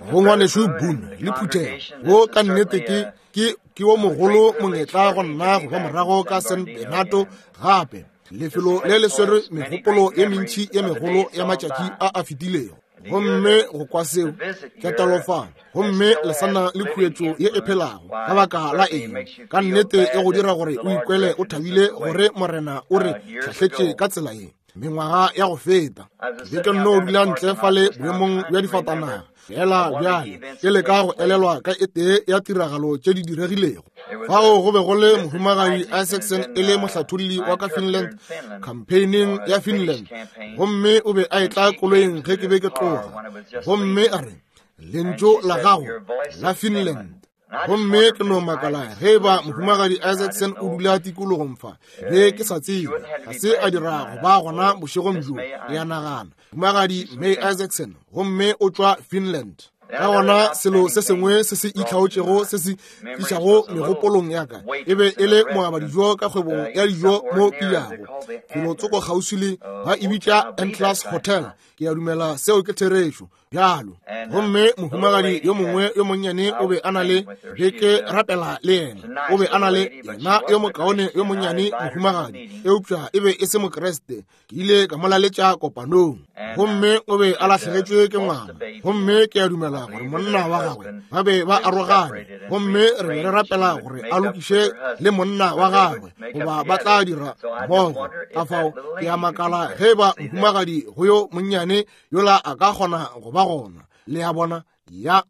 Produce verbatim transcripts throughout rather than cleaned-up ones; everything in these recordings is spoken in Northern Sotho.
Go ngwanešu Boone le phuthego, wo ka nnete ke ke ke wo mogolo monyetla go nna go ba morago ka San Bernardo gape. Lefelo le le swere megopolo ye mentši ye megolo ya matšatši a a fetilego. Gomme go kwa seo ketelo fa, gomme le sa na le khuetšo ye e phelago. Ka baka la eng? Ka nnete e go dira gore o ikwele o thabile gore Morena o re hlahletše ka tsela ye. Mengwaga ya go feta ke be ke nno dula ntle fale boemong bja difatanaga fela bjale ke leka go elelwa ka e tee ya tiragalo tše di diregilego. Fao go be go le mohumagadi Isaacson e le mohlatholli wa ka Finland campaigning ya Finland, gomme o be a etla koloing ge ke be ke tloga, gomme a re, lentšu la gago la Finland. Gomme ke no makala ge ba mohumagadi Isaacson o dula tikologong fa, be ke sa tsebe, ga se a dira go ba gona bošegong bjo, ke a nagana. Mohumagadi May Isaacson, gomme o tšwa Finland. Ka gona selo se sengwe se se itlhaotšego se se tlišago megopolong ya ka e be e le moabadijo ka kgwebong ya dijo mo ke yago felotsoko kgauswi le ba e bitša Atlas Hotel. Ke a dumela seo ke therešo bjalo. Gomme mohumagadi yo mongwe yo monnyane o be a na le, be ke rapela le yena, o be a na le yena yo mokaone yo monnyane mohumagadi, eupša e be e se Mokriste. Ke ile ka mo laletša kopanong, gomme o be a lahlegetšwe ke ngwana, gomme ke a dumela gore monna wa gagwe ba be ba arogane, gomme re be re rapela gore a lokiše le monna wa gagwe goba ba tla dira mmogo. Ka fao ke a makala ge ba mohumagadi go yo monnyane yola a ka kgona go ba gona. Le a bona? Ya.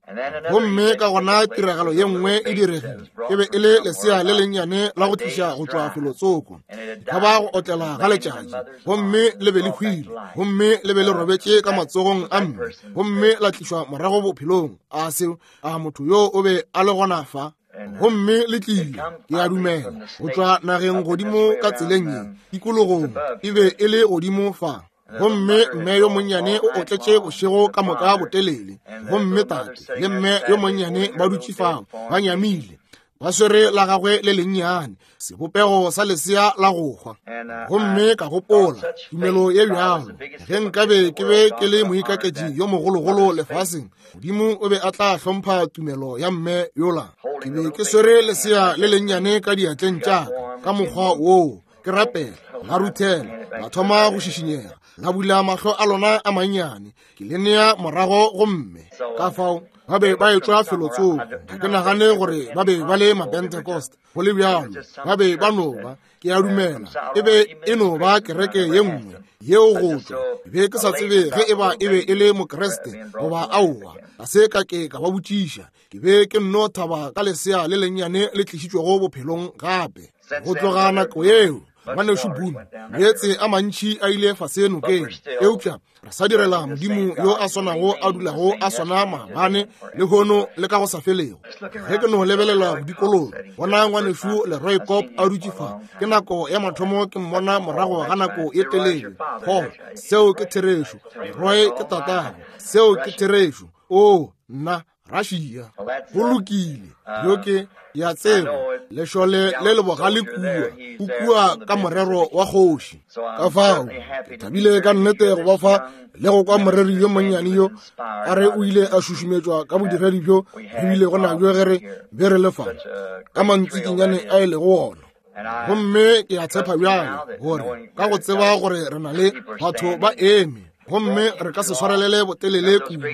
Gomme ka gona tiragalo ye nngwe e diregile. E be e le lesea le lennyane la go tliša go tšwa felotsoko, ka ba go otlela ga letšatši, gomme le be le hwile, gomme le be le robetše ka matsogong a mme, gomme la tlišwa morago bophelong. A seo, a motho yo o be a le gona fa? Gomme le tlile, ke a dumela, go tšwa nageng godimo ka tseleng ye tikologong, e be e le godimo fa. Gomme mme yo monnyane o otletše bošego ka moka botelele, gomme tate le mme yo monnyane ba dutše fao ba nyamile, ba swere la gagwe le lennyane, sebopego sa lesea la go hwa. Gomme ka gopola, tumelo ye bjalo, ge nkabe ke be ke le moikaketši yo mogologolo lefaseng, Modimo o be a tla hlompha tumelo ya mme yola. Ke be ke swere lesea le lennyane ka diatleng tša ka ka mokgwa woo, ke rapela, la ruthela, la thoma go šišinyega, la bula mahlo a lona a mannyane, ke le nea morago go mme. Ka fao ba be ba etšwa felotsoko. Ga ke nagane gore ba be ba le Mapentecost, go le bjalo ba be ba no ba, ke a dumela e be e no ba kereke ye nngwe yeo go tšwa. Be ke sa tsebe ge e ba e be e le Mokriste goba aowa, ga se ka ke ka ba botšiša. Ke be ke nno thaba ka lesea le lennyane le tlišitšwego bophelong gape. Go tloga nako yeo, ngwanešu Boone, meetse a mantši a ile fase nokeng, eupša re sa direla Modimo yo a swanago a dulago a swana maabane, lehono le ka go sa felego. Ge ke no lebelela bodikologo, bona ngwanešu Leroy Kopp a dutše fa, ke nako ya mathomo ke mmona morago ga nako ye telele. Paul, seo ke therešo. Leroy ke tatago, seo ke therešo. O nna Russia, go lokile. Yo ke ya tseba lešole le le bogale kua, o kua ka morero wa kgoši. Ka fao ke thabile ka nnete go ba fa le go kwa moreri yo monnyane yo a re o ile a šušumetšwa ka bodiredi bjo re bile go nabjo ge re be re le fa ka mantsikinyane a e lego ona. Gomme ke a tshepa bjalo gore ka go tseba gore re na le batho ba eme, gomme re ka se swarelele botelele kudu,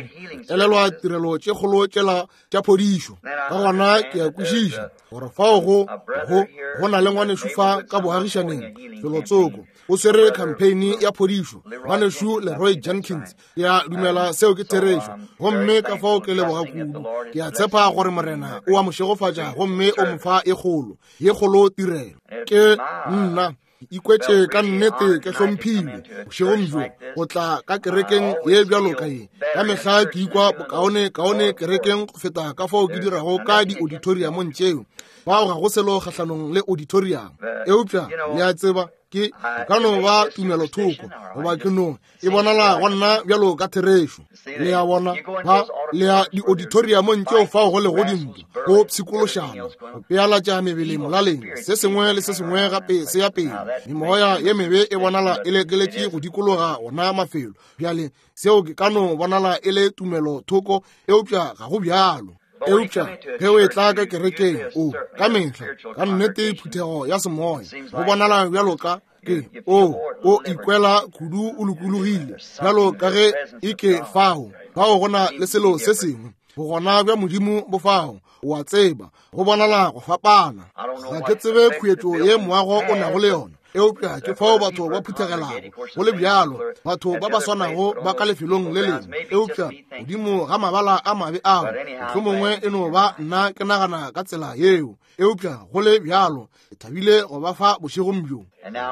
elelwa tirelo tše kgolo tšela tša phodišo. Ka gona ke a kwešiša gore fao go go go na le ngwanešu fa ka boagišaneng felotsoko, o swere campaign ya phodišo, ngwanešu Leroy Jenkins. Ke a dumela seo ke therešo, gomme ka fao ke leboga kudu. Ke a tshepa gore Morena o a mo šegofatša gomme o mo fa e kgolo ye kgolo tirelo. Ke nna ikwetše ka nnete ke hlomphile bošegong bjo go tla ka kerekeng ye bjalo ka ye. Ka mehla ke ikwa bokaone kaone kerekeng go feta ka fao ke dirago ka di-auditoriumong tšeo. Bao ga go selo kgahlanong le auditorium, eupša le a tseba Ke ka no ba tumelothoko, goba ke no e bonala go nna bjalo ka therešo. Le a bona, ba le ya di-auditoriumong tšeo fao go lego dintwa, go pshikološana, go pealatša mebele molaleng, se sengwe le se sengwe gape se ya pele. Memoya ye mebe e bonala e lekeletše go dikologa ona mafelo. Bjale seo ke ka no bonala e le tumelothoko, eupša ga go bjalo. Eupša ge o etla ka kerekeng, o ka mehla ka nnete phuthego ya semoya, go bonala bjalo ka ke o o ikwela kudu o lokologile, bjalo ka ge e ke fao fao go na le selo se sengwe, bogona bja Modimo bo fao, o a tseba, go bonala go fapana. Ga ke tsebe khuetšo ye moago o nago le yona, eupša ke fao batho ba phuthegelago. Go le bjalo, batho ba ba swanago ba ka lefelong le lengwe, eupša godimo ga mabala a mabe ao, mohlomongwe e no ba nna ke nagana ka tsela yeo. Eupša go le bjalo, ke thabile go ba fa bošegong bjo.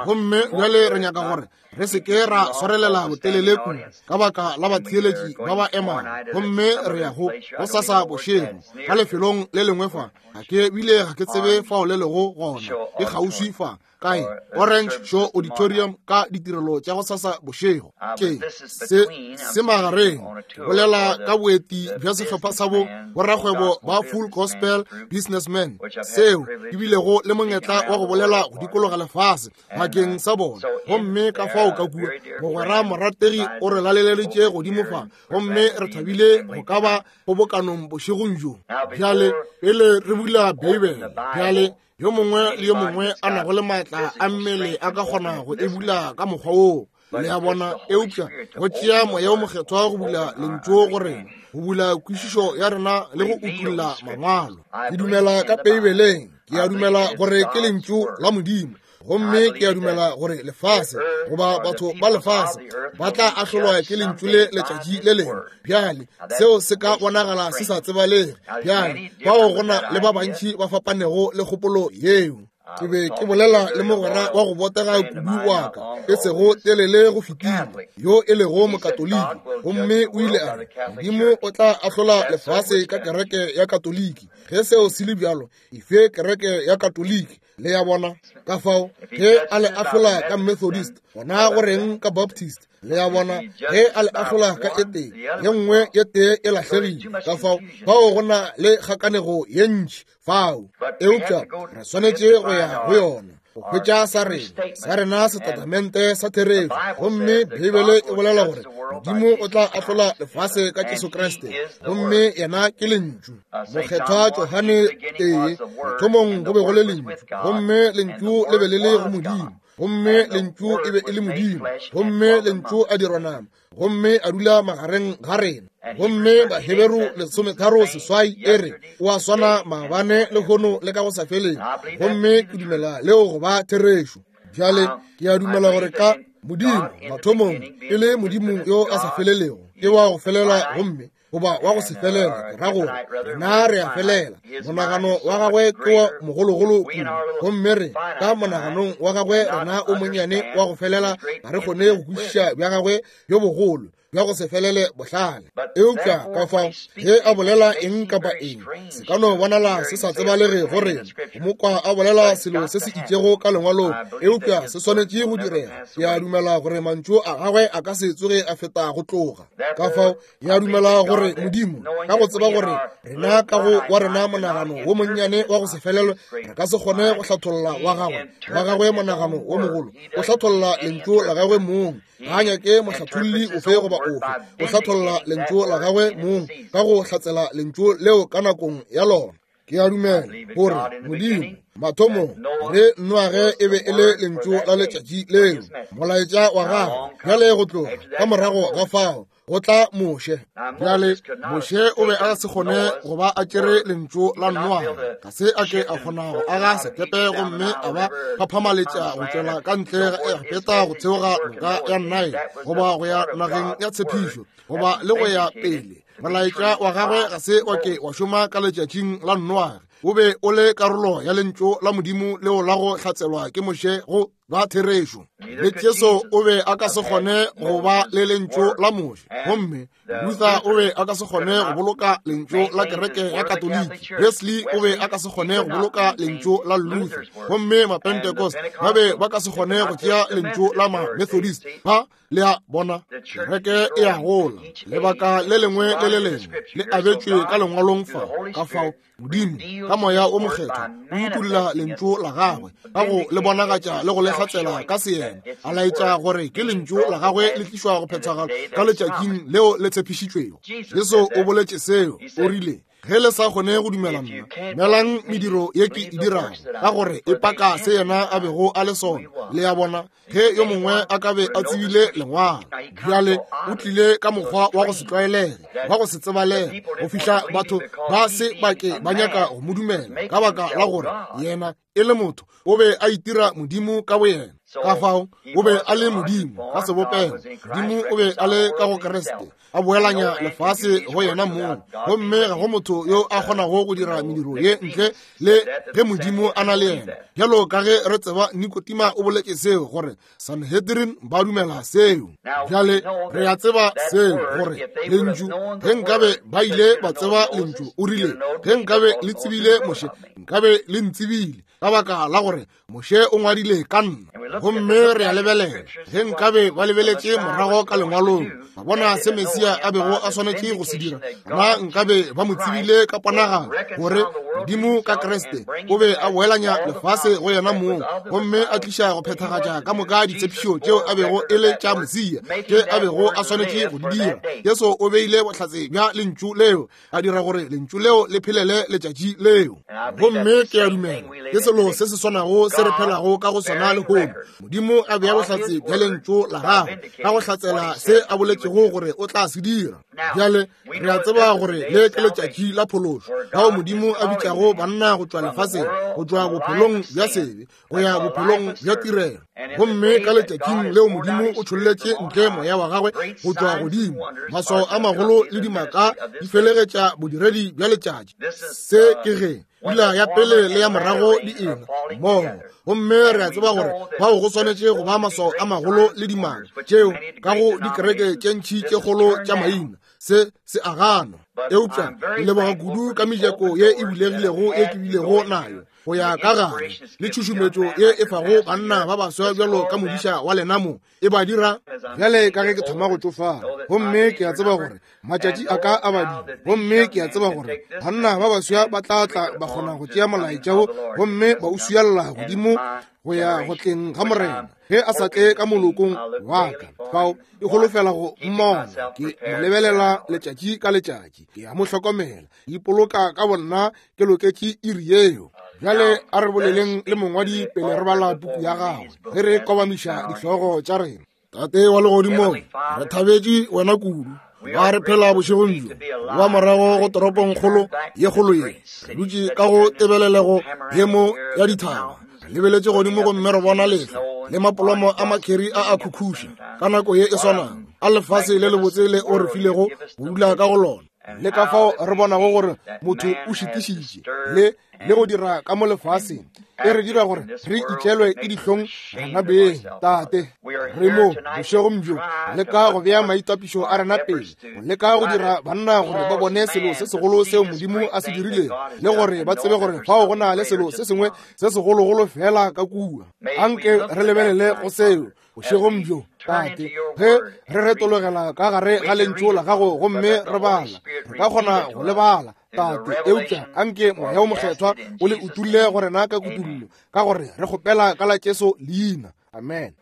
Gomme bjale re nyaka gore re se ke ra swarelela botelele kudu ka baka la batheeletši ba ba emang. Gomme re ya go gosasa bošego ka lefelong le lengwe fa, ga ke bile ga ke tsebe fao le lego gona, ke kgauswi fa kae, Orange Show Auditorium, ka ditirelo tša gosasa bošego. Ke se se magareng, ke bolela ka boeti bja sehlopha sa bo borakgwebo ba Full Gospel Businessmen, seo ke bilego le monyetla wa go bolela go dikologa lefase bakeng sa bona. Gomme ka fao ka kua, mogwera morategi o re laleleletše godimo fa, gomme re thabile go ka ba kgobokanong bošegong bjo. Bjale pele re bula Beibele, bjale yo mongwe le yo mongwe a nago le maatla a mmele a ka kgona go e bula ka mokgwa woo, le a bona. Eupša go tšea moya o mokgethwa go bula lentšu go rena, go bula kwešišo ya rena le go utulla mangwalo. Ke dumela ka Beibeleng, ke a dumela gore ke lentšu la Modimo, gomme ke a dumela gore lefase goba batho ba lefase ba tla ahlolwa ke lentšu le letšatši le lengwe. Bjale seo se ka bonagala se sa tsebalege. Bjale bao go na le ba bantši ba fapanego le kgopolo yeo. Ke be ke bolela le mogwera wa go botega kudu wa ka e sego telele go fetile, yo e lego mokatoliki, gomme o ile a re Modimo o tla ahlola lefase ka kereke ya Katoliki. Ge seo se le bjalo, efe kereke ya Katoliki? Le ya bona, ka fao ge a le ahlola ka Methodist, gona go reng ka Baptist? Le ya bona, ge a le ahlola ka e tee, ye nngwe ye tee e lahlegile. Ka fao fao go na le kgakanego ye ntši fao, eupša re swanetše go ya go yona go hwetša sa rena sa rena setatamente sa therešo. Gomme Beibele e bolela gore Modimo o tla ahlola lefase ka Jesu Kriste, gomme yena ke lentšu. Mokgethwa Johane tee, mathomong go be go le lentšu, gomme lentšu le be le le go Modimo, gomme lentšu e be e le Modimo, gomme lentšu a dirwa nama, gomme a dula magareng ga rena. Gomme Baheberu lesometharo seswai e re o a swana maabane lehono le ka go sa feleng, gomme ke dumela leo go ba therešo. Bjale ke a dumela gore ka Modimo mathomong e le Modimo yo a sa felelego, ke wa go felela gomme goba wa go se felela, ke ra gore rena re a felela. Monagano wa gagwe ke wa mogologolo kudu, gomme re ka monaganong wa gagwe rena o monnyane wa go felela ga re kgone go kwešiša bja gagwe bjo bogolo bja go se felele bohlale. Eupša ka fao ge a bolela eng kapa eng, se ka no bonala se sa tsebalege go rena. Go mo kwa a bolela selo se se itšego ka lengwalong, eupša se swanetše go direga. Ke a dumela gore mantšu a gagwe a ka se tsoge a feta go tloga. Ka fao ke a dumela gore Modimo, ka go tseba gore rena ka go wa rena monagano wo monnyane wa go se felelwe re ka se kgone go hlatholla wa gagwe wa gagwe monagano wo mogolo, o hlatholla lentšu la gagwe mong. Ga a nyake mohlatholli ofe goba ofe, o hlatholla lentšu la gagwe mong ka go hlatsela lentšu leo ka nakong ya lona. Ke a dumela gore Modimo mathomong re Noage e be e le lentšu la letšatši leo, molaetša wa gagwe. Bjale go tloga ka morago ga fao go tla Moshe. Bjale Moshe o be a se kgone go ba a tšere lentšu la Noage, ga se a ke a kgona go aga sekepe gomme a ba phaphamaletša go tšwela ka ntle ga Egepeta go theoga noka ya Nile goba go ya nageng ya tshepišo goba le go ya pele. Molaetša wa gagwe ga se wa ke wa šoma ka letšatšing la Noage, o be o le karolo ya lentšu la Modimo leo la go hlatselwa ke Moshe go ba therešo. Le Jesu o be a ka se kgone go ba le lentšu la Moshe, gomme Luther o be a ka se kgone go boloka lentšu la kereke ya Katoliki, Wesley o be a ka se kgone go boloka lentšu la Luther, gomme Mapentecost ba be ba ka se kgone go tšea lentšu la Ma-Methodist. Ba le a bona, kereke e a gola. Lebaka le lengwe le le lengwe le abetšwe ka lengwalong fa. Ka fao Modimo ka moya o mokgethwa o utolla lentšu la gagwe ka go le bonagatša le go le hlatsela ka seyena, a laetša gore ke lentšu la gagwe le tlišwa go phethagala ka letšatšing leo le tshepišitšwego. Jesu o boletše seo, o rile, ge le sa kgone go dumela nna, dumelang mediro ye ke e dirago, ka gore e paka se yena a bego a le sona. Le a bona, ge yo mongwe a ka be a tsebile lengwalo. Bjale o tlile ka mokgwa wa go se tlwaelege, wa go se tsebalege, go fihla batho ba se bake ba nyaka go mo dumela ka baka la gore yena e le motho o be a itira Modimo ka boyena. Ka fao o be a le Modimo ka sebopego. Modimo o be a le ka go Kriste, a boelanya lefase go yena mong, gomme ga go motho yo a kgonago go dira mediro ye ntle le ge Modimo a na le yena. Bjalo ka ge re tseba, Nikotima o boletše seo, gore Sanhedrin ba dumela seo. Bjale re a tseba seo, gore lentšu, ge nkabe ba ile ba tseba lentšu, o rile, ge nkabe le tsebile Moshe, nkabe le ntsebile, ka baka la gore Moshe o ngwadile ka nna. Gomme re a lebelela, ge nkabe ba lebeletše morago ka lengwalong, ba bona se Mesia a bego a swanetše go se dira, na nkabe ba mo tsebile ka ponagalo, gore Modimo ka Kriste o be a boelanya lefase go yena mong, gomme a tliša go phethagatša ka moka ditshepišo tšeo a bego e le tša Mesia, tše a bego a swanetše go di dira. Jesu o beile bohlatse bja lentšu leo, a dira gore lentšu leo le phelele letšatši leo. Gomme ke a dumela ke selo se se swanago se re phelago ka go sona lehono. Modimo a bea bohlatse bja lentšu la gagwe ka go hlatsela se a boletšego gore o tla se dira. Bjale re a tseba gore le ke letšatši la phološo, fao Modimo a bitšago banna go tšwa lefaseng, go tšwa bophelong bja sebe go ya bophelong bja tirelo. Gomme ka letšatšing leo Modimo o tšholletše ntle moya wa gagwe go tšwa godimo, maswao a magolo le dimaka di felegetša bodiredi bja letšatši. Se ke ge pula ya pele le ya morago di ena mmogo, gomme re a tseba gore bao go swanetše go ba maswao a magolo le dimaka tšeo ka go dikereke tše ntši tše kgolo tša maina. Se se a ganwa, eupša ke leboga kudu ka mejako ye e bulegilego ye ke bilego nayo go ya ka gare, le tšhušumetšo ye e fago banna ba baswa bjalo ka modiša wa lena mo e ba dira. Bjale ka ge ke thoma go tšofala, gomme ke a tseba gore matšatši a ka a badile, gomme ke a tseba gore banna ba baswa ba tla tla ba kgona go tšea molaetša wo gomme ba o swiella godimo go ya go tleng ga Morena, ge a sa tle ka molokong wa ka. Fao e holofela go mmona, ke mo lebelela letšatši ka letšatši, ke a mo hlokomela, ipoloka ka bonna ke loketše iri yeo. Bjale a re boleleng le mongwadi pele re bala puku ya gagwe, ge re kobamiša dihlogo tša rena. Tate wa legodimong, re thabetše wena kudu. Ba re phela bošegong bjo, ba morago go toropongkgolo ye kgolo ye, re dutše ka go tebelelego ye mo ya dithaba, re lebeletše godimo gomme re bona lehlwa le mapolomo a makheri a a khukhuša ka nako ye e swanago a lefase le lebotse le o re filego go dula ka go lona. Le ka fao re bonago gore motho o šitišitše le le go dira ka mo lefaseng, e re dira gore re itlelwe ke dihlong rena beng. Tate, re mo bošegong bjo le ka go bea maitapišo a rena pele, go leka go dira banna gore ba bone selo se segolo seo Modimo a se dirilego, le gore ba tsebe gore fao go na le selo se sengwe se segologolo fela ka kua. Anke re lebelele go seo bošegong bjo, Tate, ge re retologela ka gare ga lentšu la gago gomme re bala, re ka kgona go le bala, Tate, eupša anke moya o mokgethwa o le utulle go rena ka kutullo, ka gore re kgopela ka la Jesu leina. Amen.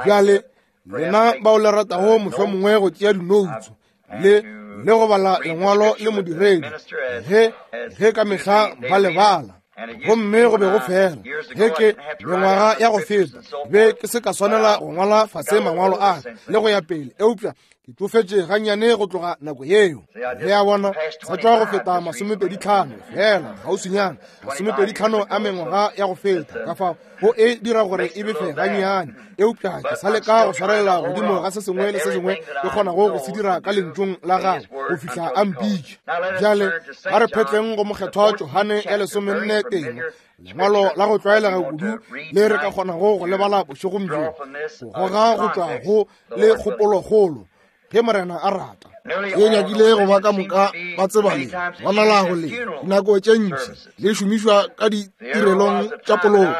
Bjale lena bao le ratago mohlomongwe go tšea dinoutso le le go bala lengwalo le modiredi, ge ge ka mehla ba le bala, gomme go be go fela ge ke mengwaga ya go feta be ke se ka swanela go ngwala fase mangwalo a le go ya pele, eupša Ke tšofetše gannyane go tloga nako yeo. Le a bona, sa tšwa go feta masomepedi tlhano fela kgauswinyana, masomepedi tlhano a mengwaga ya go feta. Ka fao go e dira gore e befe gannyane, eupša ke sa leka go swarelela godimo ga se sengwe le se sengwe ke kgonago go se dira ka lentšong la gagwe go fihla a mpitše. Bjale a re phetleng go Mokgethwa Johane ya lesomenne teng, lengwalo la go tlwaelega kudu le re ka kgonago go lebala bošegong bjo, go goga go tšwa go le kgopolokgolo, ge Morena a rata. Ke nyakile go ba ka moka ba tseba le bonalago le dinako tše ntši le šomišwa ka ditirelong tša poloko.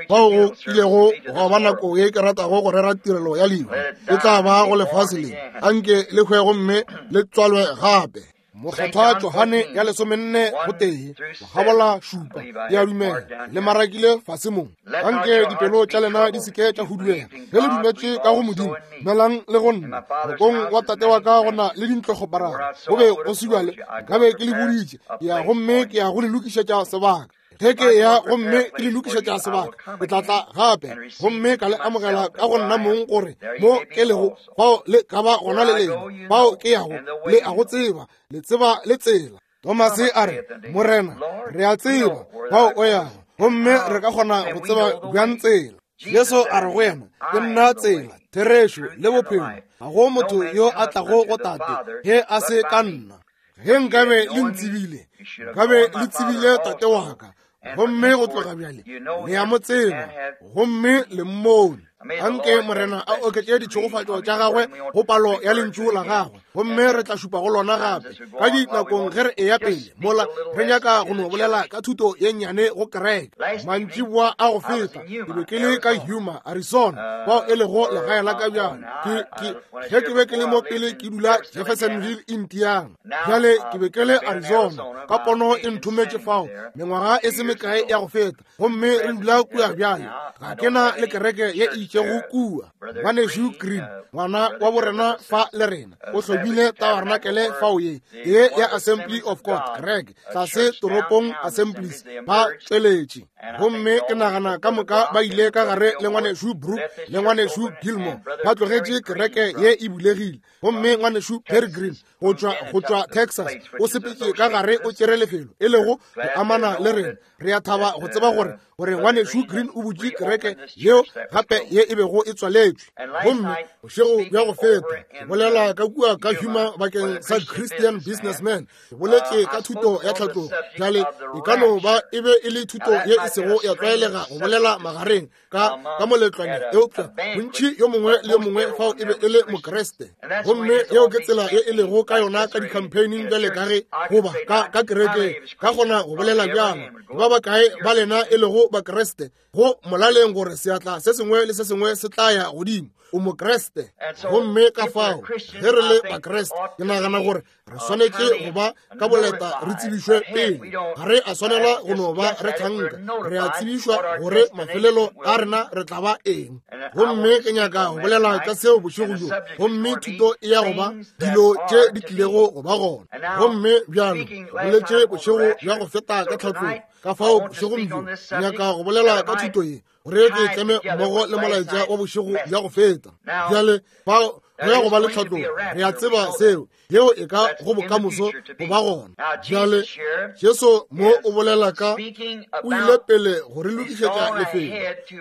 Fao go kilego gwa ba nako ye ke ratago go rera tirelo ya lehu, e tla ba go lefase le, anke le hwe gomme le tswalwe gape. Mokgethwa Johane ya lesomenne go tee, gabola šupa, ke a dumela le marakile fase mo. Anke dipelo tša lena di seke tša huduega. Ge le dumetše ka go Modimo, dumelang le go nna. Ngwakong wa tate wa ka go na le dintlokgoparara. Go be go se bjale, nkabe ke le boditše. Ke ya gomme ke ya go le lokišetša sebaka. Ge ke ya gomme ke le lokišetša sebaka, ke tla tla gape gomme ka le amogela ka go nna mong, gore mo ke lego fao le ka ba gona le lena. Fao ke yago le a go tseba, le tseba le tsela. Tomase a re, Morena, re a tseba fao o yago, gomme re ka kgona go tseba bjang tsela? Jesu a re go yena, ke nna tsela, therešo le bophelo. Ga go motho yo a tlago go Tate ge a se ka nna. Ge nkabe le ntsebile, nkabe le tsebile Tate wa ka, gomme go tloga bjale le a mo tseba gomme le mmone. Anke Morena a oketše ditšhegofatšo tša gagwe go palo ya lentšu la gagwe, gomme re tla šupa go lona gape ka dinakong ge re eya pele. Mola re nyaka go no bolela ka thuto ye nnyane go kereke. Mantšiboa a go feta ke be ke le ka Yuma, Arizona, fao e lego legae la ka bjale. Ke ke ge ke be ke le mo pele ke dula Jeffersonville, Indiana. Bjale ke be ke le Arizona ka pono e nthometše fao mengwaga e se mekae ya go feta, gomme re dula kua bjale. Ga ke na le kereke ye e itšego kua. Ngwanešu Green, ngwana wa borena fa le rena, o hlomile tabarnakele fao ye ye ya Assembly of God kereke tlase toropong Assemblies ba tšweletše. Gomme ke nagana ka moka ba ile ka gare le ngwanešu Brook le ngwanešu Gilmore, ba tlogetše kereke ye e bulegile. Gomme ngwanešu Perry Green go tšwa go tšwa Texas o sepetše ka gare o tšere lefelo e lego go amana le rena. Re a thaba go tseba gore gore ngwanešu Green o butše kereke yeo gape ye e bego e tswaletšwe. Gomme bošego bja go feta ke bolela ka kua ka Yuma bakeng sa Christian Businessman, ke boletše ka thuto ya tlhatlogo. Bjale e ka no ba e be e le thuto ye e sego ya tlwaelega go bolela magareng ka ka moletlwaneng, eupša bontši yo mongwe le yo mongwe fao e be e le Mokreste. Gomme yeo ke tsela ye e lego ka yona ka di-campaigning bjale ka ge goba ka ka kerekeng. Ka kgona go bolela bjalo, ba bakae ba lena e lego Bakreste, go molaleng gore seatla se sengwe le se sengwe se tla ya godimo. O Mokreste. Gomme ka fao ge re le Bakreste, ke nagana gore re swanetše go ba ka boleta re tsebišwe pele. Ga re a swanela go no ba re thanka, re a tsebišwa gore mafelelo a rena re tla ba eng. Gomme ke nyaka go bolela ka seo bošego bjo, gomme thuto e ya go ba dilo tše di tlilego go ba gona. Gomme bjalo boletše bošego bja go feta ka tlhatlogo. Ka fao bošegong bjo ke nyaka go bolela ka thuto ye, gore ke tleme mmogo le molaetša wa bošego bja go feta. Bjale fao go ya go ba le tlhatlogo, re a tseba seo, yeo e ka go bokamoso go ba gona. Bjale Jesu mo o bolela ka o ile pele go re lokišetša lefelo,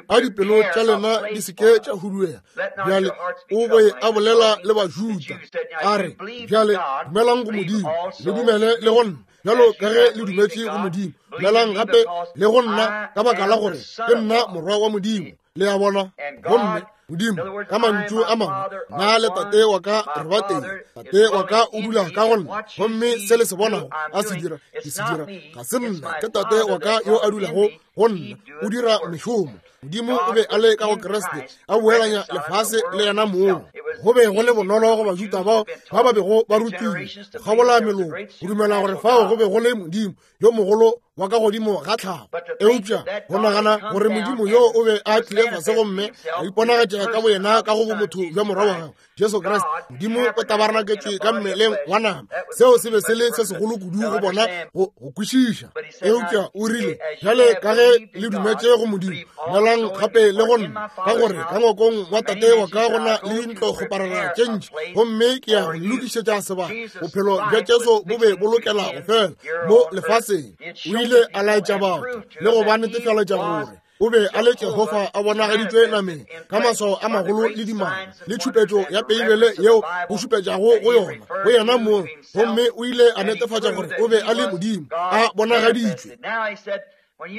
a dipelo tša lena di seke tša huduega. Bjale o be a bolela le Bajuda a re, bjale dumelang go Modimo, le dumele le go nna. Bjalo ka ge le dumetše go Modimo, dumelang gape le go nna, ka baka la gore ke nna morwa wa Modimo. Le a bona? Gomme Modimo, ka mantšu a mangwe, nna le tate wa ka re ba tee. Tate wa ka o dula ka go nna, gomme se le se bonago a se dira, ke se dira. Ga se nna, ke tate wa ka yo a dulago go nna, o dira mešomo. Modimo o be a le ka go Kriste, a boelanya lefase le yena mong. Go be go le bonolo go Bajuda bao ba ba bego ba rutilwe go kgabola meloko go dumela gore fao go be go le Modimo yo mogolo wa ka godimo ga tlhago. Eupša go nagana gore Modimo yo o be a tlile fase gomme a iponagatša ka boyena ka go bomotho bja morwa wa gagwe, Jesu Kriste, Modimo o tabarenaketšwe ka mmeleng wa nama. Seo se be se le se segolo kudu go bona go go kwešiša. Eupša o rile, bjale ka ge le dumetše go Modimo, dumelang gape le go nna, ka gore ka ngwakong wa Tate wa ka go na le dintlokgoparara tše ntši, gomme ke ya go le lokišetša sebaka. Bophelo bja Jesu bo be bo lokela go fela mo lefaseng. O ile a laetša batho le go ba netefaletša gore o be a le Jehofa a bonagaditšwe nameng ka maswao a magolo le dimaka le tšhupetšo ya Beibele yeo go šupetšago go yona go yena mong, gomme o ile a netefatša gore o be a le Modimo a bonagaditšwe.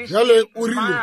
Bjale o rile,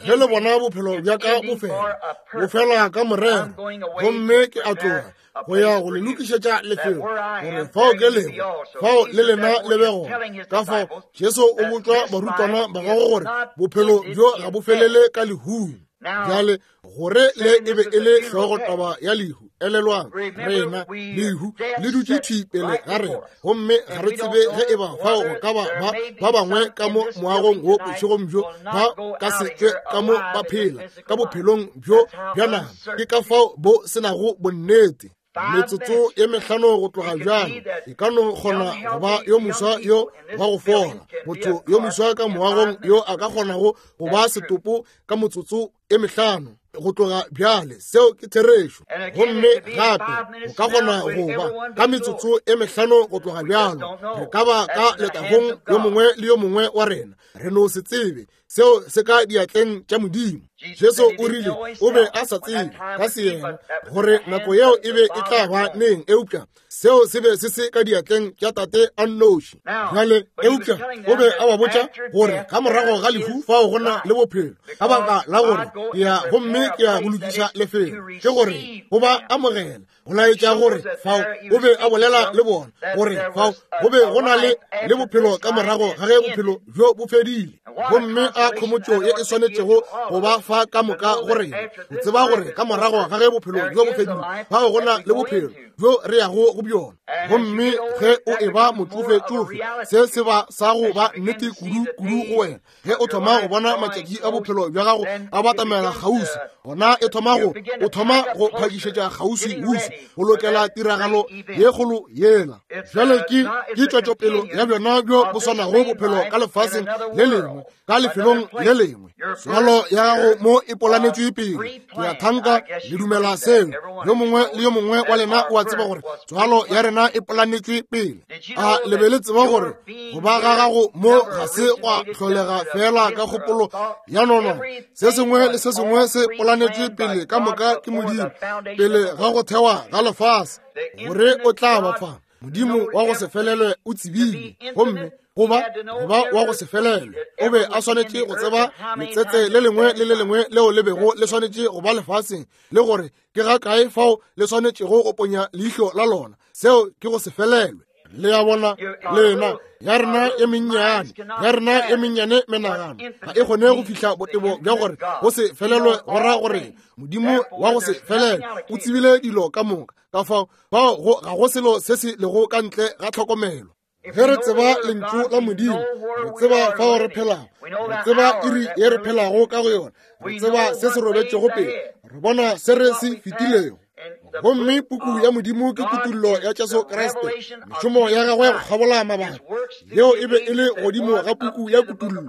ge le bona bophelo bja ka bo fela, bo fela ka morero, gomme ke a tloga go ya go le lokišetša lefelo, gore fao ke lego, fao le lena le be gona. Ka fao Jesu o botšwa barutwana ba gagwe gore bophelo bjo ga bo felele ka lehung. Bjale gore le e be e le hlogotaba ya lehu, elelwang rena lehu le dutše thwi pele ga rena, gomme ga re tsebe ge e ba fao go ka ba ba ba bangwe ka mo moagong wo bošegong bjo ba ka se tšwe ka mo ba phela ka bophelong bjo bja nama. Ke ka fao bo se nago bonnete. Metsotso ye mehlano go tloga bjalo e ka no kgona go ba yo moswa yo wa go fola, motho yo moswa ka moagong yo a ka kgonago go ba setopo ka motsotso e mehlano go tloga bjale. Seo ke therešo. Gomme gape go ka kgona go ba ka metsotso e mehlano go tloga bjalo re ka ba ka letagong yo mongwe le yo mongwe wa rena, re no se tsebe. Seo se ka diatleng tša Modimo. Jesu o rile o be a sa tsebe ka seyena gore nako yeo e be e tla ba neng, eupša seo se be se se ka diatleng tša Tate a nnoši. Bjale eupša o be a ba botša gore ka morago ga lehu fao go na le bophelo, ka baka la gore ke ya gomme ke ya go lokiša lefelo, ke gore go ba amogela, go laetša gore fao o be a bolela le bona gore fao go be go na le le bophelo ka morago ga ge bophelo bjo bo fedile. Gomme a khomotšo ye e swanetšego go ba fa ka moka go rena, go tseba gore ka morago ga ge bophelo bjo bo fedile fao go na le bophelo bjo re yago go bjona. Gomme ge o e ba motšofetšofe, se se ba sa go ba nnete kudu kudu go wena. Ge o thoma go bona matšatši a bophelo bja gago a batamela kgauswi, gona e thoma go o thoma go phakišetša kgauswi-uswi go lokela tiragalo ye kgolo yela. Bjale ke ke tšwetšopelo ya bjona bjo bo swanago bophelo ka lefaseng le lengwe, ka lefelong le lengwe. Tswalo ya gago mo e polanetšwe pele. Ke a thanka le dumela seo. Yo mongwe le yo mongwe wa lena o a tseba gore tswalo ya rena e polanetšwe pele. A le be le tseba gore go ba ga gago mo ga se gwa hlolega fela ka kgopolo ya nono? Se sengwe le se sengwe se polanetšwe pele ka moka ke Modimo pele ga go thewa ga lefase, gore o tla ba fa. Modimo wa go se felelwe o tsebile, gomme goba goba wa go se felelwe o be a swanetše go tseba letsetse le lengwe le le lengwe leo le bego le swanetše go ba lefaseng, le gore ke ga kae fao le swanetšego go ponya leihlo la lona. Seo ke go se felelwe. Le ya bona lena ya rena e mennyane, ya rena e mennyane menagano ga e kgone go fihla botebo bja gore go se felelwe go ra gore Modimo wa go se felelwe o tsebile dilo ka moka. Ka fao bao ga go selo se se lego ka ntle ga tlhokomelo. Ge re tseba lentšu la Modimo, re tseba fao re phelago, re tseba iri ye re phelago ka go yona, re tseba se se robetšego pele, re bona se re se fetilego. Gomme puku ya Modimo ke kutullo ya Jesu Kriste, mešomo ya gagwe go kgabola mabaka, yeo e be e le godimo ga puku ya kutullo,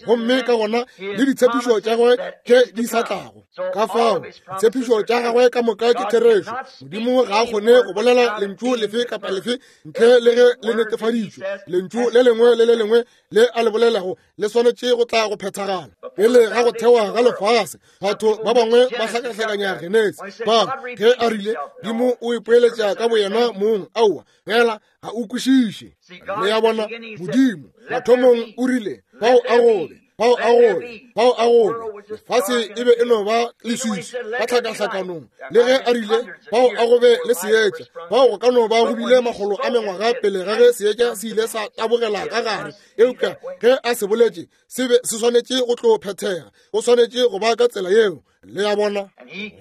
gomme ka gona le ditshepišo tša gagwe tše di sa tlago. Ka fao ditshepišo tša gagwe ka moka ke therešo. Modimo ga a kgone go bolela lentšu lefe kapa lefe ntle le ge le netefaditšwe. Lentšu le lengwe le le lengwe le a le bolelago le swanetše go tla go phethagala. Pele ga go thewa ga lefase, batho ba bangwe ba hlakahlakanya Genesi ba ge a rile Modimo o ipoeletša ka boyena mong. Aowa, fela ga o kwešiše. Le ya bona, Modimo mathomong o rile fao a gobe, fao a gobe, fao a gobe. Lefase e be e no ba leswiswi ka tlhakahlakanong. Le ge a rile fao a gobe le seetša, fao go ka no ba go bile makgolo a mengwaga pele ga ge seetša se ile sa tabogela ka gare. Eupša ge a se boletše, se be se swanetše go tlo phethega, go swanetše go ba ka tsela yeo. Le ya bona,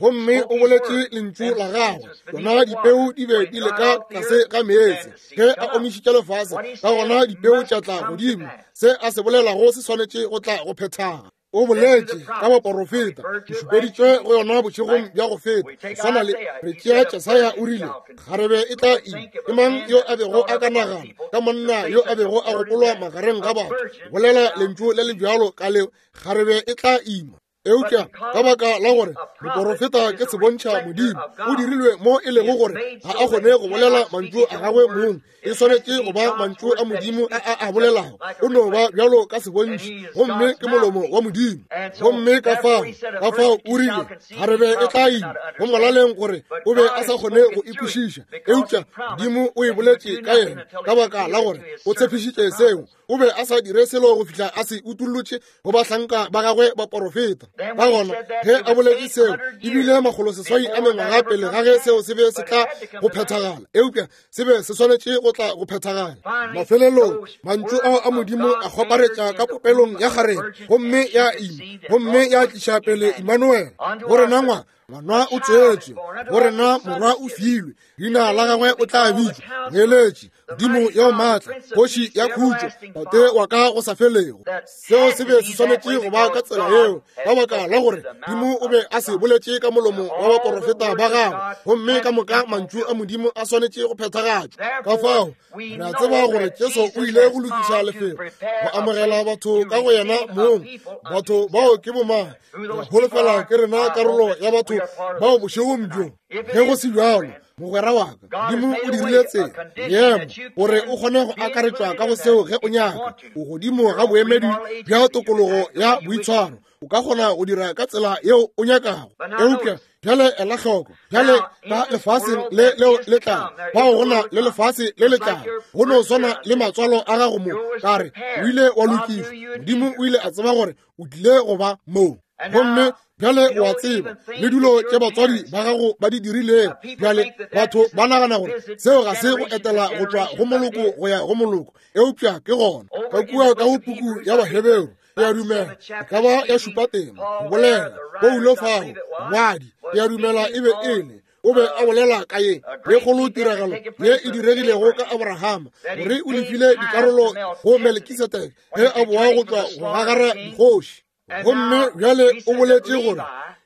gomme o boletše lentšu la gagwe. Tsona dipeu di be di le ka tlase ga meetse. Ge a omišitše lefase, ka gona dipeu tša tla godimo. Se a se bolelago se swanetše go tla go phethaga. O boletše ka baporofeta, ke šupeditšwe go yona bošegong bja go feta. Swana le re tšea Jesaya o rile, kgarebe e tla ima. Ke mang yo a bego a ka nagana ka monna yo a bego a gopolwa magareng ga batho? Bolela lentšu le le bjalo ka leo, kgarebe e tla ima. Eupša ka baka la gore moporofeta ke sebontšha Modimo, o dirilwe mo e lego gore ga a kgone go bolela mantšu a gagwe mong, e swanetše go ba mantšu a Modimo a a a bolelago. O no ba bjalo ka sebontšhi, gomme ke molomo wa Modimo. Gomme ka fao, ka fao o rile kgarebe e tla ima, go molaleng gore o be a sa kgone go ikwešiša, eupša Modimo o e boletše ka yena ka baka la gore o tshepišitše seo. O be a sa dire selo go fihla a se utullotše go bahlanka ba gagwe ba porofeta. Ka gona ge a boletše seo, ebile makgolo seswai a mengwaga pele ga ge seo se be se tla go phethagala, eupša se be se swanetše go tla go phethagala. Mafelelong mantšu ao a Modimo a kgwaparetša ka popelong ya kgarebe, gomme ya ima, gomme ya tliša pele Immanuel. Go rena ngwana, ngwana o tswetšwe, go rena morwa o filwe, leina la gagwe o tla bitšwa Moeletši, Modimo yo maatla, Kgoši ya khutšo, Tate wa ka go sa felego. Seo se be se swanetše go ba ka tsela yeo, ka baka la gore Modimo o be a se boletše ka molomo wa baporofeta ba gagwe, gomme ka moka mantšu a Modimo a swanetše go phethagatšwa. Ka fao re a tseba gore Jesu o ile go lokiša lefelo go amogela batho ka go yena mong. Batho bao ke bomang? Re holofela ke rena karolo ya batho bao bošegong bjo. Ge go se bjalo, mogwera wa ka, Modimo o dirile tsela yemo gore o kgone go akaretšwa ka go seo ge o nyaka. O godimo ga boemedi bja tokologo ya boitshwaro, o ka kgona go dira ka tsela yeo o nyakago. Eupša bjale ela hloko, bjale ka lefaseng le leo le tlago, bao go na le lefase le le tlago, go no swana le matswalo a gago mo. Ka re o ile wa lokišwa, Modimo o ile a tseba gore o tlile go ba moo. Gomme bjale o a tseba le dilo tše batswadi ba gago ba di dirilego. Bjale batho ba nagana gore seo ga se go etela go tšwa go moloko go ya go moloko, eupša ke gona ka kua ka go puku ya Baheberu, ke a dumela e ka ba ya šupa tema go bolela Paulo fao ngwadi, ke a dumela e be e le o be a bolela ka ye ye kgolo tiragalo ye e diregilego ka Abrahama, gore o lefile dikarolo go Melkisedeke ge a boa go tšwa go gagara dikgoši. Gomme bjale o boletše gore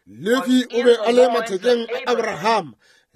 Lefi o be a le mathekeng a Abrahama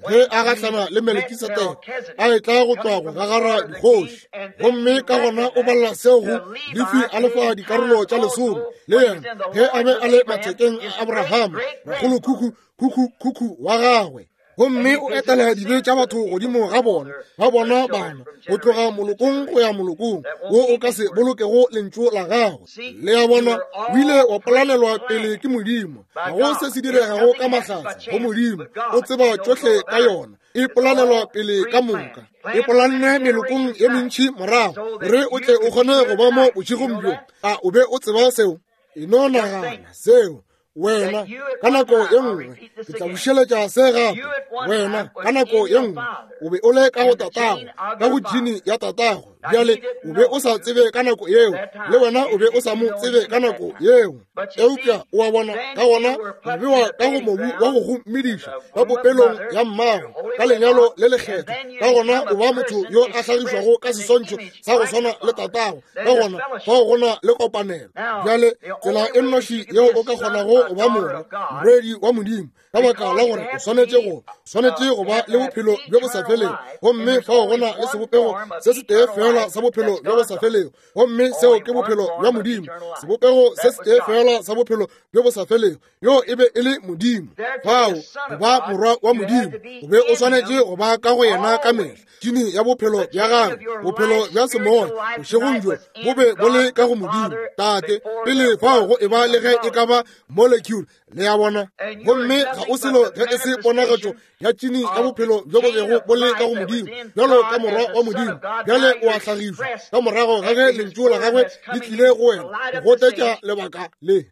ge a gahlana le Melkisedeke a etla go tšwa go gagara dikgoši. Gomme ka gona o balla seo go Lefi a lefa dikarolo tša lesome le yena ge a be a le mathekeng a Abrahama, rakgolo khukhu khukhu khukhu wa gagwe. Gomme o etela dibe tša batho godimo ga bona, ba bona bana go tloga molokong go ya molokong wo o ka se bolokego lentšu la gagwe. Le a bona, o ile wa polanelwa pele ke Modimo. Ga go se se diregago ka mahlatse go Modimo, o tseba tšohle ka yona. E polanelwa pele ka moka, e polanne melokong ye mentši morago, gore o tle o kgone go ba mo bošegong bjo. A o be o tseba seo? E no nagana seo. Wena ka nako ye nngwe, ke tla bušeletša se gape. Wena ka nako ye nngwe o be o le ka go tatago, ka go jini ya tatago. Bjale o be o sa tsebe ka nako yeo, le wena o be o sa mo tsebe ka nako yeo. Eupša o a bona, ka gona o bewa ka go mobu wa go go mediša ka popelong ya mmago ka lenyalo le lekgetho. Ka gona o ba motho yo a hlagišwago ka seswantšho sa go swana le tatago. Ka gona fao go na le kopanelo. Bjale tsela e nnoši yeo o ka kgonago go ba morwa morwedi wa Modimo, ka baka la gore o swanetše go swanetše go ba le bophelo bjo bo sa felego, gomme fao go na le sebopego se se tee fela sa bophelo bjo bo sa felego, gomme seo ke bophelo bja Modimo. Sebopego se se tee fela sa bophelo bjo bo sa felego, yo e be e le Modimo. Fao go ba morwa wa Modimo, o be o swanetše go ba ka go yena ka mehla, tšini ya bophelo bja gagwe, bophelo bja semoya bošegong bjo bo be bo le ka go Modimo Tate pele fao go e ba le ge e ka ba molecule. Le a bona? Gomme ga o selo ge e se ponagatšo ya tšini ya bophelo bjo bo bego bo le ka go Modimo, bjalo ka morwa wa Modimo. Bjale o a hlagišwa ka morago ga ge lentšu la gagwe le tlile go wena go gotetša lebaka le.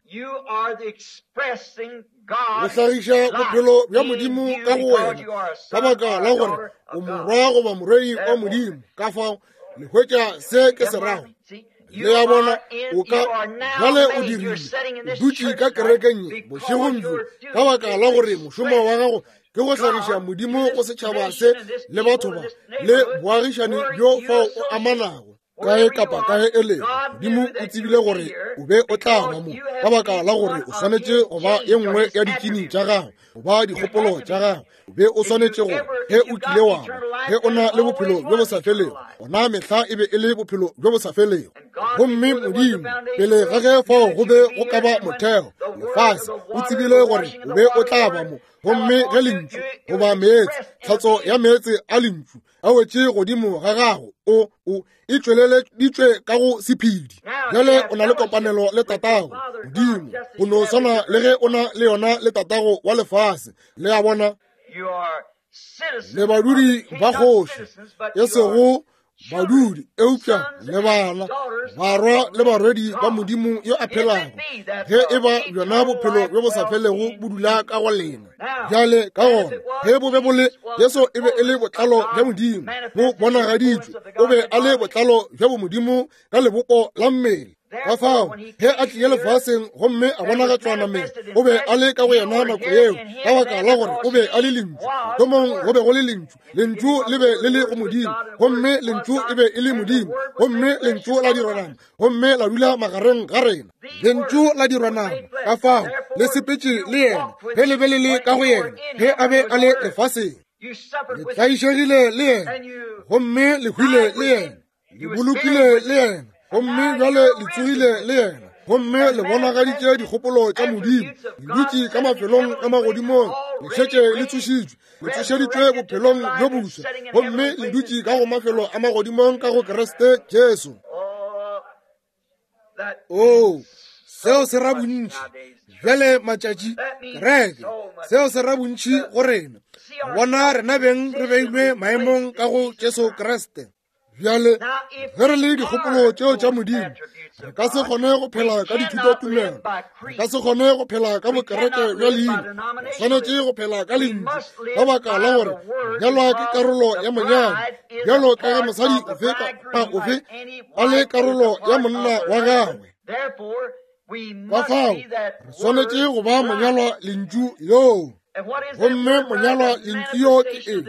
O hlagiša bophelo bja Modimo ka go wena ka baka la gore o morwa goba morwedi wa Modimo. Ka fao le hwetša se ke se rago. Le a bona, o ka bjale o dirile, o dutše ka kerekeng ye bošegong bjo ka baka la gore mošomo wa gago ke go hlagiša Modimo go setšhaba se le batho ba le boagišani bjo fao o amanago. Kae kapa kae e lego, Modimo o tsebile gore o be o tla ba mo, ka baka la gore o swanetše go ba ye nngwe ya ditšini tša gago, goba dikgopolo tša gago. O be o swanetše go, ge o kile wa ba, ge o na le bophelo bjo bo sa felego, gona mehla e be e le bophelo bjo bo sa felego. Gomme Modimo, pele ga ge fao go be go ka ba motheo, lefase, o tsebile gore o be o tla ba mo. Gomme ge lentšu goba meetse, tlhatso ya meetse a lentšu a wetše godimo ga gago, o o e tšweleleditšwe ka go sephedi. Bjale o na le kopanelo le tatago Modimo, go no swana le ge o na le yona le tatago wa lefase. Le a bona, le badudi ba kgoši, e sego badudi, eupša le bana, barwa le barwedi ba Modimo yo a phelago, ge e ba bjona bophelo bjo bo sa felego bo dula ka go lena. Bjale ka gona, ge bo be bo le, Jesu e be e le botlalo bja Modimo bo bonagaditšwe, o be a le botlalo bja bomodimo ka lebopo la mmele. Ka fao, ge a tlile lefaseng gomme a bonagatšwa nameng, o be a le ka go yena nako yeo, ka baka la gore o be a le lentšu. Thomong go be go le lentšu, lentšu le be le le go Modimo, gomme lentšu e be e le Modimo, gomme lentšu la dirwa nama, gomme la dula magareng ga rena. Lentšu la dirwa nama, ka fao le sepetše le yena ge le be le le ka go yena, ge a be a le lefaseng. Le tlaišegile le yena, gomme le hwile le yena, le bolokile le yena, gomme bjale le tsogile le yena, gomme le bonagaditše dikgopolo tša Modimo. Le dutše ka mafelong a magodimong, le šetše le tsošitšwe, le tsošeditšwe bophelong bjo boswa, gomme le dutše ka go mafelo a magodimong ka go Kriste Jesu. Oo, seo se ra bontši bjale matšatši, kereke, seo se ra bontši go rena. Bona rena beng re beilwe maemong ka go Jesu Kriste. Bjale ge re le dikgopolo tšeo tša Modimo, re ka se kgone go phela ka dithutotumelo, re ka se kgone go phela ka bokereke bja leina, re swanetše go phela ka lentšu, ka baka la gore monyalwa ke karolo ya monyadi, bjalo ka ge mosadi ofe kapa ofe a le karolo ya monna wa gagwe. Ka fao re swanetše go ba monyalwa lentšu yoo. Gomme monyalwa lentšu yo ke eng?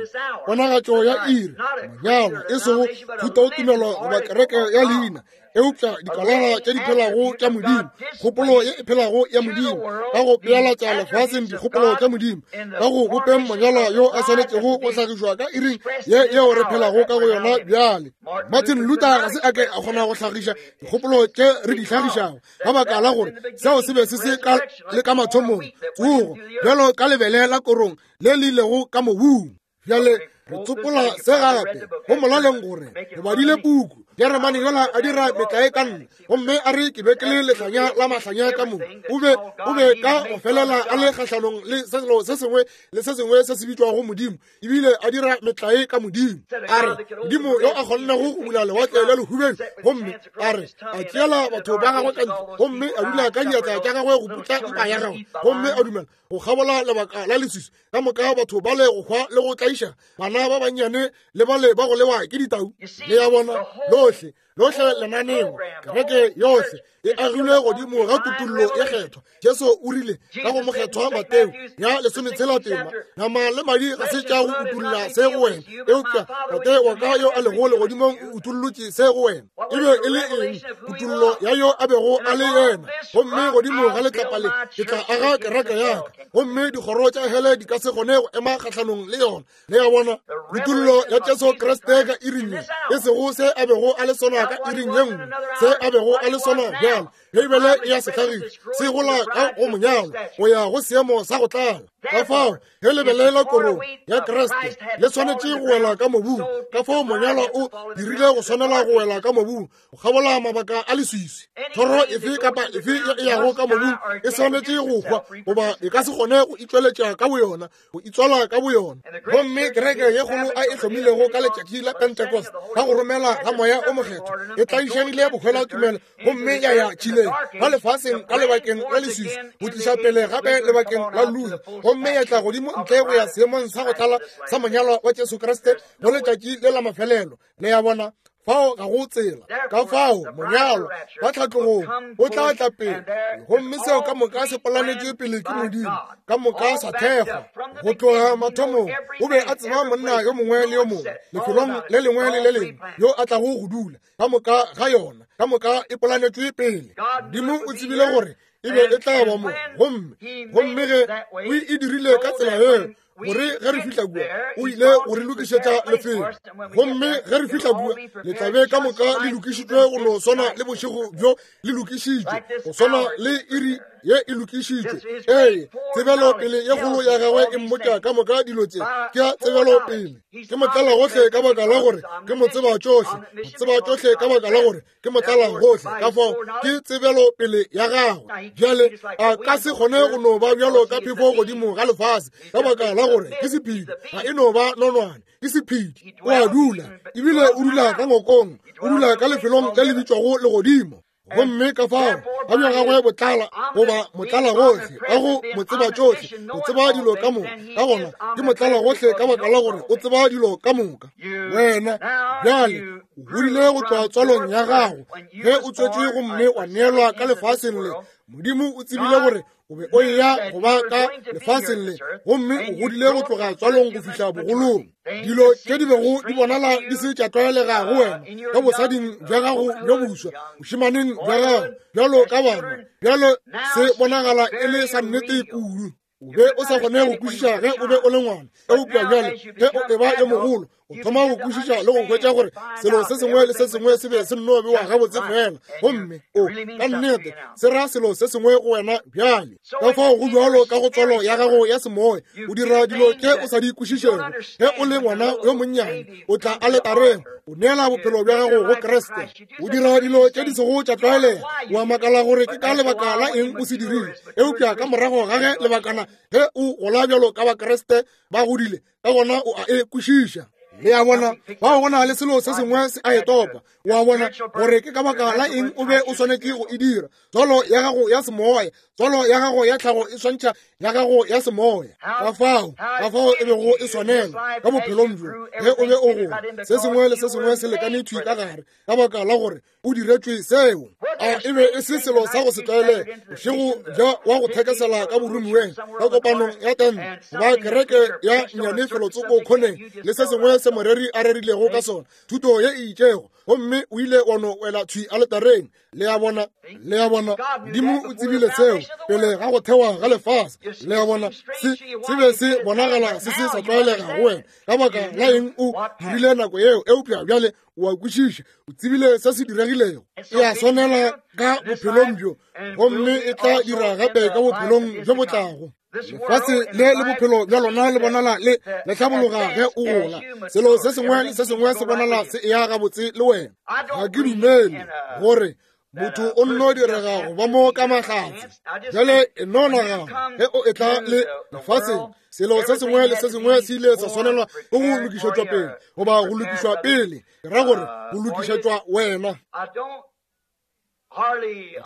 Ponagatšo ya iri, monyalwa, e sego thutotumelo goba kereke ya leina, eupša dikalana tše di phelago tša Modimo, kgopolo ye e phelago ya Modimo, ka go pealatša lefaseng dikgopolo tša Modimo, ka go bopeng monyalwa yo a swanetšego go hlagišwa ka iring ye yeo re phelago ka go yona bjale. Martin Luther ga se a ke a kgona go hlagiša dikgopolo tše re di hlagišago, ka baka la gore seo se be se se ka le ka mathomong, tsogo, bjalo ka lebele la korong le le ilego ka mobung. Bjale re tsopola se gape go molaleng gore re badile puku. Jeremane yola a dira metlae ka nna, gomme a re ke be ke le lehlanya la mahlanya ka mo. O be o be ka go felela a le kgahlanong le selo se sengwe le se sengwe se se bitšwago Modimo, ebile a dira metlae ka Modimo. A re Modimo yo a kgonnego go bula lewatle le lehubeng, gomme a re a tšeela batho ba gagwe ka ntle, gomme a dula ka diatla tša gagwe go putla mpa ya gagwe, gomme a dumela go kgabola lebaka la leswiswi ka moka batho ba le go hwa le go tlaiša bana ba bannyane le bale ba go lewa ke ditau. Le ya bona, lohle lohle lenaneo, kereke yohle e agilwe godimo ga kutullo ye kgethwa. Jesu o rile ka go mokgethwa Mateo ya lesometshela tema, nama le madi ga se tša go utulla se go wena, eupša Tate wa ka yo a lego legodimong o utullotše se go wena. E be e le eng? Kutullo ya yo a bego a le yena. Gomme godimo ga letlapa le ke tla aga kereke ya ka, gomme dikgoro tša hele di ka se kgone go ema kgahlanong le yona. Le ya bona, kutullo ya Jesu Kriste ka iring ye, e sego se a bego a le sona ka iring ye nngwe, se a bego a le sona bjale. Beibele e ya se hlagiša, se gola ka go monyalwa go ya go seemo sa go tlala. Ka fao ge lebele la korong ya Kriste le swanetše go wela ka mobung, ka fao monyalwa o dirile go swanela go wela ka mobung go kgabola mabaka a leswiswi. Thoro efe kapa efe ye e yago ka mobung e swanetše go hwa, goba e ka se kgone go itšweletša ka boyona, go itswala ka boyona. Gomme kereke ye kgolo a e hlomilego ka letšatši la Pentecost ka go romela ga Moya o Mokgethwa e tlaišegile bohwelatumelo, gomme ya ya tšhileng ka lefaseng ka lebakeng la leswiswi go tliša pele gape lebakeng la Luther, gomme ya tla godimo ntle go ya seemong sa go tlala sa monyalwa wa Jesu Kriste go letšatši le la mafelelo. Le ya bona, Fao ga go tsela. Ka fao monyalwa ba tlhatlogong o tla tla pele, gomme seo ka moka se polanetšwe pele ke Modimo, ka moka sa thekgwa go tloga mathomong. O be a tseba monna yo mongwe le yo mongwe lefelong le lengwe le le lengwe yo a tlago go dula, ka moka ga yona, ka moka e polanetšwe pele. Modimo o tsebile gore e be e tla ba mo, gomme gomme ge o e dirile ka tsela yeo, gore ge re fihla kua o ile go re lokišetša lefelo, gomme ge re fihla kua le tla be ka moka le lokišitšwe go no swana le bošego bjo le lokišitšwe, go swana le iri ye e lokišitšwe. Ee, tsebelopele ye kgolo ya gagwe e mmotša ka moka dilo tše. Ke ya tsebelopele. Ke motlala gohle ka baka la gore ke mo tseba tšohle, mo tseba tšohle ka baka la gore ke motlala gohle. Ka fao ke tsebelopele ya gagwe. Bjale a ka se kgone go no ba bjalo ka phefo godimo ga lefase, ka baka la gore ke sephedi, ga e no ba nonwane, ke sephedi. O a dula, ebile o dula ka ngokong, o dula ka lefelong le le bitšwago legodimo. Gomme ka fao ga bja gagwe botlala goba motlala gohle, ka go mo tseba tšohle, o tseba dilo ka moka. Ka gona ke motlala gohle ka baka la gore o tseba dilo ka moka. Wena bjale o godile go tšwa tswalong ya gago ge o tswetšwe gomme wa neelwa ka lefaseng le. Modimo o tsebile gore o be o eya go ba ka lefaseng le, gomme o godile go tloga tswalong go fihla bogolong. Dilo tše di bego di bonala di se tša tlwaelega go wena ka bosading bja gago bjo boswa, bošemaneng bja gago bjalo ka bana, bjalo se bonagala e le sa nnete kudu. O be o sa kgone go kwešiša ge o be o le ngwana, eupša bjale ge o eba yo mogolo o thoma go kwešiša le go hwetša gore selo se sengwe le se sengwe se be se nno bewa gabotse fela, gomme o ka nnete se ra selo se sengwe go wena bjale. Ka fao go bjalo ka go tswalo ya gago ya semoya, o dira dilo tše o sa di kwešišego. Ge o le ngwana yo monnyane, o tla aletareng, o neela bophelo bja gago go Kriste, o dira dilo tše di sego tša tlwaelega. O a makala gore ke ka lebaka la eng o se dirile, eupša ka morago ga ge lebakana ge o gola bjalo ka Bakriste ba godile, ka gona o a e kwešiša. Le a bona, bao go na le selo se sengwe se a e topa. O a bona gore ke ka baka la eng o be o swanetše go e dira. Tswalo ya gago ya semoya, tswalo ya gago ya tlhago e swantšha ya gago ya semoya. Ka fao, ka fao e bego e swanela ka bophelong bjo ge o be o gola, se sengwe le se sengwe se lekane thwi ka gare, ka baka la gore o diretšwe seo. A e be e se selo sa go se tlwaelege bošego bja wa go thekesela ka boromiweng, ka kopanong ya tente goba kereke ya nnyane felotsoko khoneng, le se sengwe se moreri a rerilego ka sona, thuto ye e itšego, gomme o ile wa no wela thwi aletareng. Le a bona, le a bona, Modimo o tsebile seo pele ga go thewa ga lefase. Le a bona, se se be se bonagala se se sa tlwaelega go wena, ka baka la eng o dirile nako yeo, eupša bjale o a kwešiša, o tsebile se se diregilego. E a swanela ka bophelong bjo, gomme e tla dira gape ka bophelong bjo bo tlago. Lefase le le bophelo bja lona le bonala le le hlabologa ge o gola. Selo se sengwe le se sengwe se bonala se eya gabotse le wena. Ga ke dumele gore motho o nno direga go ba mo ka mahlatse. Bjale e no nagana ge o etla le lefaseng, selo se sengwe le se sengwe se ile sa swanelwa ke go lokišetšwa pele, goba go lokišwa pele, ke ra gore go lokišetšwa wena.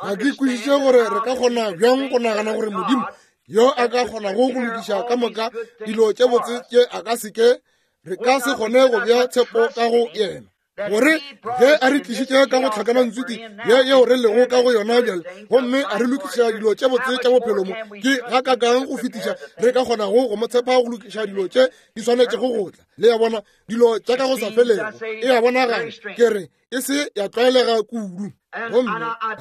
Ga ke kwešiše gore re ka kgona bjang go nagana gore Modimo yo a ka kgonago go lokiša ka moka dilo tše botse tše a ka se ke, re ka se kgone go bea tshepo ka go yena, gore ge a re tlišitše ka go tlhakanantswiki ye yeo re lego ka go yona bjale, gomme a re lokiša dilo tše botse tša bophelo mo, ke gakakang go fetiša re ka kgonago go mo tshepa go lokiša dilo tše di swanetšego go tla. Le a bona, dilo tša ka go sa felego e a bonagala ke re e se ya tlwaelega kudu. Gomme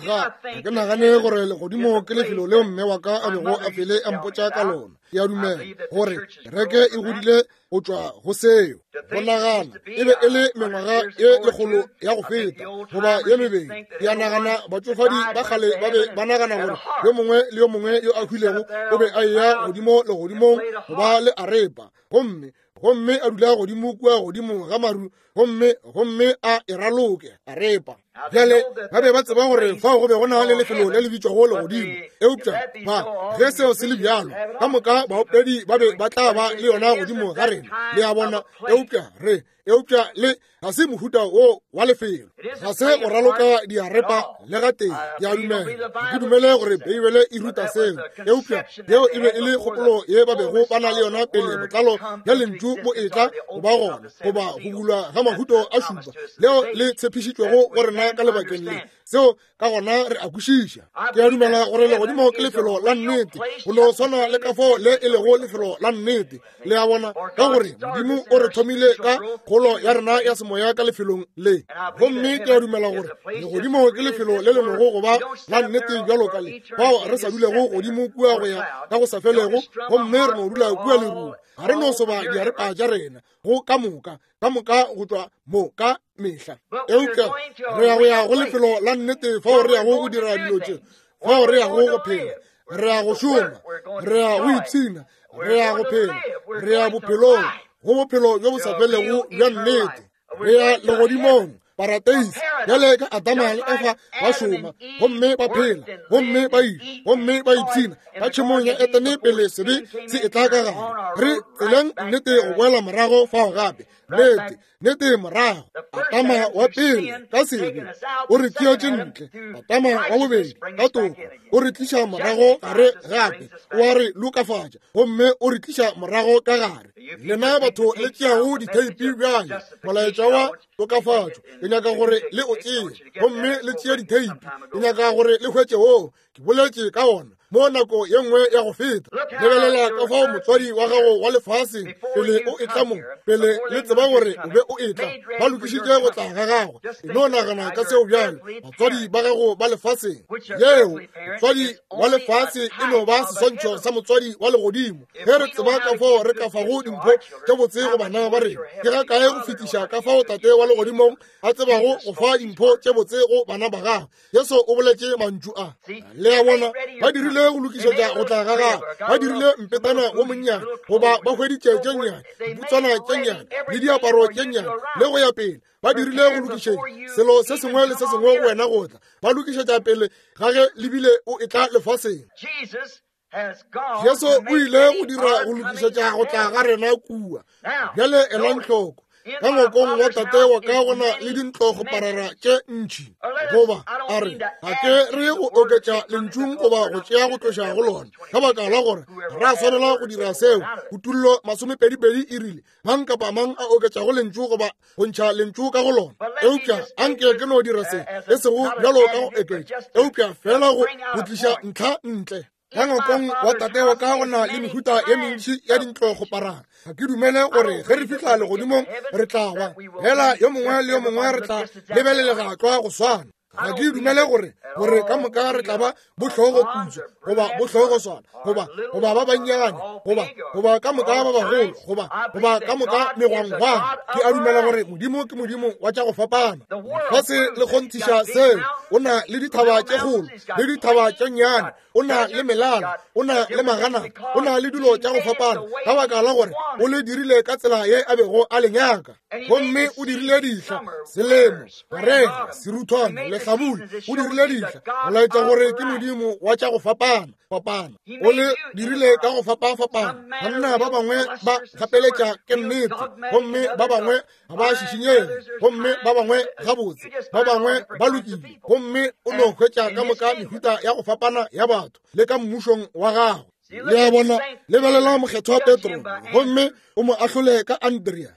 ga ke nagane gore legodimo ke lefelo leo mme wa ka a bego a fele a mpotša ka lona. Ke a dumela gore kereke e godile go tšwa go seo. Go nagana e be e le mengwaga ye lekgolo ya go feta goba ye mebedi. Ke a nagana batšofadi ba kgale ba be ba nagana gore yo mongwe le yo mongwe yo a hwilego o be a eya godimo legodimong go ba le arepa, gomme gomme a dula godimo kua godimo ga maru, gomme gomme a e raloke arepa. Bjale ba be ba tseba gore fao go be go na le lefelo le le bitšwago legodimo, eupša ba ge seo se le bjalo, ka moka baopedi ba be ba tla ba le yona godimo ga rena. Le a bona, eupša re eupša le ga se mohuta wo wa lefelo, ga se go raloka diarepa le gatee. Ke a dumela, ga ke dumele gore Beibele e ruta seo, eupša yeo e be e le kgopolo ye ba bego ba na le yona pele botlalo bja lentšu bo etla go ba gona, goba go bulwa ga la mahuto a šupa leo le tshepišitšwego go rena ka lebakeng le. Seo ka gona re a kwešiša. Ke a dumela gore legodimo ke lefelo la nnete, go no swana le ka fao le e lego lefelo la nnete. Le a bona, ka gore Modimo o re thomile ka kgolo ya rena ya semoya ka lefelong le. Gomme ke a dumela gore legodimo ke lefelo le le nogo go ba la nnete bjalo ka le, fao re sa dulego godimo kua go ya ka go sa felego, gomme re no dula kua lerung. Ga re no soba diarepa tša rena go ka moka ka moka go tšwa mo ka mehla. Eupša re ya go ya go lefelo la nnete fao re yago go dira dilo tše, fao re yago go phela, re ya go šoma, re ya go ipshina, re ya go phela, re ya bophelong, go bophelo bjo bo sa felego bja nnete. Re ya legodimong, parateisi, bjale ka Adama le Efa ba šoma gomme ba phela gomme ba ile gomme ba ipshina ka tšhemong ya Etene pele sebe se etla ka gare. Re tseleng nnete go boela morago fao gape, nnete nnete morago. Adama wa pele ka sebe o re tšeetše ntle, Adama wa bobedi ka toko o re tliša morago gare gape, o a re lokafatša gomme o re tliša morago ka gare. Lena batho le tšeago ditheipi bjale, molaetša wa tokafatšo ke nyaka gore le o tšee, gomme le tšee ditheipi, ke nyaka gore le hwetše woo ke boletše ka ona mo nako ye nngwe ya go feta. Lebelela ka fao motswadi wa gago wa lefaseng pele o etla mo, pele le tseba gore o be o etla, ba lokišitše go tla ga gagwe. E no nagana ka seo bjale, batswadi ba gago ba lefaseng. Yeo motswadi wa lefase e no ba seswantšho sa motswadi wa legodimo. Ge re tseba ka fao re ka fago dimpho tše botse go bana ba rena, ke ga kae go fetiša ka fao tate wa legodimong a tsebago go fa dimpho tše botse go bana ba gagwe. Jesu o boletše mantšu a. Le a bona, ba dirile go lokišetša go tla ga gagwe, ba dirile mpetana wo monnyane, goba ba hweditše tše nnyane, diputswana tše nnyane le diaparo tše nnyane le go ya pele. Ba dirile go lokišetša selo se sengwe le se sengwe go wena go tla, ba lokišetša pele ga ge lebile o etla lefaseng. Jesu o ile go dira go lokišetša go tla ga rena kua. Bjale elang hloko, ka ngwakong wa tate wa ka go na le dintlogoparara tše ntši, goba a re ga ke re go oketša lentšung goba go tšea go tloša go lona, ka baka la gore ra swanela go dira seo. Kutullo masomepedipedi e rile mang kapa mang a oketšago lentšu goba go ntšha lentšu ka go lona. Eupša anke ke no dira se, e sego bjalo ka go oketša, eupša fela go go tliša ntlha ntle. Ka ngwakong wa tate wa ka go na le mehuta ye mentši ya dintlogoparara. Ga ke dumele gore ge re fihla legodimong re tla ba fela yo mongwe le yo mongwe re tla lebelelega tlwa go swana. Ga ke dumele gore gore ka moka re tla ba bohlogo putswa goba bohlogo swana goba goba ba bannyane goba goba ka moka ba bagolo goba goba ka moka megwangwang. Ke a dumela gore Modimo ke Modimo wa tša go fapana. Lefase le kgonthiša seo. O na le dithaba tše kgolo le dithaba tše nnyane, o na le melala, o na le magana, o na le dilo tša go fapana, ka baka la gore o le dirile ka tsela ye a bego a le nyaka. Gomme o dirile dihla, selemo, marega, seruthwane, lehlabula, o dirile dihla go laetša gore ke Modimo wa tša go fapana fapana. O le dirile ka go fapafapana. Banna ba bangwe ba gapeletša ke nnete, gomme ba bangwe ga ba šišinyege, gomme ba bangwe gabotse, ba bangwe ba lokile, gomme o no hwetša ka moka mehuta ya go fapana ya batho le ka mmušong wa gagwe. Le a bona, lebelela mokgethwa Petro, gomme o mo ahlole ka Andrea.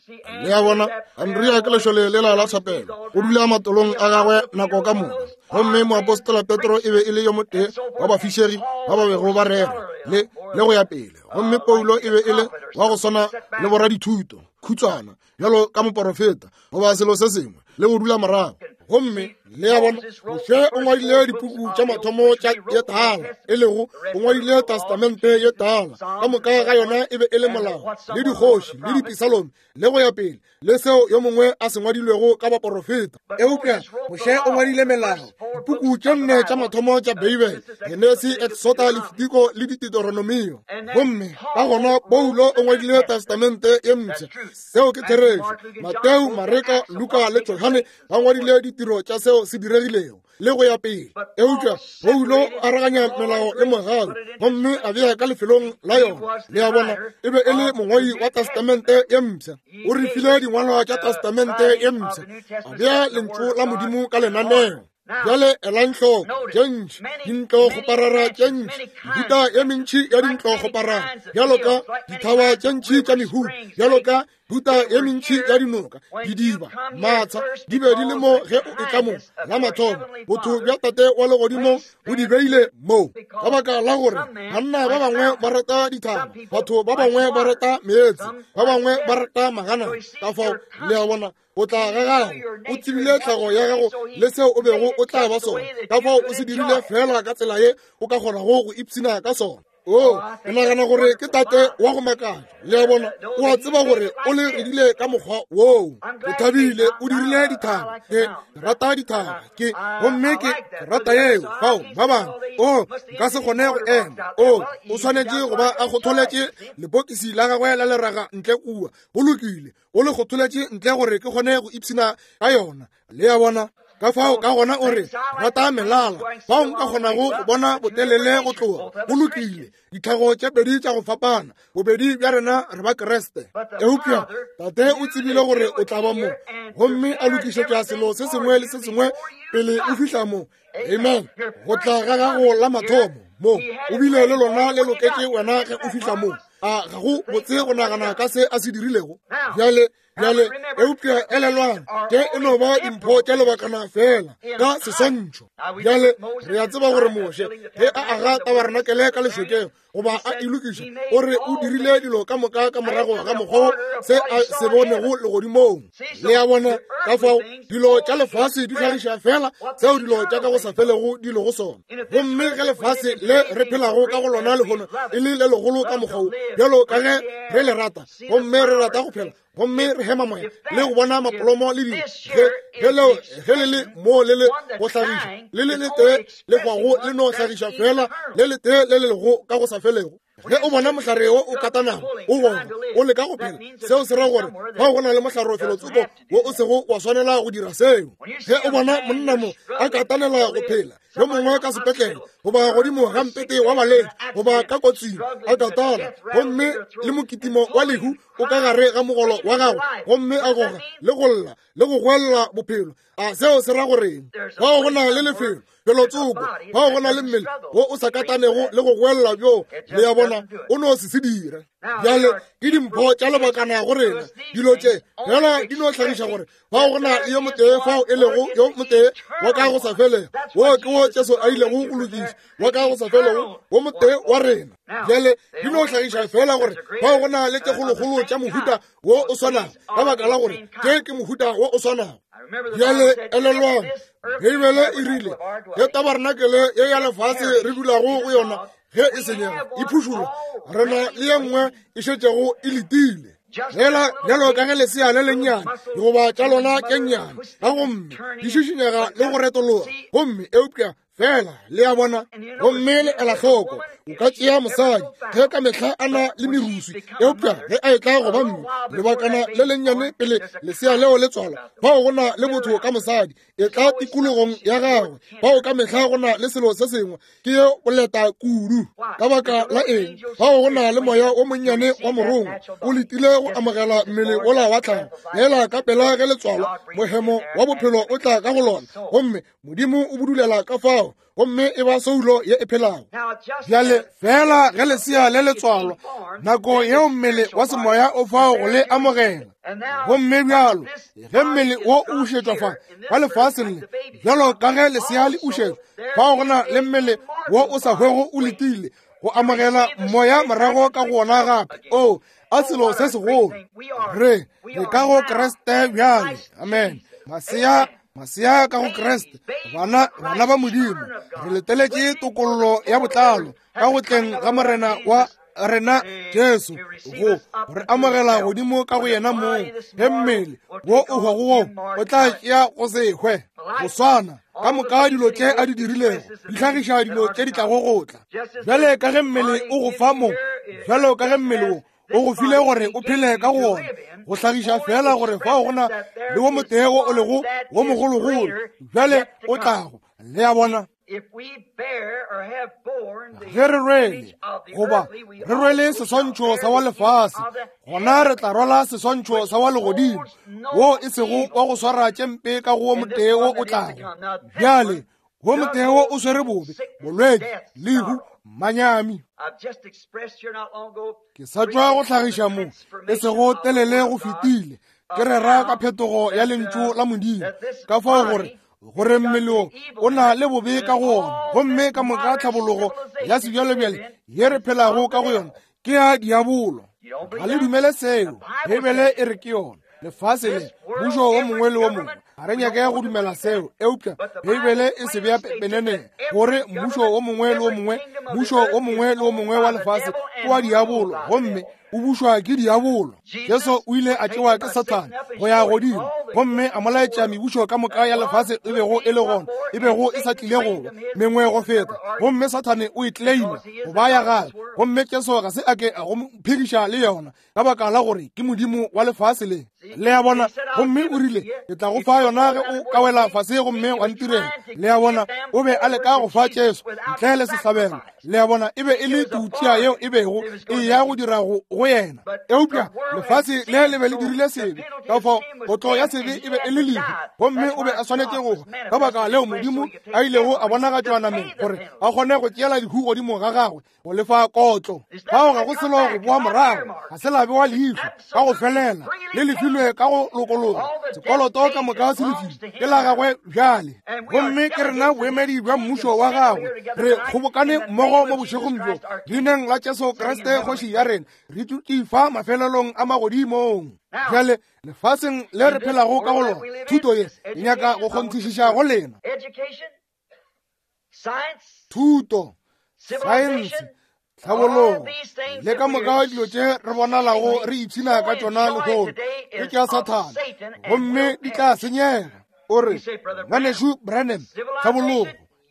Le a bona, Andrea ke lešole lela la thapelo, o dula matolong a gagwe nako ka moka. Gomme moapostola Petro e be e le yo motee wa bafišegi ba ba bego ba rera le le go ya pele. Gomme Paulo e be e le wa go swana le boradithuto, khutswana bjalo ka moporofeta goba selo se sengwe, le go dula morago. Gomme le a bona, Moshe o ngwadile dipuku tša mathomo tša ye tala, e lego o ngwadile testamente ye tala, ka moka ga yona e be e le molao le dikgoši le dipisalome le go ya pele, le seo yo mongwe a se ngwadilwego ka baporofeta. Eupša Moshe o ngwadile melao, dipuku tše nne tša mathomo tša Beibele, Genesi, Exoda, Lefitiko le Deuteronomio. Gomme ka gona Paulo o ngwadile testamente ye mpsha. Seo ke therešo. Mateo, Mareka, Luka le Johane ba ngwadile ditiro tša seo se diregilego le go ya pele. Eupša Paulo o aroganya melao le mogau gomme a bea ka lefelong la yona. Le a bona, e be e le mongwadi wa testamente ye mpsha. O re file dingwalwa tša testamente ye mpsha, a bea lentšu la Modimo ka lenaneo. Bjale elang hloko, tše ntši dintlogoparara tše ntši, mehuta ye mentši ya dintlogoparara, bjalo ka dithaba tše ntši tša mehuta, bjalo ka Mehuta ye mentši ya dinoka, didiba, matsha di be di le mo ge o etla mo la mathomo. Botho bja Tate wa legodimo bo di beile mo ka baka la gore banna ba bangwe ba rata dithaba, batho ba bangwe ba rata meetse, ba bangwe ba rata magana. Ka fao le a bona o tla ga gago, o tsebile tlhago ya gago le seo o bego o tla ba sona. Ka fao o se dirile fela ka tsela ye o ka kgonago go ipshina ka sona. O ke nagana gore ke Tate wa go makatša. Le a bona, o a tseba gore o le redile ka mokgwa woo. O thabile, o dirile dithaba. Ke rata dithaba, ke gomme ke rata yeo. Fao ba bangwe, o nka se kgone go ema. O o swanetše go ba a kgotholetše lepokisi la gagwe la leraga ntle kua. Go lokile, o le kgotholetše ntle gore ke kgone go ipshina ka yona. Le a bona? Ka fao ka gona o re rata melala, fao nka kgonago go bona botelele go tloga. Go lokile, ditlhago tše pedi tša go fapana, bobedi bja rena re ba Kriste. Eupša Tate o tsebile gore o tla ba mo, gomme a lokišetša selo se sengwe le se sengwe pele o fihla mo. Amen. Go tla ga gago la mathomo mo, o bile le lona le loketše wena ge o fihla mo. A ga go botse go nagana ka se a se dirilego? Bjale bjale eupša elelwang, ke e no ba dimpho tša lebakana fela ka seswantšho. Bjale re a tseba gore Moshe ge a aga tabarenakele ka lešokeng goba a e lokiša, o re o dirile dilo ka moka ka morago ga mokgwa se a se bonego legodimong. Le a bona? Ka fao dilo tša lefase di hlagiša fela seo dilo tša ka go sa felego di lego sona. Gomme ge lefase le re phelago ka go lona lehono e le le legolo ka mokgwa wo, bjalo ka ge re le rata, gomme re rata go phela, gomme re hema moya le go bona mapolomo le dilo, ge leo ge le le mo le le go hlagiša le le letee le hwago le no hlagiša fela le letee le le lego ka go sa felego. Ge o bona mohlare wo o katanago o goga o leka go phela, seo se ra gore fao go na le mohlare felotsoko wo o sego wa swanela go dira seo. Ge o bona monna mo a katanela go phela, yo mongwe ka sepetlele goba godimo ga mpete wa baledi goba ka kotsing a katana, gomme le mokitimo wa lehu o ka gare ga mogolo wa gagwe, gomme a goga le go lla le go goelela bophelo, a seo se ra goreng? Fao go na le lefelo felotsoko, fao go na le mmele wo o sa katanego le go goelela bjo. Le a bona, o no se se dire. Bjale ke dimpho tša lebakana go rena. Dilo tše fela di no hlagiša gore fao go na le yo motee fao e lego yo motee wa ka go sa felego. Wo ke wo Jesu a ilego go lokiša, wa ka go sa felego, wo motee wa rena. Bjale di no hlagiša fela gore fao go na le tše kgolokgolo tša mohuta wo o swanago, ka baka la gore tše ke mohuta wo o swanago. Bjale elelwang, Beibele e rile ge tabarenakele ye ya lefase re dulago go yona ge e senyega e phušulwa, re na le ye nngwe e šetšego e letile. Fela bjalo ka ge lesea le lennyane goba tša lona tše nnyane ka gomme di šišinyega le go retologa, gomme eupša fela le a bona. Gomme le ela hloko, o ka tšea mosadi ge ka mehla a na le meruswi, eupša ge a etla go ba mme lebakana le lennyane pele lesea leo le tswalwa, fao go na le botho ka mosadi e tla tikologong ya gagwe, fao ka mehla go na le selo se sengwe ke ye boleta kudu. Ka baka la eng? Fao go na le moya o monnyane wa morongwa o letile go amogela mmele wola wa tlhago. Lela ka pela ge le tswalwa, mohemo wa bophelo o tla ka go lona, gomme Modimo o budulela ka fao, gomme e ba soulo ye e phelago. Bjale fela ge lesea le le tswalwa, nako yeo mmele wa semoya o fao go le amogela. Gomme bjalo ge mmele wo o ušetšwa fa ka lefaseng le, bjalo ka ge lesea le ušetšwa, fao go na le mmele wo o sa hwego o letile go amogela moya morago ka go ona gape. O a selo se segolo! Re re ka go Kriste bjale. Amen. Masea masea ka go Kriste, bana bana ba Modimo, re leteletše tokollo ya botlalo ka go tleng ga Morena wa rena Jesu, go re amogela godimo ka go yena mong. Ge mmele wo o hwago wo o tla tšea go se hwe, go swana ka moka dilo tše a di dirilego di hlagiša dilo tše di tlago go tla. Bjale ka ge mmele o go fa mo, bjalo ka ge mmele wo o go file gore o phele ka go ona, go hlagiša fela gore fao go na le wo motee wo o lego wo mogologolo bjale o tlago. Le a bona? Ge re rwele goba re rwele seswantšho sa wa lefase, gona re tla rwala seswantšho sa wa legodimo, wo e sego wa go swara tše mpe ka go wo motee wo o tlago. Bjale Wo motheo o swere bobe, bolwetši, lehu, manyami. Ke sa tšwa go hlagiša mo e sego telele go fetile, ke rera ka phetogo ya lentšu la Modimo, ka fao gore gore mmele o na le bobe ka go ona, gomme ka moka tlhabologo ya sebjalebjale ye re phelago ka go yona ke ya diabolo. Ga le dumele seo, Beibele e re ke yona. Lefase le mmušo wo mongwe le wo mongwe, ga re nyake go dumela seo, eupša Beibele e se bea pepeneneng gore mmušo wo mongwe le wo mongwe, mmušo wo mongwe le wo mongwe wa lefase ke wa diabolo, gomme o bušwa ke diabolo. Jesu o ile a tšewa ke Sathane go ya godimo, gomme a mo laetša mebušo ka moka ya lefase e bego e le gona, e bego e sa tlile go ba mengwe go feta, gomme Sathane o e claima go ba ya gagwe, gomme Jesu ga se a ke a go phediša le yona, ka baka la gore ke modimo wa lefase le. Le a bona? Gomme o rile, ke tla go fa yona ge o ka wela fase gomme wa ntirela. Le a bona? O be a leka go fa Jesu ntle le sehlabelo. Le a bona? E be e le tutšia yeo e bego e ya go dira go go yena, eupša lefase le le be le dirile sebe, ka fao kotlo ya sebe e be e le lehu, gomme o be a swanetše go hwa. Ka baka leo Modimo a ilego a bonagatšwa nameng gore a kgone go tšeela lehu godimo ga gagwe go lefa kotlo. Fao ga go selo go boa morago, ga se la bewa leihlo ka go felela, le lefilwe ka go lokologa. Sekoloto ka moka se lefilwe ke la gagwe bjale, gomme ke rena boemedi bja mmušo wa gagwe. Re kgobokane mmogo mo bošegong bjo leineng la Jesu Kriste kgoši ya rena, re dutše fa mafelelong a magodimong. Bjale lefaseng le re phelago ka go lona, thuto ye e nyaka go kgonthišiša go lena. Thuto, saense, tlhabologo le ka moka dilo tše re bonalago re ipshina ka tšona lehono ke tša Sathane, gomme di tla senyega. O re, ngwanešu Branham, tlhabologo,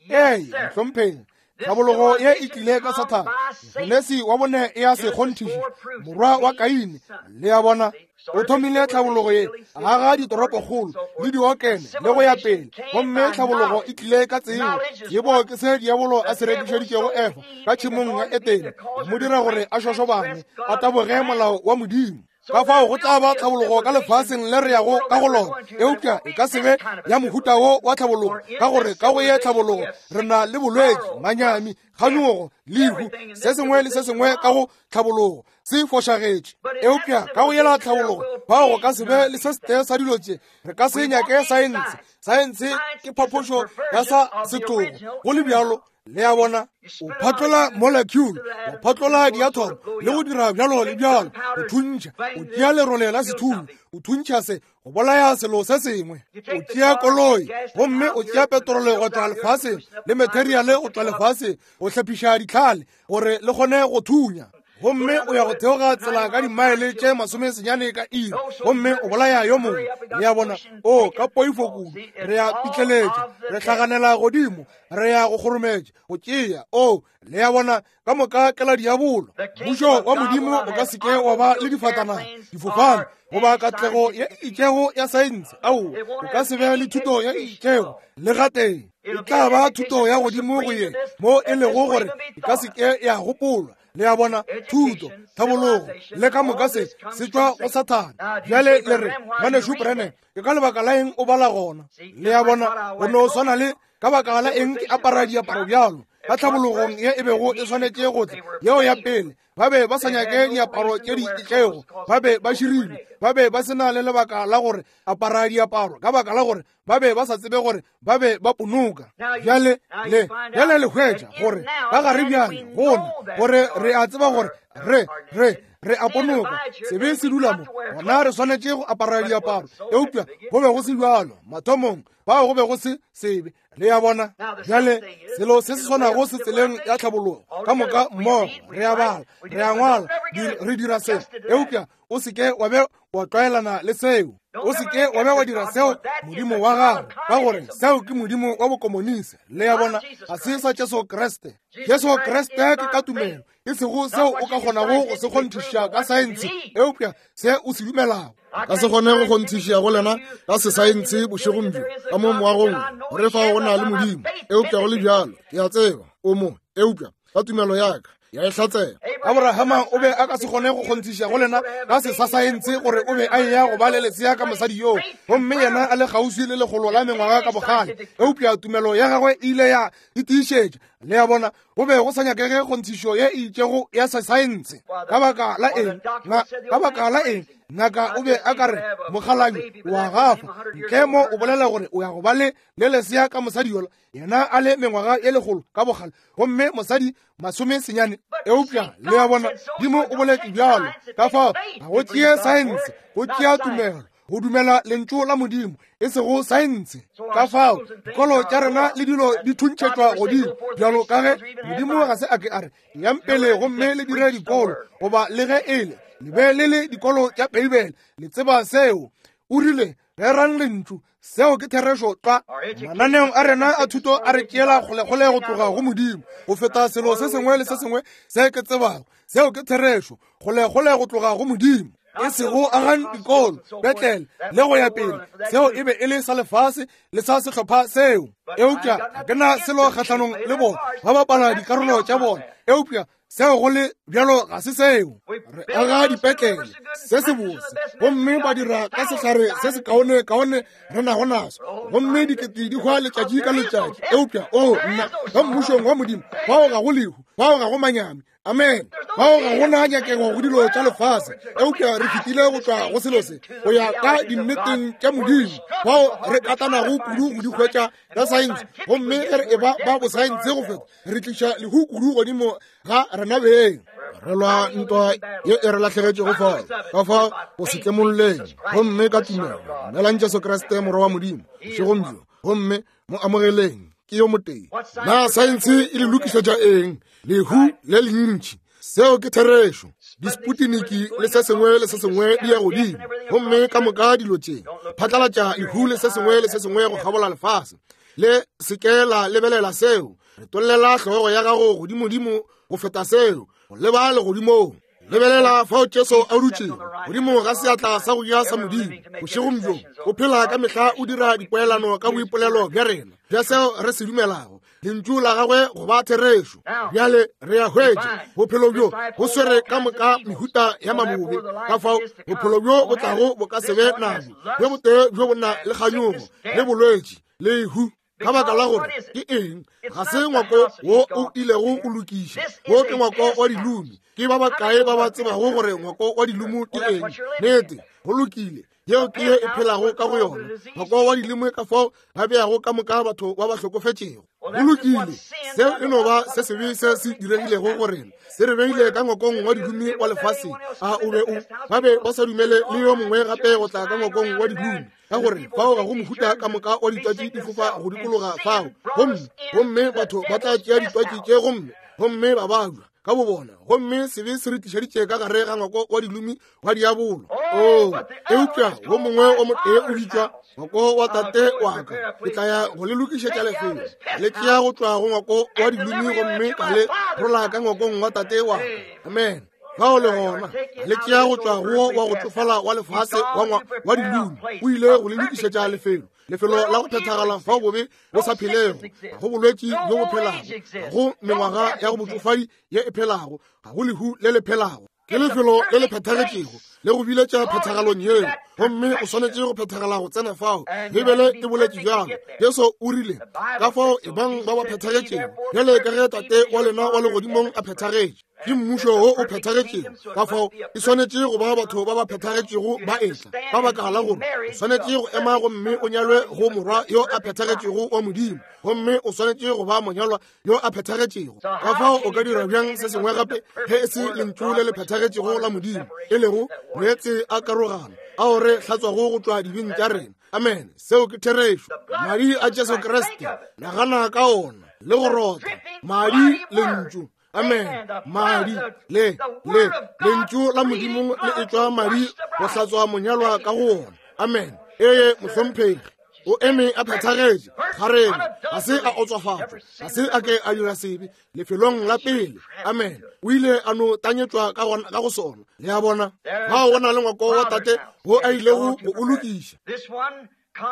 ee, mohlomphegi, tlhabologo ye e tlile ka Sathane. Genesi wa bone e a se kgonthiša, morwa wa Kaine. Le a bona? O thomile tlhabologo ye, a aga ditoropokgolo le diokene le go ya pele, gomme tlhabologo e tlile ka tsebo. Tsebo ke se diabolo a se rekišeditšego Efa ka tšhemong ya Etene, go mo dira gore a šošobane, a taboge molao wa Modimo. Ka fao go tla ba tlhabologo ka lefaseng le re yago ka go lona, eupša e ka se be ya mohuta wo wa tlhabologo, ka gore ka go ye tlhabologo re na le bolwetši, manyami, kganyogo, lehu, se sengwe le se sengwe ka go tlhabologo se fošagetše. Eupša ka go yela tlhabologo bao go ka se be le se setee sa dilo tše. Re ka se nyake saense. Saense ke phaphošo ya sa setlogo, go le bjalo. Le a bona? O phatlola molecule, o phatlola diathomo le go dira bjalo le bjalo, o thuntšha, o tšea lerole la sethunya, o thuntšha se, go bolaya selo se sengwe. O tšea koloi gomme o tšea petrole go tšwa lefaseng le materiale go tšwa lefaseng go hlephiša ditlhale gore le kgone go thunya, gomme o ya go theoga tsela ka dimaele tše masomesenyane ka iri, gomme o bolaya yo mongwe. Le a bona? O ka poifo kudu, re ya pitleletša, re hlaganela godimo, re ya go kgorometša, go tšea. O, le a bona? Ka moka ke la diabolo. Mmušo wa Modimo o ka se ke wa ba le difatanaga, difofane, goba katlego ye itšego ya saense. Aowa, o ka se be le thuto ye itšego le gatee. E tla ba thuto ya godimo go ye mo e lego gore e ka se ke ya gopolwa. Le a bona? Thuto, tlhabologo le ka moka se se tšwa go Sathane. Bjale le re, ngwanešu Branham, ke ka lebaka la eng o bala gona? Le a bona? Go no swana le ka baka la eng ke apara diaparo bjalo. Ka tlhabologong ye e bego e swanetše go tla, yeo ya pele, ba be ba sa nyake diaparo tše di itšego, ba be ba širilwe, ba be ba se na le lebaka la gore apara diaparo, ka baka la gore ba be ba sa tsebe gore ba be ba ponoka. Bjale le bjale le hwetša gore ka gare bjale gona gore re a tseba gore re re re a ponoka, sebe se dula mo, gona re swanetše go apara diaparo. Eupša go be go se bjalo mathomong, bao go be go se sebe. Le a bona? Bjale selo se se swanago se tseleng ya tlhabologo ka moka mmogo, re a bala, re a ngwala, re dira se, eupša o se ke wa be wa tlwaelana le seo, o se ke wa be wa dira seo modimo wa gago, ka gore seo ke modimo wa bokomonisi. Le a bona? Ga se sa Jesu Kriste. Jesu Kriste ke ka tumelo, e sego seo o ka kgonago go se kgonthiša ka saense, eupša se o se dumelago. Ka se kgone go kgonthiša go lena ka sesaense bošegong bjo ka mo moagong gore fao go na le Modimo, eupša go le bjalo ke a tseba o mo, eupša ka tumelo ya ka ya e hlatsela. Abrahama o be a ka se kgone go kgonthiša go lena ka se sa saense gore o be a eya go ba le lesea ka mosadi yoo, gomme yena a le kgauswi le lekgolo la mengwaga ka bogale. Eupša tumelo ya gagwe e ile ya e tiišetša. Le a bona, go be go sa nyakege kgonthišo ye e itšego ya saense. Ka baka la eng? Ka baka la eng? Ngaka o be a ka re mokgalabje wa gafa ntle mo o bolela gore o ya go ba le le lesea ka mosadi yola, yena a le mengwaga ye lekgolo ka bogale, gomme mosadi masome senyane. Eupša le a bona, Modimo o boletše bjalo. Ka fao ga go tšee saense, go tšea tumelo, go dumela lentšu la Modimo, e sego saense. Ka fao dikolo tša rena le dilo di thuntšhetšwa godimo, bjalo ka ge Modimo ga se a ke a re yang pele gomme le dire dikolo, goba le ge e le le be le le dikolo tša Beibele. Le tseba seo. O rile rerang lentšu. Seo ke therešo tlwa. Mananeong a rena a thuto a re tšeela kgolekgole go tloga go Modimo go feta selo se sengwe le se sengwe se ke tsebago. Seo ke therešo, kgolekgole go tloga go Modimo. E sego agang dikolo, petlele le go ya pele. Seo e be e le sa lefase le sa sehlopha seo. Eupša ga ke na selo kgahlanong le bona, ba bapala dikarolo tša bona. Eupša seo go le bjalo ga se seo. Re aga dipetlele se se bose, gomme ba dira ka sehlare se se kaone kaone re nago naso, gomme dikete di hwa letšatši ka letšatši. Eupša o nna ka mmušong wa Modimo, fao ga go lehu, fao ga go manyami. Amen. Fao ga go na nyakego go dilo tša lefase. Eupša re fetile go tšwa go selo se go ya ka dinneteng tša Modimo, fao re katanago kudu go di hwetša ka saense, gomme ge re eba ba bosaense go feta, re tliša lehu kudu godimo ga rena beng. Re lwa ntwa ye e re lahlegetšego fao, ka fao go se tlemolleng, gomme ka tumelo dumelang Jesu Kriste Morwa wa Modimo bošegong bjo, gomme mo amogeleng. Ke yo motee. Na saense e le lokišetša eng? Lehu le lentši. Seo ke therešo. Disputiniki le se sengwe le se sengwe di ya godimo, gomme ka moka dilo tše phatlalatša lehu le se sengwe le se sengwe go kgabola lefase. Le se ke la lebelela seo. Re tollela hlogo ya gago godimodimo go feta seo, go leba legodimong. Lebelela fao Jesu a dutšego godimo ga seatla sa go ja sa Modimo bošegong bjo. O phela ka mehla o dira dipoelano ka boipolelo bja rena bja seo re se dumelago, lentšu la gagwe go ba therešo. Bjale re a hwetša bophelo bjo bo swere ka moka mehuta ya mabobe. Ka fao bophelo bjo bo tlago bo ka se be nabo bjo botee bjo bo na le kganyogo le bolwetši lehu. Ka baka la gore ke eng? Ga se ngwako wo o ilego go lokiša, wo ke ngwako wa dilume. Ke ba bakae ba ba tsebago gore ngwako wa dilumo ke eng? Nnete, go lokile. Yeo ke ye e phelago ka go yona, ngwako wa dilumo, ka fao ba beago ka moka batho ba ba hlokofetšego. Go lokile. Seo e no ba se sebe se se diregilego go rena, se re beile ka ngwakong wa dilume wa lefaseng. A o be o ba be ba sa dumele le yo mongwe gape go tla ka ngwakong wa dilume, ka gore fao ga go mohuta ka moka wa ditwatši di fofa go dikologa fao, gomme gomme batho ba tla tšea ditwatši tše gomme gomme ba bajwa ka bo bona, gomme sebe se re tlišeditše ka gare ga ngwako wa dilumi wa diabolo. O eupša wo mongwe o motee o bitšwa ngwako wa tate wa ka, ke tla ya go le lokišetša lefelo. Le tšea go tšwa go ngwako wa dilumi gomme ka le rola ka ngwakong wa tate wa ka. Amen. Fao le gona le tšea go tšwa go wa go tsofala wa lefase wa wa dilumi, o ile go le lokišetša lefelo, lefelo la go phethagala fao bobe bo sa phelego, ga go bolwetši bjo bo phelago, ga go mengwaga ya go botšofadi ye e phelago, ga go lehu le le phelago. Ke lefelo le le phethagetšego le go biletša phethagalong yeo, gomme o swanetše go phethagala go tsena fao. Beibele e boletše bjalo. Jesu o rile, ka fao e bang ba ba phethagetšego bjale ka ge Tate wa lena wa legodimong a phethagetše. Ke mmušo wo o phethagetšego. Ka fao e swanetše go ba batho ba ba phethagetšego ba etla, ka baka la gore o swanetše go ema gomme o nyalwe go morwa yo a phethagetšego wa Modimo, gomme o swanetše go ba monyalwa yo a phethagetšego. Ka fao o ka dira bjang se sengwe gape ge e se lentšu le le phethagetšego la Modimo, e lego meetse a karogano ao re hlatswago go tšwa dibeng tša rena. Amen. Seo ke therešo. Madi a Jesu Kriste, nagana ka ona le go rotha madi lentšu. Amen. Madi le le lentšu la Modimo le etšwa madi go hlatswa monyalwa ka go ona. Amen. Ee, mohlomphegi. O eme a phethagetše gareng, ga se a otswafatšwa, ga se a ke a dira sebe lefelong la pele. Amen. O ile a no tanyetšwa ka gona ka go sona. Le a bona, fao go na le ngwako wa tate wo a ilego go o lokiša.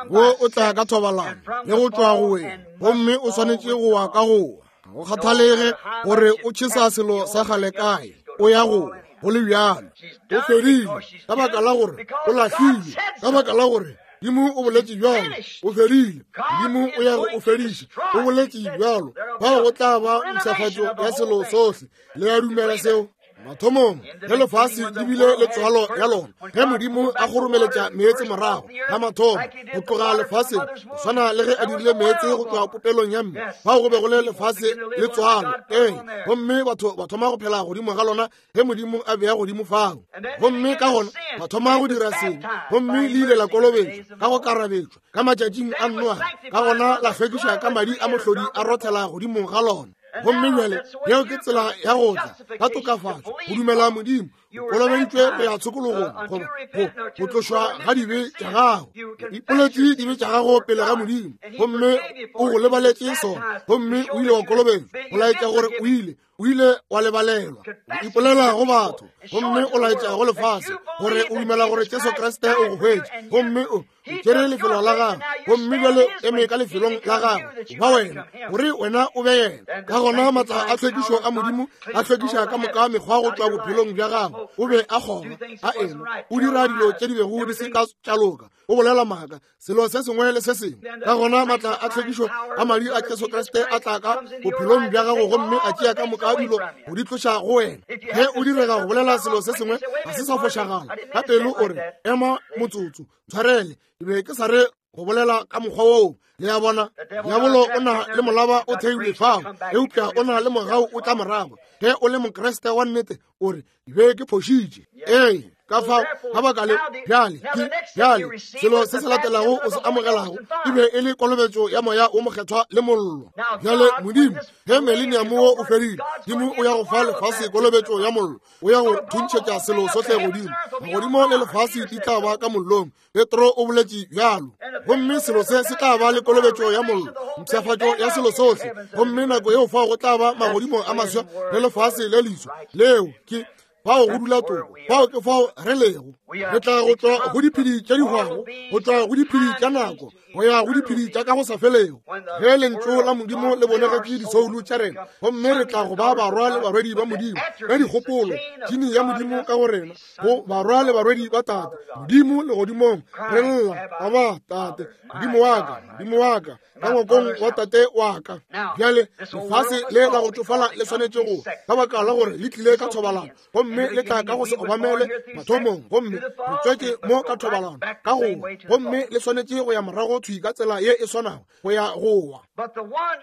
Wo o tla ka thobalano le go tšwa go wena, gomme o swanetše go wa ka go wa. Go kgathalege gore o tšhesa selo sa kgale kae, O ya go go le bjalo. O fedile ka baka la gore o lahlile, ka baka la gore Modimo o boletše bjalo. O fedile. Modimo o ya go o fediša. O boletše bjalo. Fao go tla ba mpshafatšo ya selo sohle. Le a dumela seo? Mathomong ge lefase le bile le tswalo ya lona, ge Modimo a kgoromeletša meetse morago ga mathomo go tloga lefaseng, go swana le ge a dirile meetse go tloga popelong ya mme, fao go be go le lefase le tswalo. Ee, gomme batho ba thoma go phela godimo ga lona ge Modimo a bea godimo fao. Gomme ka gona ba thoma go dira sengwe, gomme le ile la kolobetšwa ka go karabetšwa ka matšatšing a Noa, ka gona la hlwekiša ka madi a mohlodi a rothela godimo ga lona. Gomme bjale yeo ke tsela ya go tla ka tokafatšo, go dumela Modimo, o kolobeditšwe go ya tshokologong goba go go tlošwa ga dibe tša gago. Ipoletše dibe tša gago pele ga Modimo, gomme o go lebaletše sona, gomme o ile wa kolobetšwa go laetša gore o ile o ile wa lebalelwa. O ipolela go batho, gomme o laetša go lefase gore o dumela gore Jesu Kriste o go hwetše, gomme o tšere lefelo la gagwe, gomme bjale eme ka lefelong la gagwe ba wena, gore wena o be yena. Ka gona maatla a tlhwekišo a Modimo a hlwekiša ka moka mekgwa go tšwa bophelong bja gago. O be a kgoma, a enwa, o dira dilo tše di bego di se ka tša loka, o bolela maaka, selo se sengwe le se sengwe. Ka gona maatla a tlhwekišo a madi a Jesu Kriste a tla ka bophelong bja gago, gomme a tšea ka moka dilo go di tloša go wena. Ge o direga go bolela selo se sengwe ga se sa fošagala, ka pelo o re, ema motsotso, tshwarele, ke be ke sa re go bolela ka mokgwa woo. Le a bona, diabolo o na le molaba o theilwe fao, eupša o na le mogau o tla morago. Ge o le Mokriste wa nnete, o re, be ke phošitše. Ee, ka fao ka baka le bjale ke bjale selo se se latelago o se amogelago e be e le kolobetšo ya moya o mokgethwa le mollo. Bjale Modimo, ge millennium wo o fedile, Modimo o ya go fa lefase kolobetšo ya mollo, o ya go thuntšhetša selo sohle godimo. Magodimo le lefase di tla ba ka mollong, Petro o boletše bjalo. Gomme selo se se tla ba le kolobetšo ya mollo, mpshafatšo ya selo sohle. Gomme nako yeo fao go tla ba magodimo a maswa le lefase le leswa. Leo ke fao go dula toko, fao ke fao re lego. Re tla go tšwa go diphedi tše di hwago, go tšwa go diphedi tša nako, go ya go diphedi tša ka go sa felego. Ge lentšu la Modimo le bonegetše disoulu tša rena, gomme re tla go ba barwa le barwedi ba Modimo ka dikgopolo, tšhini ya Modimo ka go rena, go barwa le barwedi ba Tate Modimo legodimong. Re lla, Aba Tate, Modimo wa ka, Modimo wa ka, ka ngwakong wa Tate wa ka. Bjale lefase le la go tšofala le swanetše go, ka baka la gore le tlile ka thobalano, gomme le tla ka go se obamele mathomong, gomme re tswetše mo ka thobalano ka go, gomme le swanetše go ya morago thwi ka tsela ye e swanago go ya go wa.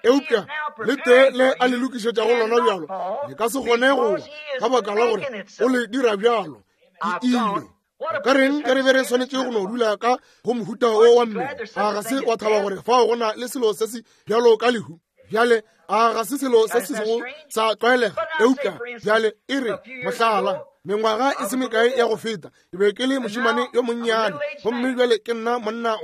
Eupša le tee le a le lokišetšago lona bjalo le ka se kgone go wa, ka baka la gore o le dira bjalo. Ke ile ka reng ke re be re swanetše go no dula ka go mohuta o wa mmele? A ga se wa thaba gore fao go na le selo se se bjalo ka lehu? Bjale a ga se selo se se sego sa tlwaelega? Eupša bjale e re mohlala, mengwaga e se mekae ya go feta, ke be ke le mošemane yo monnyane, gomme bjale ke nna monna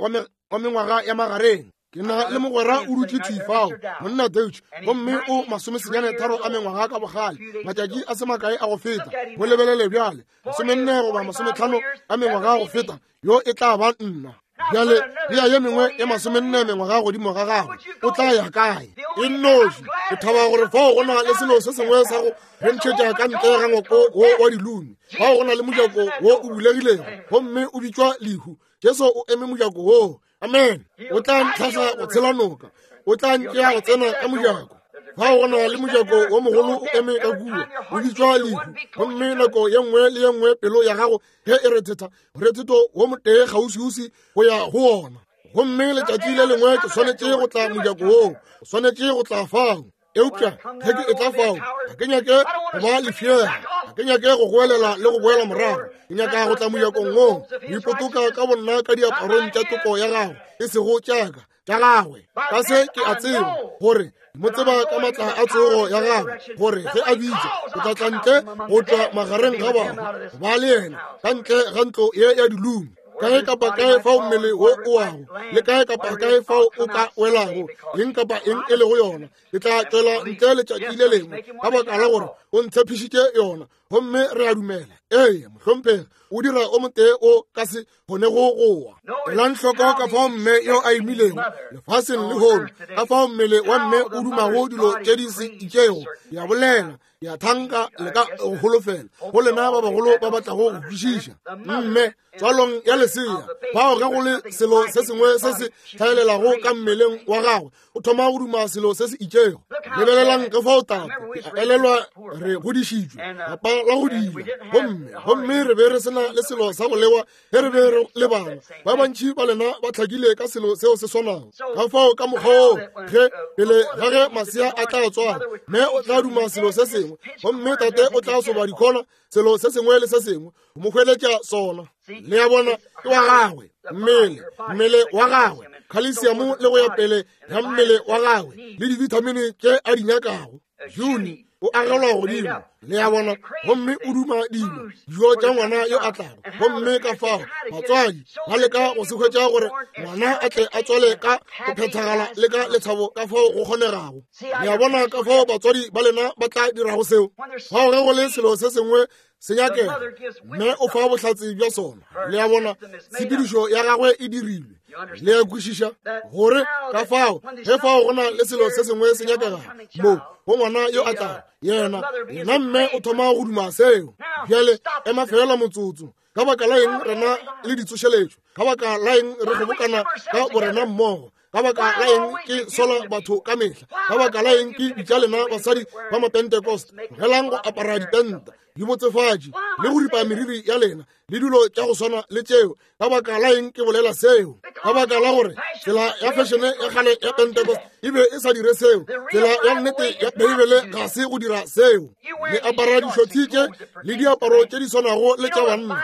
wa mengwaga ya magareng. Ke na le mogwera o dutše thwi fao, monna Deutsch, gomme o masomesenyane tharo a mengwaga ka bogale. Matšatši a se makae a go feta, mo lebelele bjale, masomenne goba masometlhano a mengwaga go feta, yo e tla ba nna. Bjale bea ye mengwe ya masomenne mengwaga godimo ga gagwe, o tla ya kae? E nnoši. Ke thaba gore fao go na le selo se sengwe sa go re ntšhetša ka ntle ga ngwako wo wa dilumi. Fao go na le mojako wo o bulegilego, gomme o bitšwa lehu. Jesu o eme mojako woo. Amen. O tla ntlhahla go tshela noka, o tla ntšea go tsena ka mojako. Fao go na le mojako wo mogolo o eme ka kua, o bitšwa lehu. Gomme nako ye nngwe le ye nngwe pelo ya gago ge e rethetha, morethetho wo motee kgauswiuswi go ya go ona. Gomme letšatši le lengwe ke swanetše go tla mojako woo, o swanetše go tla fao. Eupša ge ke etla fao, ga ke nyake go ba lefšega, ga ke nyake go goelela le go boela morago. Ke nyaka go tla mojakong woo, go ipotoka ka bonna ka diaparong tša toko ya gagwe, e sego tšaka, tša gagwe. Ka se ke a tseba gore mo tseba ka maatla a tsogo ya gagwe, gore ge a bitša, o tla tla ntle go tšwa magareng ga bahu, go ba le yena ka ntle ga ntlo ye ya dilumo. Kae kapa kae fao mmele wo o wago, le kae kapa kae fao o ka welago, eng kapa eng e lego yona, ke tla tšwela ntle letšatši le lengwe, ka baka la gore o ntshepišitše yona. Gomme re a dumela. Ee, mohlomphegi, o dira o motee o ka se kgonego go wa. Elang hloko ka fao mme yo a imilego lefaseng lehono, ka fao mmele wa mme o dumago dilo tše di se itšego. Ke a bolela, ke a thanka le ka go holofela go lena ba bagolo ba batlago go kwešiša. Mme tswalong ya lesea, fao ge go le selo se sengwe se se hlaelelago ka mmeleng wa gagwe, o thoma go duma selo se se itšego. Lebelelang ka fao tate, ke a elelwa re godišitšwe lapa la go dila, gomme gomme re be re sena le selo sa go lewa ge re be re le bana. Ba bantši ba lena ba hlakile ka selo seo se swanago. Ka fao ka mokgwa woo, ge pele ga ge masea a tla tswala, mme o tla duma selo se sengwe, gomme tate o tla soba dikhona, selo se sengwe le se sengwe go mo hweletša sona. Le a bona, ke wa gagwe mmele, mmele wa gagwe, khalesiamo le go ya pele ya mmele wa gagwe le dibithamini tše a di nyakago. June o agelwa godimo, le a bona, gomme o duma dilo, dijo tša ngwana yo a tlago. Gomme ka fao batswadi ba leka go se hwetša gore ngwana a tle a tswale ka go phethagala le ka lethabo ka fao go kgonegago. Le a bona ka fao batswadi ba lena ba tla dirago seo. Fao ge go le selo se sengwe se nyakega, mme o fa bohlatse bja sona. Le a bona, tshepedišo ya gagwe e dirilwe. Le a kwešiša gore ka fao ge fao go na le selo se sengwe se nyakegago mo go ngwana yo a tlago, yena yena mme o thoma go duma seo. Bjale ema fela motsotso. Ka baka la eng rena le ditsošeletšo? Ka baka la eng re kgobokana ka borena mmogo? Ka baka la eng ke sola batho ka mehla? Ka baka la eng ke bitša lena basadi ba Mapentecost, tlogelang go apara ditenta, dibotsefatši le go ripa meriri ya lena le dilo tša go swana le tšeo? Ka baka la eng ke bolela seo? Ka baka la gore tsela ya fešene ya kgale ya Pentecost e be e sa dire seo. Tsela ya nnete ya Beibele ga se go dira seo. Le apara dišothi tše le diaparo tše di swanago le tša banna.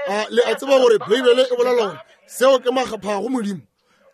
A le a tseba gore Beibele e bolela gore seo ke makgapha go Modimo?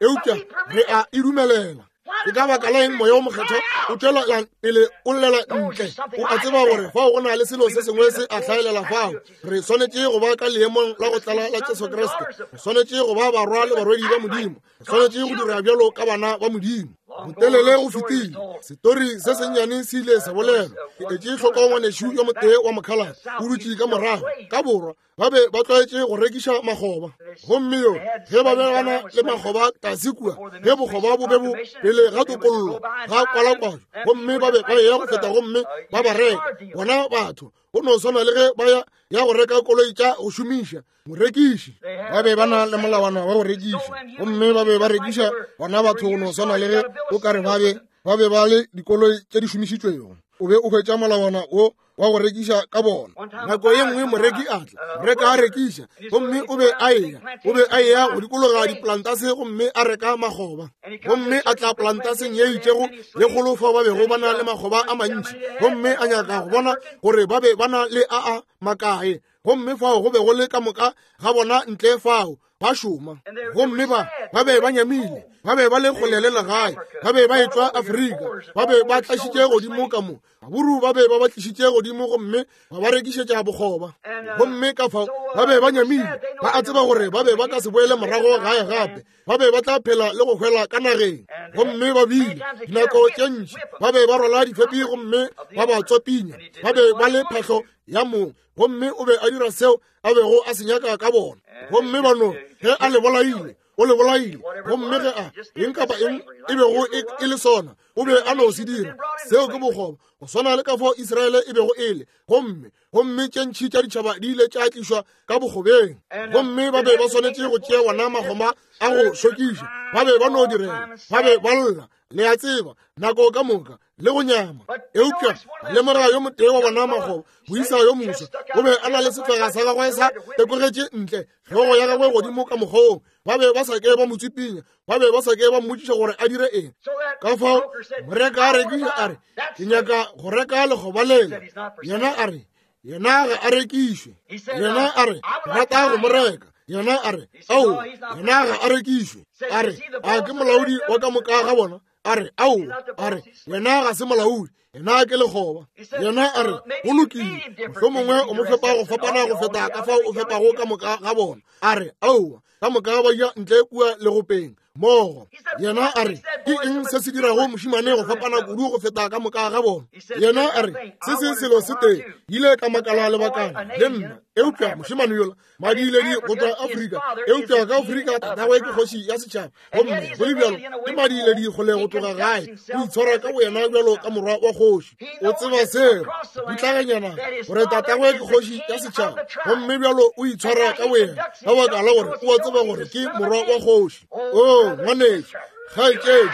Eupša re a e dumelela. Ke ka baka la eng moya o mokgethwa o tšwela pele o llela ntle? O a tseba gore fao go na le selo se sengwe se a hlaelela fao. Re swanetše go ba ka leemong la go tlala la Jesu Kriste. Re swanetše go ba barwa le barwedi ba Modimo. Re swanetše go dira bjalo ka bana ba Modimo. Botelele go fetile. Setori se sennyane se ile sa bolelwa. Ke etše hloko ngwanešu yo motee wa mokhaladi o dutše ka morago ka borwa. Ba be ba tlwaetše go rekiša makgoba. Gomme yo ge ba be ba na le makgoba tlase kua, ge bokgoba bo be bo pele ga tokollo ga kwalakwatšo, gomme ba be ba eya go feta gomme ba ba reka bona batho, go no swana le ge ba ya ya go reka koloi tša go šomiša morekiši. Ba be ba na le molawana wa go rekiša, gomme ba be ba rekiša bona batho go no swana le ge o ka re ba be ba be ba le dikoloi tše di šomišitšwego. O be o hwetša molawana wo wa go rekiša ka bona. Nako ye nngwe moreki a tla, moreka a rekiša, gomme o be a eya, o be a eya go dikologa diplantase gomme a reka makgoba. Gomme a tla plantaseng ye itšego ye kgolo fao ba bego ba na le makgoba a mantši, gomme a nyaka go bona gore ba be ba na le a a makae. Gomme fao go be go le ka moka ga bona ntle fao ba šoma, gomme ba ba be ba nyamile, ba be ba le kgole le legae, ba be ba etšwa Afrika, ba be ba tlašitše godimo ka mo. Baburu ba be ba ba tlišitše godimo gomme ba ba rekišetša bokgoba. Gomme ka fao ba be ba nyamile, ba a tseba gore ba be ba ka se boele morago gae gape, ba be ba tla phela le go hwela ka nageng. Gomme ba bile dinako tše ntši ba be ba rwala difepi gomme ba ba tswapinya, ba be ba le phahlo ya mong, gomme o be a dira seo a bego a se nyaka ka bona. Gomme ba no ge a le bolaile, o le bolaile. Gomme ge a eng kapa eng e bego e le sona, o be a no se dira. Seo ke bokgoba, go swana le ka fao Israele e bego e le. Gomme gomme tše ntši tša ditšhaba di ile tša tlišwa ka bokgobeng, gomme ba be ba swanetše go tšea wona magoma a go šokiša. Ba be ba no direla, ba be ba lla, le a tseba, nako ka moka le go nyama. Eupša lemoga yo motee wa bona makgoba, moisa yo moswa, o be a na le sefega sa gagwe sa tekogetše ntle, hlogo ya gagwe godimo ka mokgong. Ba be ba sa ke ba mo tswipinya, ba be ba sa ke ba mmotšiša gore a dire eng. Ka fao moreka a rekiša a re, ke nyaka go reka lekgoba lela. Yena a re, yena ga a rekišwe. Yena a re, rata go mo reka. Yena a re, ao, yena ga a rekišwe. A re, a ke molaodi wa ka moka ga bona? A re, ao, a re, yena ga se molaodi, yena ke lekgoba. Yena a re, go lokile, mohlomongwe o mo fepa go fapana go feta ka fao o fepago ka moka ga bona. A re, aowa, ka moka ba ja ntle kua legopeng, mmogo. Yena a re, ke eng se se dirago mošemane go fapana kudu go feta ka moka ga bona? Yena a re, se se selo se tee, ile ka makala lebakana le nna, eupša mošemane yola madiiledi go tšwa Afrika, eupša ka Afrika tatagwe ke kgoši ya setšhaba, gomme go le bjalo ke madiiledi kgole go tloga gae, o itshwara ka boyena bjalo ka morwa wa kgoši. O tseba seo, putlaganyana gore tatagwe ke kgoši ya setšhaba, gomme bjalo o itshwara ka boyena ka baka la gore o a tseba gore ke morwa wa kgoši. O ngwanešu, kgaetšedi,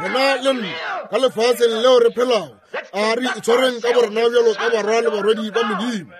rena le nna ka lefaseng leo re phelago, a re itshwareng ka borena bjalo ka barwa le barwedi ba Modimo.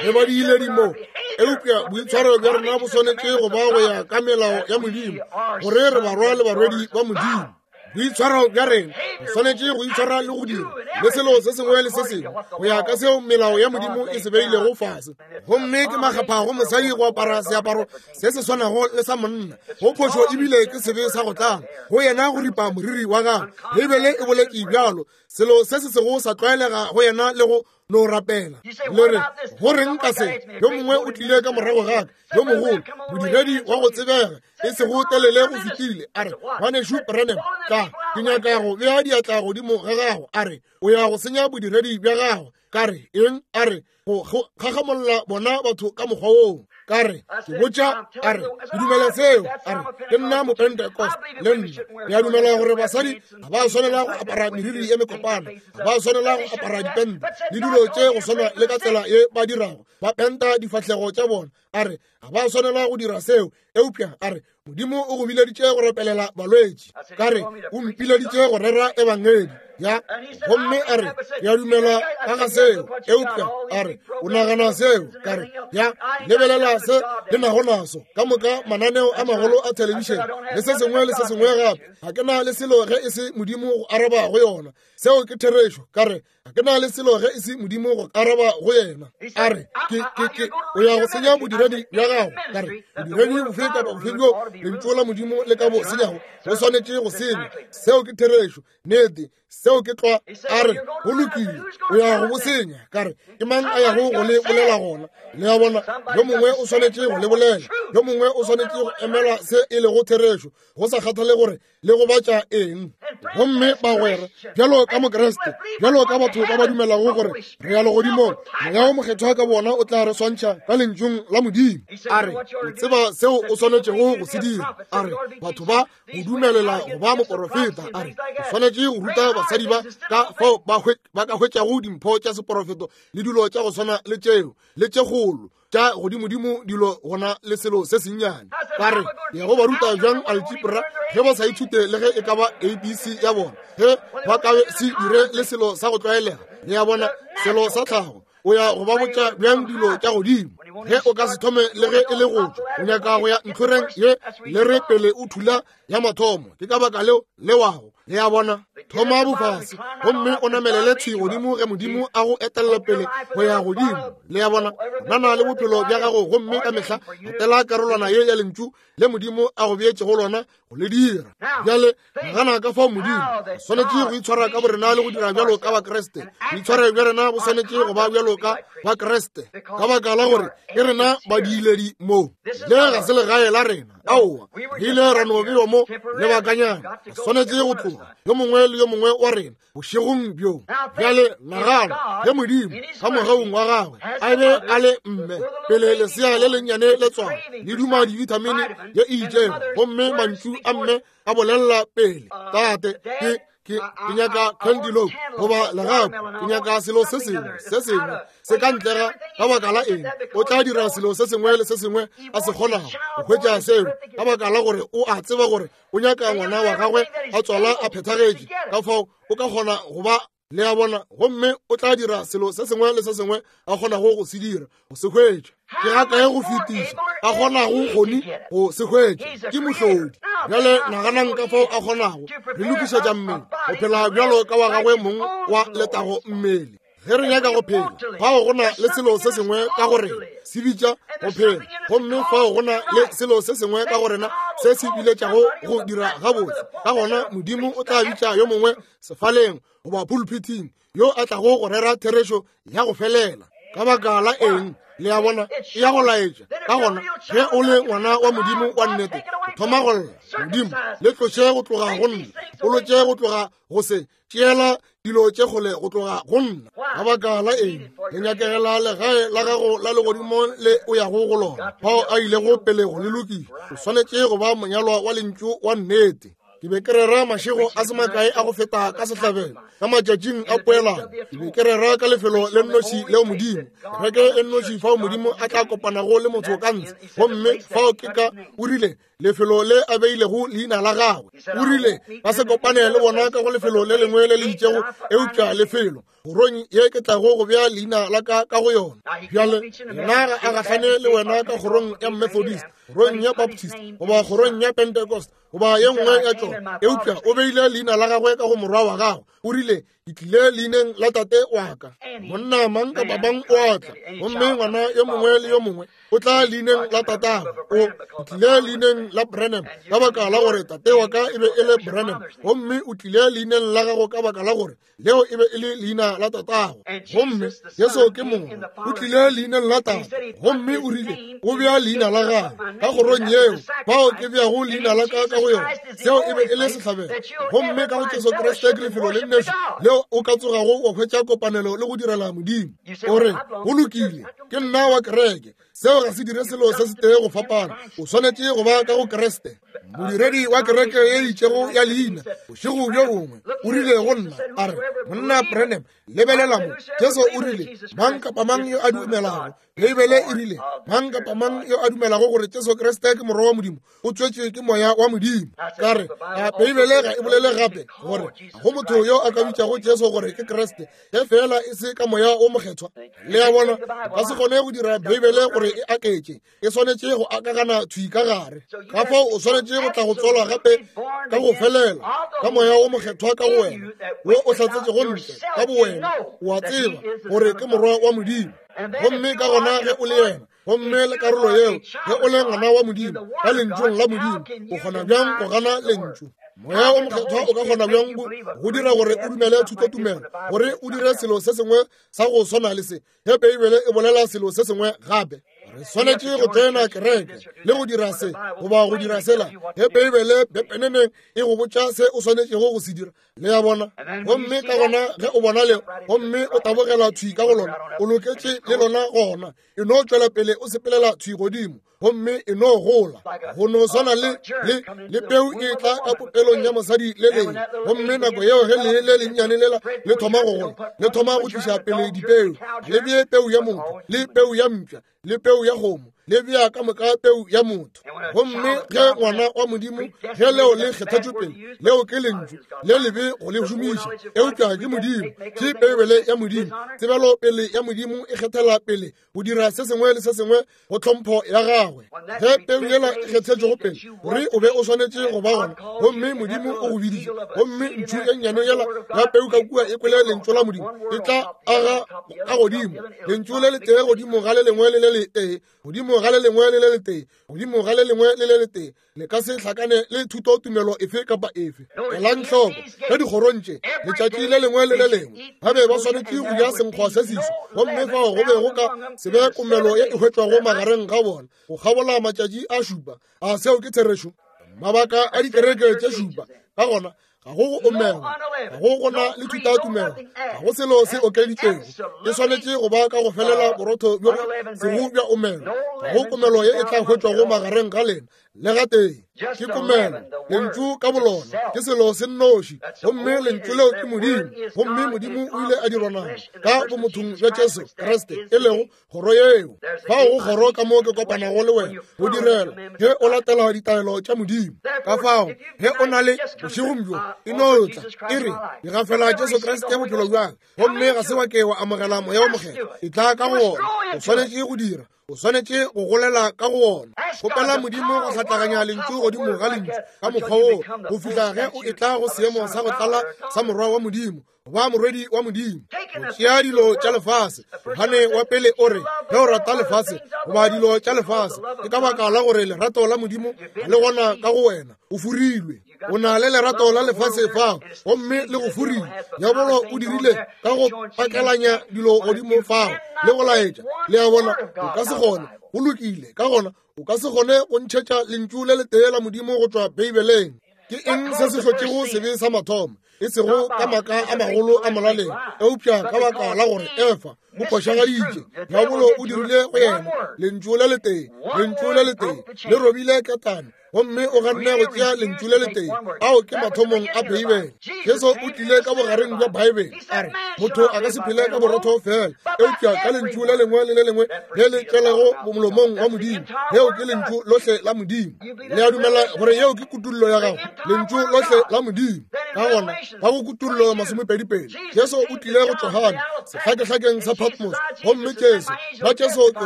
Re ba diiledi mo, eupša boitshwaro bja rena bo swanetše go ba go ya ka melao ya Modimo, gore re barwa le barwedi ba Modimo. Boitshwaro bja rena re swanetše go itshwara le go dira le selo se sengwe le se sengwe go ya ka seo melao ya Modimo e se beilego fase. Gomme ke makgapha go mosadi go apara seaparo se se swanago le sa monna, go phošo ebile ke sebe sa go tlala go yena go ripa moriri wa gagwe. Beibele e boletše bjalo, selo se se sego sa tlwaelega go yena le go no rapela. Le re, go reng ka se? Yo mongwe o tlile ka morago ga ka, yo mogolo, modiredi wa go tsebega, e sego telele go fetile, a re, ngwanešu Branham, ka ke nyaka go bea diatla godimo ga gago. A re, o ya go senya bodiredi bja gago. Ka re, eng? A re, go gagamolla bona batho ka mokgwa woo. Ka re, ke botša, a re, ke dumela seo. A re, ke nna Mopentecost le nna. Ke a dumela gore basadi ga ba swanela go apara meriri ye mekopana, ga ba swanela go apara dipente le dilo tše go swana le ka tsela ye ba dirago, ba penta difahlego tša bona. A re, ga ba swanela go dira seo, eupša a re, Modimo o go bileditše go rapelela balwetši. Ka re, o mpileditše go rera ebangedi. Ya, gomme a re, ke a dumela ka ga seo, eupša a re, o nagana seo? Ka re, ya, lebelela se le nago naso ka moka, mananeo a magolo a thelebišene le se sengwe le se sengwe gape. Ga ke na le selo ge e se Modimo go araba go yona. Seo ke therešo. Ka re, ga ke na le selo ge e se Modimo go araba go yena. A re, ke ke ke o ya go senya bodiredi bja gago. Ka re, bodiredi bofe kapa bofe bjo lentšu la Modimo le ka bo senyago, bo swanetše go senywa. Seo ke therešo. Nnete, seo ke tlwa. A re, go lokile, o ya go bo senya. Ka re, ke mang a yago go le bolela gona? Le a bona, yo mongwe o swanetše go le bolela, yo mongwe o swanetše go emela se e lego therešo, go sa kgathale gore le go batša eng. Gomme bagwera, bjalo ka Mokreste, bjalo ka batho ba ba dumelago gore re ya legodimong, Moya wo Mokgethwa ka bona o tla re swantšha ka lentšung la Modimo. A re, o tseba seo o swanetšego go se dira. A re, batho ba go dumelela go ba moporofeta. A re, o swanetše go ruta basadi ba ka fao ba ba ka hwetšago dimpho tša seporofeto le dilo tša go swana le tšeo le tše kgolo tša godimodimo dilo gona le selo se sennyane. Ka re, ya go ba ruta bjang algebra ge ba sa ithute le ge e ka ba A B C ya bona, ge ba ka se dire le selo sa go tlwaelega. Le ya bona, selo sa tlhago. O ya go ba botša bjang dilo tša godimo ge o ka se thome le ge e le go tšwa? O nyaka go ya ntlhoreng ye le re pele o thula ya mathomo. Ke ka baka leo le wago. Le ya bona, thoma bofase gomme o namelele thwi godimo ge Modimo a go etelela pele go ya godimo. Le ya bona, nana le bophelo bja gago gomme ka mehla latela karolwana ye ya lentšu le Modimo a go beetšego lona go le dira. Bjale nagana ka fao Modimo swanetše go itshwara ka borena le go dira bjalo ka Bakreste. Boitshwaro bja rena bo swanetše go ba bjalo ka Bakreste, ka baka la gore ke rena badiiledi mo. Le ga se legae la rena. Aowa, re ile ra no bewa mo lebakanyana. Re swanetše go tloga, yo mongwe le yo mongwe wa rena, bošegong bjo. Bjale nagana ge Modimo ka mogaung wa gagwe a be a le mme pele lesea le lennyane le tswala le duma dibithamine ye e itšego, gomme mantšu a mme a bolelela pele, tate, ke ke ke nyaka cantaloupe goba legapu, ke nyaka selo se sengwe se sengwe se ka ntle ga ka baka la eng. O tla dira selo se sengwe le se sengwe a se kgonago go hwetša seo, ka baka la gore o a tseba gore o nyaka ngwana wa gagwe a tswala a phethagetše. Ka fao o ka kgona go ba le a bona, gomme o tla dira selo se sengwe le se sengwe a kgonago go se dira go se hwetša. Ke ga kae go fetiša a kgonago kgoni go se hwetša? Ke mohlodi. Bjale naganang ka fao a kgonago re lokišetša mmele go phela bjalo ka wa gagwe mong wa letago mmele. Ge re nyaka go phela, fao go na le selo se sengwe ka go rena se bitša go phela, gomme fao go na le selo se sengwe ka go rena se se biletšago go dira gabotse. Ka gona Modimo o tla bitša yo mongwe sefaleng goba pulpiting yo a tlago go rera therešo ya go felela. Ka baka la eng? Le a bona, e ya go laetša. Ka gona ge o le ngwana wa Modimo wa nnete, o thoma go lla, Modimo, le tloše go tloga go nna, o lotše go tloga go se, tšeela dilo tše kgole go tloga go nna. Ka baka la eng? Le nyakegela legae la gago la legodimo le o yago go lona, fao a ilego pele go le lokiša. O swanetše go ba monyalwa wa lentšu wa nnete. Ke be ke rera mašego a se makae a go feta ka sehlabelo, ka matšatšing a poelano. Ke be ke rera ka lefelo le nnoši leo Modimo, kereke e nnoši fao Modimo a tla kopanago le motho ka ntshe. Gomme fao ke ka, o rile, lefelo le a beilego leina la gagwe. O rile, ba se kopane le bona ka go lefelo le lengwe le le itšego, eupša lefelo kgorong ye ke tlago go bea leina la ka ka go yona. Bjale yena ga a gahlane le wena ka kgorong ya Methodist, kgorong ya Baptist, goba kgorong ya Pentecost, goba ye nngwe ya tšona, eupša o beile leina la gagwe ka go morwa wa gagwe. O rile, ke tlile leineng la tate wa ka. Monna mang kapa mang o a tla, gomme ngwana yo mongwe le yo mongwe o tla leineng la tatagwe. O tlile leineng la Branham ka baka la gore tate wa ka e be e le Branham, gomme o tlile leineng la gago ka baka la gore leo e be e le leina la tatago. Gomme Jesu ke mongwe, o tlile leineng la tate, gomme o rile o bea leina la gagwe ka kgorong yeo bao ke beago leina la ka ka go yona. Seo e be e le sehlabelo. Gomme ka go Jesu Kriste ke lefelo le nnoši leo o ka tsogago wa hwetša kopanelo le go direla Modimo. O re, go lokile, ke nna wa kereke. Seo ga se dire selo se se tee go fapana. O swanetše go ba ka go Kriste. Modiredi wa kereke ye itšego ya leina bošego bjo bongwe o rile go nna, a re, monna Branham, lebelela mo. Jesu o rile, mang kapa mang yo a dumelago, Beibele e rile, mang kapa mang yo a dumelago gore Jesu Kriste ke morwa wa Modimo, o tswetšwe ke moya wa Modimo. Ka re, a Beibele ga e bolele gape gore go motho yo a ka bitšago Jesu gore ke Kriste, ge fela e se ka moya o mokgethwa. Le a bona, ba se kgone go dira Beibele gore e aketše, e swanetše go akagana thwi ka gare. Ka fao o swanetše go tla go tswalwa gape ka go felela ka moya o mokgethwa ka go wena, wo o hlatsetšego ntle ka bowena, o a tseba gore ke morwa wa Modimo. Gomme ka gona ge o le yena, gomme le karolo yeo, ge o le ngwana wa Modimo ka lentšung la Modimo, o kgona bjang go gana lentšu? Moya o mokgethwa o ka kgona bjang go dira gore o dumele thutotumelo, gore o dire selo se sengwe sa go swana le se, ge Beibele e bolela selo se sengwe gape? Re swanetše go tsena kereke le go dira se goba go dira sela, ge Beibele pepeneneng e go botša se o swanetšego go se dira. Le a bona? Gomme ka gona ge o bona leo, gomme o tabogela thwi ka go lona, o loketše le lona gona. E no tšwela pele o sepelela thwi godimo, gomme e no gola. Go no swana le le le peu e tla ka popelong ya mosadi le leng, gomme nako yeo ge lee le lennyane lela le thoma go gola, le thoma go tliša pele dipeu. Le bee peu ya motho, le peu ya mpša, le peu ya kgomo, le bea ka moka peu ya motho. Gomme ge ngwana wa Modimo, ge leo le kgethetšwe pele, leo ke lentšu le lebe go le šomiša, eupša ke Modimo, ke Beibele ya Modimo. Tsebelo pele ya Modimo e kgethela pele go dira se sengwe le se sengwe go tlhompho ya gagwe. Ge peu yela e kgethetšwego pele gore o be o swanetše go ba gona, gomme Modimo o go biditše, gomme ntšhu ye nnyane yela ya peu ka kua e kwele lentšu la Modimo, e tla aga ka godimo lentšu le letee godimo ga le lengwe le le letee, godimo ga le lengwe le le letee, godimo ga le lengwe le le letee. Le ka se hlakane le thutotumelo efe kapa efe. Elang hloko ge dikgorong tše letšatši le lengwe le le lengwe ba be ba swanetše go ja senkgwa se seso, gomme fao go be go ka se be komelo ye e hwetšwago magareng ga bona go kgabola matšatši a šupa. A seo ke therešo? Mabaka a dikereke tše šupa. Ka gona ga go go omelwa, ga go gona le thutatumelo, ga go selo se okeditšwego. E swanetše go ba ka go felela borotho bjo sego bja omelwa. Ga go komelo ye e tla hwetšwago magareng ga lena le gatee. Ke komelo, lentšu ka bolona ke selo se nnoši, gomme lentšu leo ke Modimo. Gomme Modimo o ile a dirwa nama ka bomothong bja Jesu Kriste, e lego kgoro yeo. Fao go kgoro ka mo ke kopanago le wena go direla ge o latela ditaelo tša Modimo. Ka fao ge o na le bošegong bjo, e no tla e re ke gafela Jesu Kriste bophelo bjang, gomme ga se wa ke wa amogela moya o mokgethwa, e tla ka go wona. O swanetše go dira, o swanetše go golela ka go wona. Kgopela Modimo go hlatlaganya lentšu godimo ga lentšu ka mokgwa woo go fihla ge o etla go seemo sa go tlala sa morwa wa Modimo, goba morwedi wa Modimo. Go tšea dilo tša lefase. Johane wa pele o re, ge o rata lefase goba dilo tša lefase, ke ka baka la gore lerato la Modimo ga le gona ka go wena, o furilwe. O na le lerato la lefase fao, gomme le go furile. Diabolo o dirile ka go pakelanya dilo godimo fao le go laetša. Le a bona, o ka se kgone. Go lokile, ka gona o ka se kgone go ntšhetša lentšu le letee la Modimo go tšwa Beibeleng. Ke eng se se hlotšego sebe sa mathomo? E sego ka maka a magolo a molaleng, eupša ka baka la gore Efa o phošagaditše. Diabolo o dirile go yena lentšu le letee, lentšu le letee le robile ketane, gomme o ganne go tšea lentšu le letee. Ao ke mathomong a Beibele. Jesu o tlile ka bogareng bja Beibele, a re motho a ka se phele ka borotho fela, eupša ka lentšu le lengwe le le lengwe le le tšwelego molomong wa Modimo. Leo ke lentšu lohle la Modimo. Le a dumela gore yeo ke kutullo ya gago, lentšu lohle la Modimo. Ka gona ka go kutullo masomepedipedi, Jesu o tlile go Johane sehlakehlakeng sa Patmos, gomme Jesu ba Jesu ke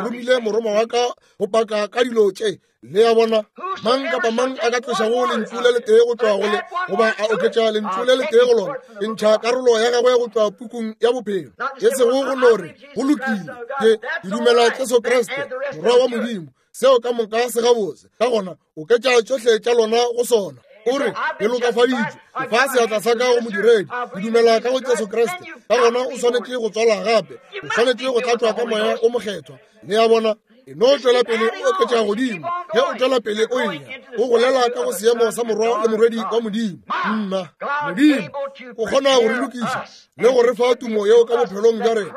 romile morongwa wa ka go paka ka dilo tše. Le a bona, mang kapa mang a ka tlošago lentšu le letee go tšwa go le, goba a oketša lentšu le letee go lona, ke ntšha karolo ya gagwe go tšwa pukung ya bophelo. E sego go no re go lokile, ke ke dumela Jesu Kriste morwa wa Modimo, seo ka moka se gabotse. Ka gona oketša tšohle tša lona go sona. O re ke lokafaditšwe, ke fa seatla sa ka go modiredi, ke dumela ka go Jesu Kriste. Ka gona o swanetše go tswalwa gape, o swanetše go tlatšwa ka moya o mokgethwa. Le a bona, e no tšwela pele o oketša godimo. Ge o tšwela pele o eya, o golela ka go seemo sa morwa le morwedi wa Modimo. Nna Modimo o kgona go re lokiša le go re fa tumo yeo ka bophelong bja rena,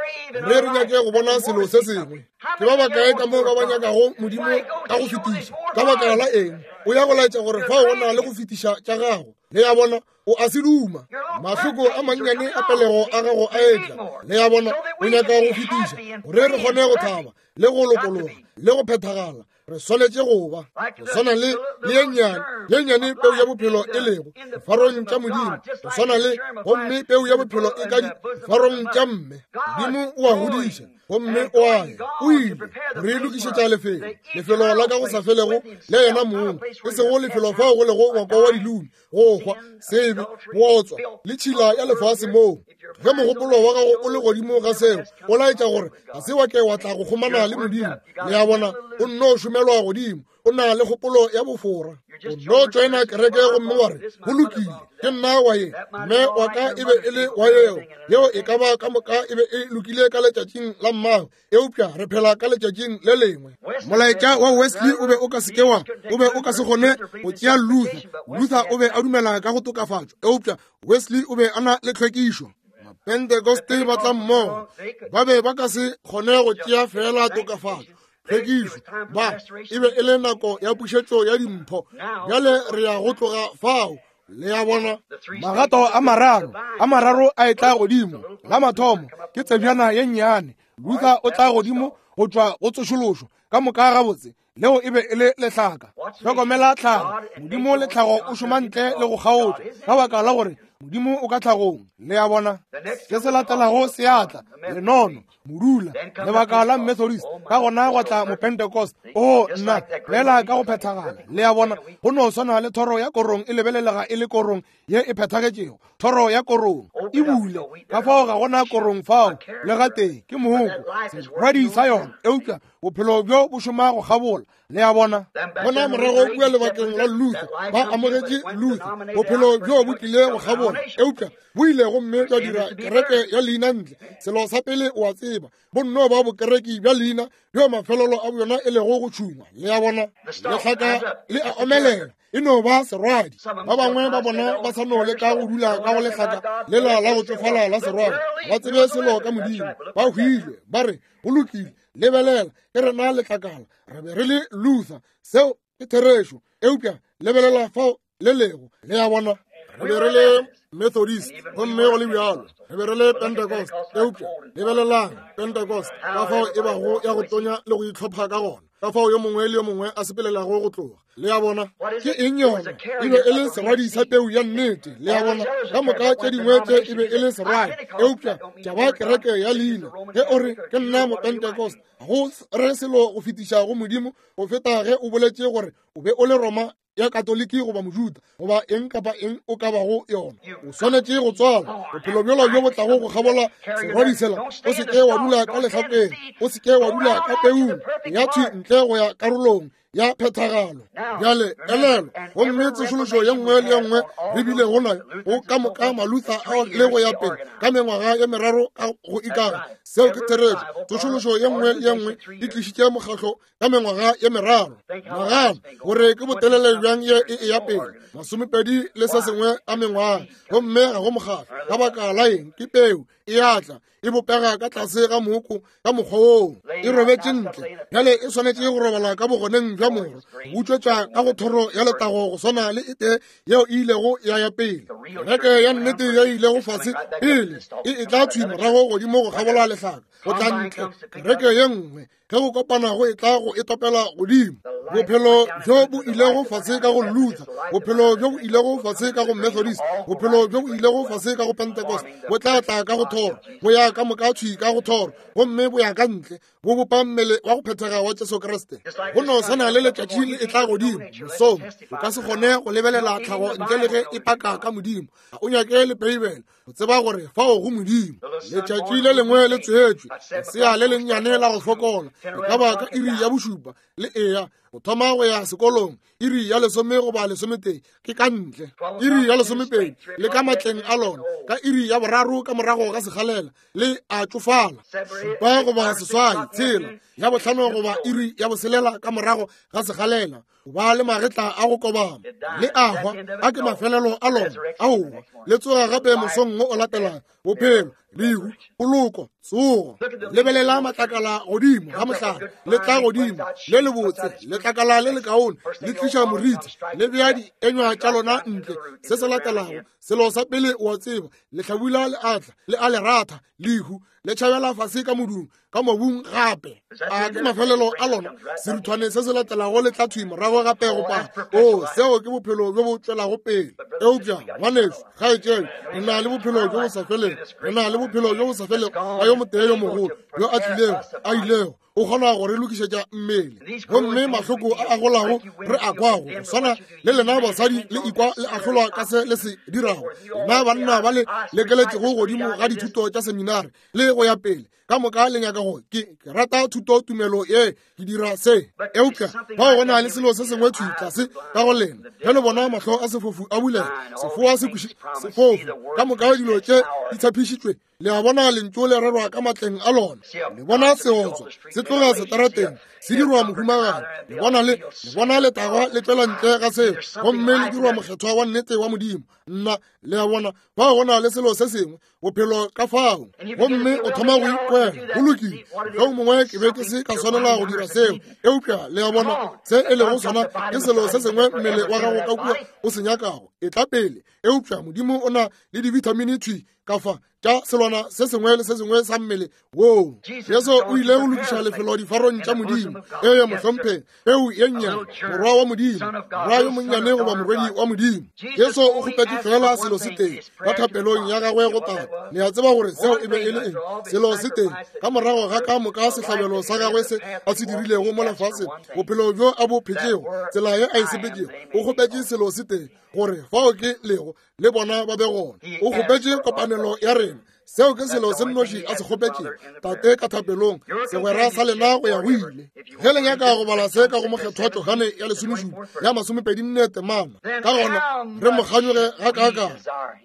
re re nyake go bona selo se sengwe. Ke ba bakae ka mo ba ba nyakago Modimo ka go fetiša? Ka baka la eng? O ya go laetša gore fao go na le go fetiša tša gago. Le a bona, o a se duma. Mahloko a mannyane a pelego a gago a etla. Le a bona, o nyaka go fetiša gore re kgone go thaba le go lokologa le go phethagala. Re swanetše go ba go swana le le ye nnyane, ye nnyane peu ya bophelo e lego difarong tša Modimo, go swana le gomme peu ya bophelo e ka difarong tša mme. Modimo o a godiša gomme o a ya, o ile re lokišetša lefelo, lefelo la ka go sa felego le yena mong, e sego lefelo fao go lego ngwako wa dilomi, go hwa, sebe, bootswa le tšhila ya lefase moo. Ge mogopolo wa gago o le godimo ga seo, o laetša gore ga se wa ke wa tla go kgomana le Modimo. Le a bona, o nno šomelwa godimo, o na le kgopolo ya bofora. O nno tšoena kereke gomme wa re go lokile, ke nna wa ye, mme wa ka e be e le wa yeo, yeo e ka ba ka moka e be e lokile ka letšatšing la mmago, eupša re phela ka letšatšing le lengwe. Molaetša wa Wesley o be o ka se ke wa, o be o ka se kgone go tšea Luther. Luther o be a dumela ka go tokafatšo, eupša Wesley o be a na le tlhwekišo. Mapentekoste ba tla mmogo, ba be ba ka se kgone go tšea fela tokafatšo, tlhwekišo. Ba e be e le nako ya pušetšo ya dimpho. Bjale re ya go tloga fao. Le a bona, magato a mararo, a mararo a etla godimo. La mathomo ke tsebjana ye nnyane. Luther o tla godimo go tšwa go tsošološo ka moka gabotse. Leo e be e le lehlaka. Hlokomela tlhago. Modimo le tlhago o šoma ntle le go kgaotša, ka baka la gore Modimo o ka tlhagong. Le a bona, se se latelago se atla, lenono, modula, lebaka la Methodist, ka gona gwa tla Mopentecost. O nna, lela ka go phethagala. Le a bona, go no swana le thoro ya korong e lebelelega e le korong ye e phethagetšego. Thoro ya korong e bule, ka fao ga gona korong fao le gatee, ke mooko, serwadi sa yona, eupša bophelo bjo bo šoma go kgabola. Le a bona, gona morago kua lebakeng la Luther, ba amogetše Luther, bophelo bjo bo tlile go kgabola, eupša bo ile gomme jwa dira kereke ya leina ntle. Selo sa pele o a tseba, bo nno ba bokereki bja leina bjo mafelelo a bjona e lego go tšhungwa. Le a bona, lehlaka le a omelela, e no ba serwadi. Ba bangwe ba bona ba sa no leka go dula ka go lehlaka lela la go tšofala la serwadi, ba tsebe selo ka Modimo, ba hwile, ba re go lokile, lebelela, ke rena letlakala, re be re le Luther, seo ke therešo, eupša lebelela fao le lego. Le a bona, re be re le Methodist, gomme go le bjalo re be re le Pentecost, eupša lebelelang Pentecost ka fao e bago ya go tonya le go itlhopha ka gona, ka fao yo mongwe le yo mongwe a sepelelago go tloga. Le a bona, ke eng yona? E be e le serwadi sa peu ya nnete. Le a bona, ka moka tše dingwe tše e be e le serwadi, eupša tša ba kereke ya leina. Ge o re ke nna Mopentecost, go re selo go fetiša go Modimo go feta ge o boletše gore o be o le Roma ya Katoliki goba Mojuda goba eng kapa eng o ka bago yona. O swanetše go tswala bophelo bjola bjo bo tlago go kgabola serwadi sela. O se ke wa dula ka lehlakeng, o se ke wa dula ka peung, ya thwi ntle go ya karolong ya phethagalo. Bjale elelo, gomme tsošološo ye nngwe le ye nngwe re bilego nayo go ka moka Maluther ao le go ya pele ka mengwaga ye meraro ka go ikaga. Seo ke therešo. Tsošološo ye nngwe le ye nngwe e tlišitše mokgahlo ka mengwaga ye meraro. Nagana gore ke botelele bjang ye e ya pele, masomepedi le se sengwe a mengwaga, gomme ga go mokgahlo. Ka baka la eng? Ke peu e atla e bopega ka tlase ga mooko ka mokgwa woo, e robetše ntle. Bjale e swanetše go robala ka bogoneng bja moro, go utswetša ka go thoro ya letago go swana le e tee yeo e ilego ya ya pele. Kereke ya nnete ye ilego fase pele e e tla thwi morago godimo go kgabola lehlaka, go tla ntle. Kereke ye nngwe ge go kopana go e tla go e topela godimo. Bophelo bjo bo ilego fase ka go Luther, bophelo bjo bo ilego fase ka go Methodist, bophelo bjo bo ilego fase ka go Pentecost, bo tla tla ka go thoro, bo ya ka moka thwi ka go thoro, gomme bo ya ka ntle, bo bopa mmele wa go phethega wa Jesu Kriste. Go no swana le letšatši le e tla godimo mosong, o ka se kgone go lebelela tlhago ntle le ge e paka ka Modimo. Ga o nyake le Beibele o tseba gore fao go Modimo. Letšatši le lengwe le tswetšwe, lesea le lennyane la go fokola, e ka ba ka iri ya bošupa le eya go thoma go ya sekolong, iri ya lesome goba lesometee ke ka ntle, iri ya lesomepedi le ka matleng a lona, ka iri ya boraro ka morago ga sekgalela le a tšofala, šupa goba seswai, tshela, ya bohlano goba iri ya boselela ka morago ga sekgalela, o ba le magetla a go kobama le a hwa. A ke mafelelo a lona. Aowa, le tsoga gape mosong wo o latelang. Bophelo, lehu, poloko, tsogo. Lebelela matlakala godimo ga mohlare, le tla godimo le lebotse, letlakala le lekaone le tliša moriti, le bea dienywa tša lona ntle. Se se latelago, selo sa pele o a tseba, lehlabula le atla, le a le ratha, lehu le tšhabela fase ka modung, ka mobung gape. A ke mafelelo a lona. Seruthwane se se latelago le tla thwi morago gape go pala. O, seo ke bophelo bjo bo tšwelago pele. Eupša ngwanešu, kgaetšedi, re na le bophelo bjo bo sa felego. Re na le bophelo bjo bo sa felego ka yo motee yo mogolo yo a tlilego, a ilego, o kgona go re lokišetša mmele. Gomme mahloko a a golago re a kwago, go swana le lena basadi le ikwa le ahlolwa ka se le se dirago, lena banna ba le lekeletšego godimo ga dithuto tša seminari le go ya pele, ka moka le nyaka go ke ke rata thuto tumelo ye, ke dira se. Eupša bao go na le selo se sengwe thwi tlase ka go lena, ge le bona mahlo a sefofu a bulega, sefoa se kweši sefofu, ka moka dilo tše di tshepišitšwe, le a bona lentšu le rerwa ka matleng a lona. Le bona seotswa se tloga setarateng se dirwa mohumagadi, le bona le le bona letagwa le tšwela ntle ga seo, gomme le dirwa mokgethwa wa nnete wa Modimo. Nna, le a bona bao go na le selo se sengwe, bophelo ka fao, gomme o thoma go ikwela go lokile. Ge o mongwe ke be ke se ka swanela go dira seo, eupša le a bona se e lego sona ke selo se sengwe mmele wa gago ka kua o se nyakago. E tla pele, eupša Modimo o na le dibithamini thwi ka fa tša selwana se sengwe le se sengwe sa mmele woo. Jesu o ile go lokiša lefelo difarong tša Modimo. Ee, mohlomphegi, peu ye nnyane, morwa wa Modimo, morwa yo monnyane goba morwedi wa Modimo. Jesu o kgopetše fela selo se tee ka thapelong ya gagwe go Tate. Le a tseba gore seo e be e le eng? Selo se tee ka morago ga ka moka sehlabelo sa gagwe se a se dirilego mo lefaseng, bophelo bjo a bo phetšego, tsela ye a e sepetšego, o kgopetše selo se tee, gore fao ke lego le bona ba be gona. O kgopetše kopanelo ya rena. Seo ke selo se nnoši a se kgopetšego Tate ka thapelong, segwera sa lena go ya go ile. Ge le nyaka go bala se ka go Mokgethwa Johane ya lesomešupa ya masomepedi nne temana, ka gona re mo kganyoge gakaakang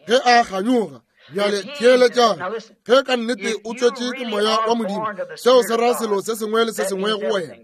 ge a kganyoga. Bjale theeletšang, ge ka nnete o tswetše ke moya wa Modimo, seo se ra selo se sengwe le se sengwe go wena.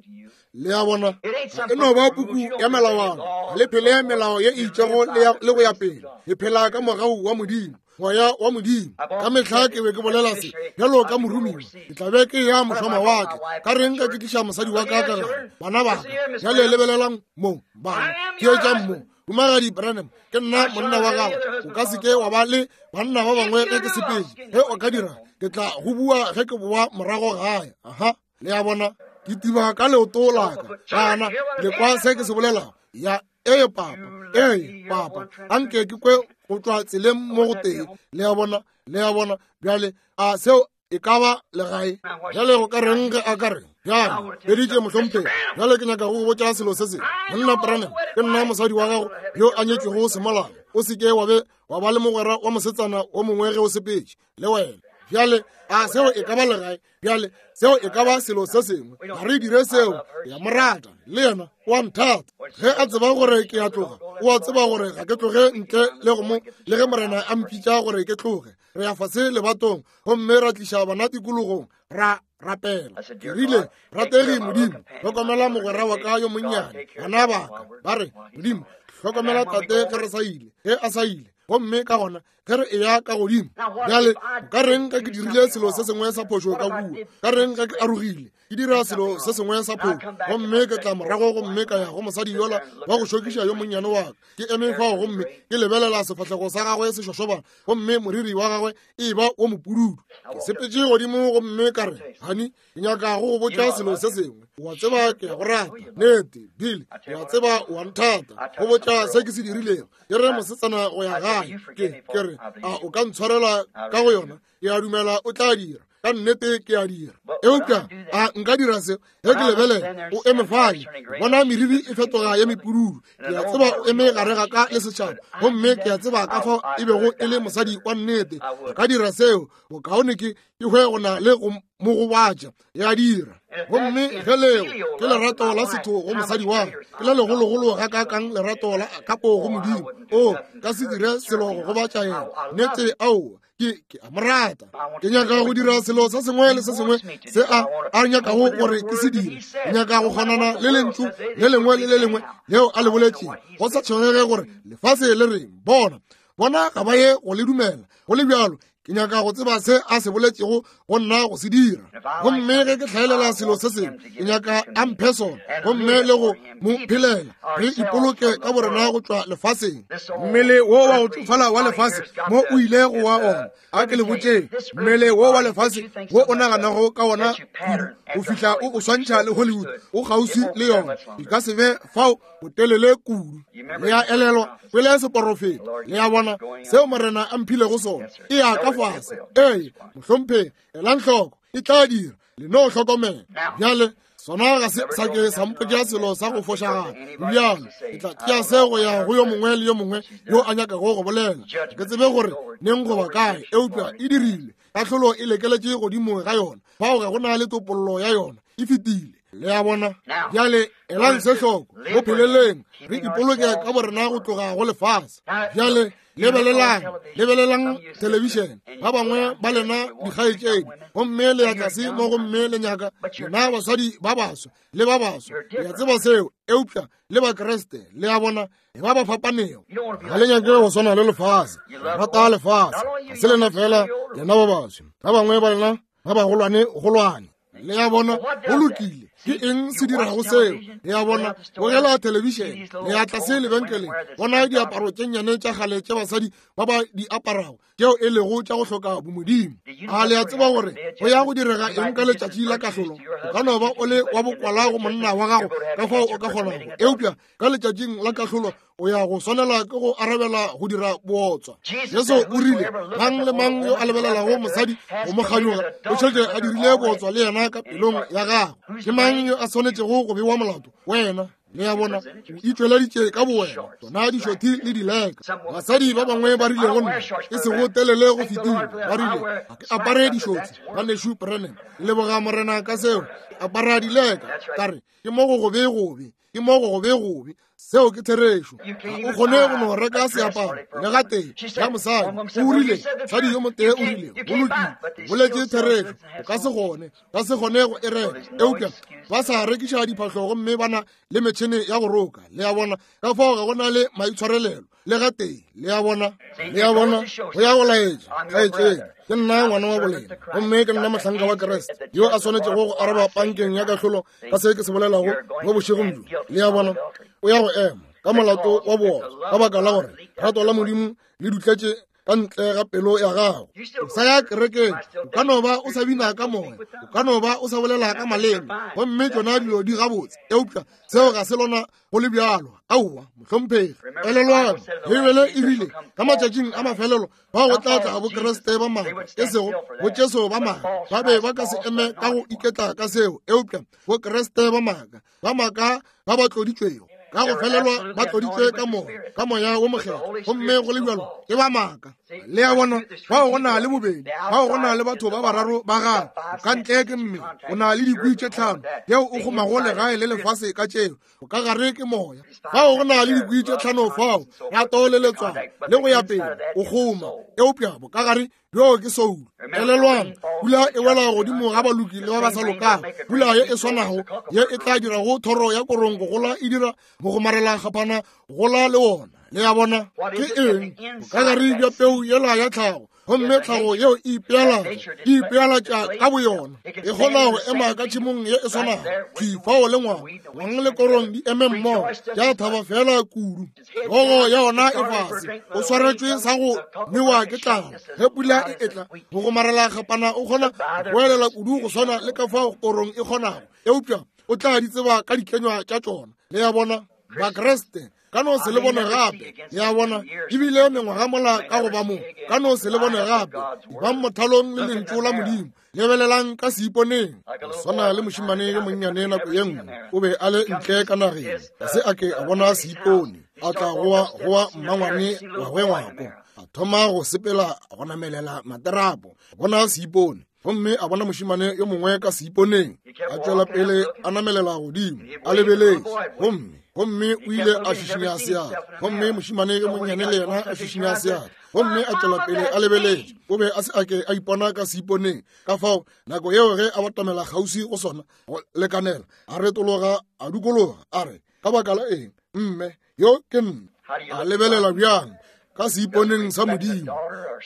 Le a bona, e no ba puku ya melawana, le phele melao ye e itšego le go ya pele. Le phela ka mogau wa Modimo, moya wa Modimo. Ka mehla ke be ke bolela se bjalo ka moromiwa, ke tla be ke ya mošwamawatle, ka reng ka ke tliša mosadi wa ka ka gare, bana ba ka. Bjale lebelelang mo, bana, theetšang mo. Humagadi Branham, ke nna monna wa gago. O ka se ke wa ba le banna ba bangwe ge ke sepetše. Ge o ka dira, ke tla go bua ge ke boa morago gae. Aha, le a bona, ke tiba ka leoto la ka. Bana, le kwa se ke se bolelago? Ya, ee papa, ee papa, anke ke kwe go tšwa tseleng mo go tee. Le a bona, le a bona. Bjale a seo e ka ba legae? Bjale go ka reng ge a ka re bjale beditše mohlomphegi? Bjale ke nyaka go botša selo se sengwe. Monna Branham, ke nna mosadi wa gago yo a nyetšwego semolao. O se ke wa be wa ba le mogwera wa mosetsana o mongwe ge o sepetše le wena. Bjale a seo e ka ba legae? Bjale seo e ka ba selo se sengwe. Ga re dire seo. Ke a mo rata, le yena o a nthata. Ge a tseba gore ke a tloga, o a tseba gore ga ke tloge ntle le go mo, le ge Morena a mpitša gore ke tloge. Re ya fase lebatong gomme ra tliša bana tikologong, ra rapela. Ke rile, rategi Modimo, hlokomela mogwera wa ka yo monnyane, bana ba ka. Ba re, Modimo, hlokomela tate ge re sa ile, ge a sa ile. Gomme ka gona ge re eya ka godimo. Bjale ka reng ge ke dirile selo se sengwe sa phošo ka kua? Ka reng ge ke arogile, ke dira selo se sengwe sa phošo, gomme ke tla morago gomme ka ya go mosadi yola wa go šokiša yo monnyane wa ka? Ke eme fao gomme ke lebelela sefahlego sa gagwe se šošobana, gomme moriri wa gagwe e ba wo mopududu. Ke sepetše godimo gomme ka re, honey, ke nyaka go go botša selo se sengwe. O a tseba ke a go rata. Nnete, Bill, o a tseba o a nthata. Go botša se ke se dirilego. Ke re mosetsana go ya gae. Ke, ke re, a o ka ntshwarela ka go yona? Ke a dumela o tla dira. Ka nnete ke a dira. Eupša a nka dira seo? Ge ke lebelela, o eme fale, bona meriri e fetoga ye mepududu. Ke a tseba o eme gare ga ka le setšhaba, gomme ke a tseba ka fao e bego e le mosadi wa nnete. Ka dira seo, bokaone ke ke hwe go na le go mo gobatša. Ya dira. Gomme ge leo ke lerato la setho go mosadi wa ka, ke le legologolo ga ka kang lerato la kapo go Modimo. O ka se dire selo go gobatša yena. Nnete, aowa. Ke, ke a mo rata. Ke nyaka go dira selo se sengwe le se sengwe se a a nyakago gore ke se dire. Ke nyaka go kgonana le lentšu le lengwe le le lengwe leo a le boletšego, go sa tshwenyege gore lefase le reng. Bona, bona ga ba ye go le dumela. Go le bjalo, ke nyaka go tseba se a se boletšego go nna go se dira. Gomme ge ke hlaelela selo se sengwe, ke nyaka a mphe sona, gomme le go mo phelela. Re ipoloke ka borena go tšwa lefaseng. Mmele wo wa go tšofala wa lefase mo o ile go wa ona. A ke le botšeng, mmele wo wa lefase wo o naganago ka wona kudu go fihla o o swantšha le Hollywood, o kgauswi le yona. E ka se be fao botelele kudu. Le a elelwa pele seporofeto. Le a bona seo Morena a mphilego sona. E ya ka fase. Ee, mohlomphegi, elang hloko, e tla dira. Le no hlokomela. Bjale sona ga se sa ke sa mpotša selo sa go fošagala. Bjale ke tla tšea se go ya go yo mongwe le yo mongwe yo a nyakago go bolela. Ke tsebe gore neng goba kae, eupša e dirile. Kahlolo e lekeletše godimo ga yona. Fao ga go na le topollo ya yona. E fetile. Le a bona? Bjale elang se hloko, mo pheleleng re ipoloke ka borena go tloga go lefase. Bjale lebelelang, lebelelang thelebišene. Ba bangwe ba lena dikgaetšedi, gomme le ya tlase mo gomme le nyaka lena basadi ba baswa le ba baswa. Le a tseba seo, eupša le Bakreste, le a bona, e ba ba fapanego. Ga le nyake go swana le lefase, rata lefase. Ga se lena fela, lena ba baswa. Ba bangwe ba lena ba bagolwane golwane. Le a bona, go lokile. Ke eng se dirago seo? Le a bona, bogela thelebišene, le ya tlase lebenkeleng, bona diaparo tše nnyane tša kgale tše basadi ba ba di aparago, tšeo e lego tša go hloka bomodimo. A le a tseba gore go ya go direga eng ka letšatši la kahlolo? O ka no ba o le wa bokwala go monna wa gago ka fao o ka kgonago, eupša ka letšatšing la kahlolo o ya go swanela ke go arabela go dira bootswa. Jesu o rile, mang le mang yo a lebelelago mosadi go mo kganyoga o šetše a dirile bootswa le yena ka pelong ya gagwe. Ke mang yo a swanetšego go bewa molato? Wena. Le a bona, o itšweleditše ka bowena, tsona dišothi le dileka. Basadi ba bangwe ba rile go nna, e sego telele go fetile, ba rile, ga ke apare dišothi, ngwanešu Branham. Leboga Morena ka seo, ke apara dileka. Ka re, ke mo go gobe gobe, ke mo go gobe gobe. Seo ke therešo. Ga o kgone go no reka seaparo le gatee ya mosadi. O rile, mosadi yo motee o rile, go lokile, o boletše therešo, o ka se kgone, ka se kgone go e reka. Eupša ba sa rekiša diphahlo gomme ba na le metšhene ya go roka. Le a bona, ka fao ga go na le maitshwarelelo le gatee. Le a bona, le a bona, go ya go laetša kgaetšedi, ke nna ngwana wa bolena, gomme ke nna mohlanka wa Kriste yo a swanetšego go araba pankeng ya kahlolo ka se ke se bolelago mo bošegong bjo. Le a bona, o ya go ema ka molato wa bootswa ka baka la gore rato la Modimo le dutletše ka ntle ga pelo ya gago. O sa ya kerekeng, o ka no ba o sa bina ka moya, o ka no ba o sa bolela ka maleme, gomme tšona dilo di gabotse, eupša seo ga se lona go le bjalo. Aowa, mohlomphegi. Elelwang, Beibele e rile ka matšatšing a mafelelo bao go tla tla bokreste ba maaka, e sego bo Jesu ba maaka. Ba be ba ka se eme ka go iketla ka seo, eupša bokreste ba maaka, ba maaka ba ba tloditšwego. Ka go felelwa ba tloditšwe ka moya, ka moya wo mokgethwa, gomme go le bjalo ke ba maaka. Le a bona, bao go na le bobedi, bao go na le batho ba bararo ba gago. Ka ntle ke mmele, o na le dikwi tše tlhano yeo o kgomago legae le lefase ka tšeo. Ka gare ke moya. Fao go na le dikwi tše tlhano fao, rato le letswalo le go ya pele, o kgoma. Eupša bokagare bjo ke soulo. Elelwang, pula e wela godimo ga baloki le ba ba sa lokago. Pula ye e swanago ye e tla dirago thoro ya korong go gola e dira mogomarela kgapana gola le wona. Le a bona ke eng? Bokagare bja peu yela ya tlhago, gomme tlhago yeo e ipeela e ipeelatša ka boyona, e kgona go ema ka tšhemong ye e swanago thwi fao le ngwang ngwang le korong di eme mmogo, tša thaba fela kudu. Hlogo ya ona e fase, o swaretšwe sa go nwewa ke tlala. Ge pula e etla go gomarela kgapana, o kgona go elela kudu go swana le ka fao korong e kgonago, eupša o tla di tseba ka dikenywa tša tšona. Le a bona, Bakreste ka no se le bone gape. Le a bona, ebile mengwaga mola ka go ba mo, ka no se le bone gape. Bang mothalong le lentšu la Modimo, lebelelang ka seiponeng. Go swana le mošemane yo monnyane nako ye nngwe, o be a le ntle ka nageng, ga se a ke a bona seipone. A tla goa goa mmangwane wa gwe ngwako, a thoma go sepela go namelela materapo, bona seipone. Gomme a bona mošemane yo mongwe ka seiponeng, a tšwela pele a namelela godimo, a lebeletše. Gomme gomme o ile a šišinya seatla, gomme mošemane yo monnyane le yena a šišinya seatla, gomme a tšwela pele a lebeletše. O be a se a ke a ipona ka seiponeng. Ka fao nako yeo ge a batamela kgauswi go sona go lekanela, a retologa a dukologa, a re, ka baka la eng mme yo ke nna? A lebelela bjang ka seiponeng sa Modimo?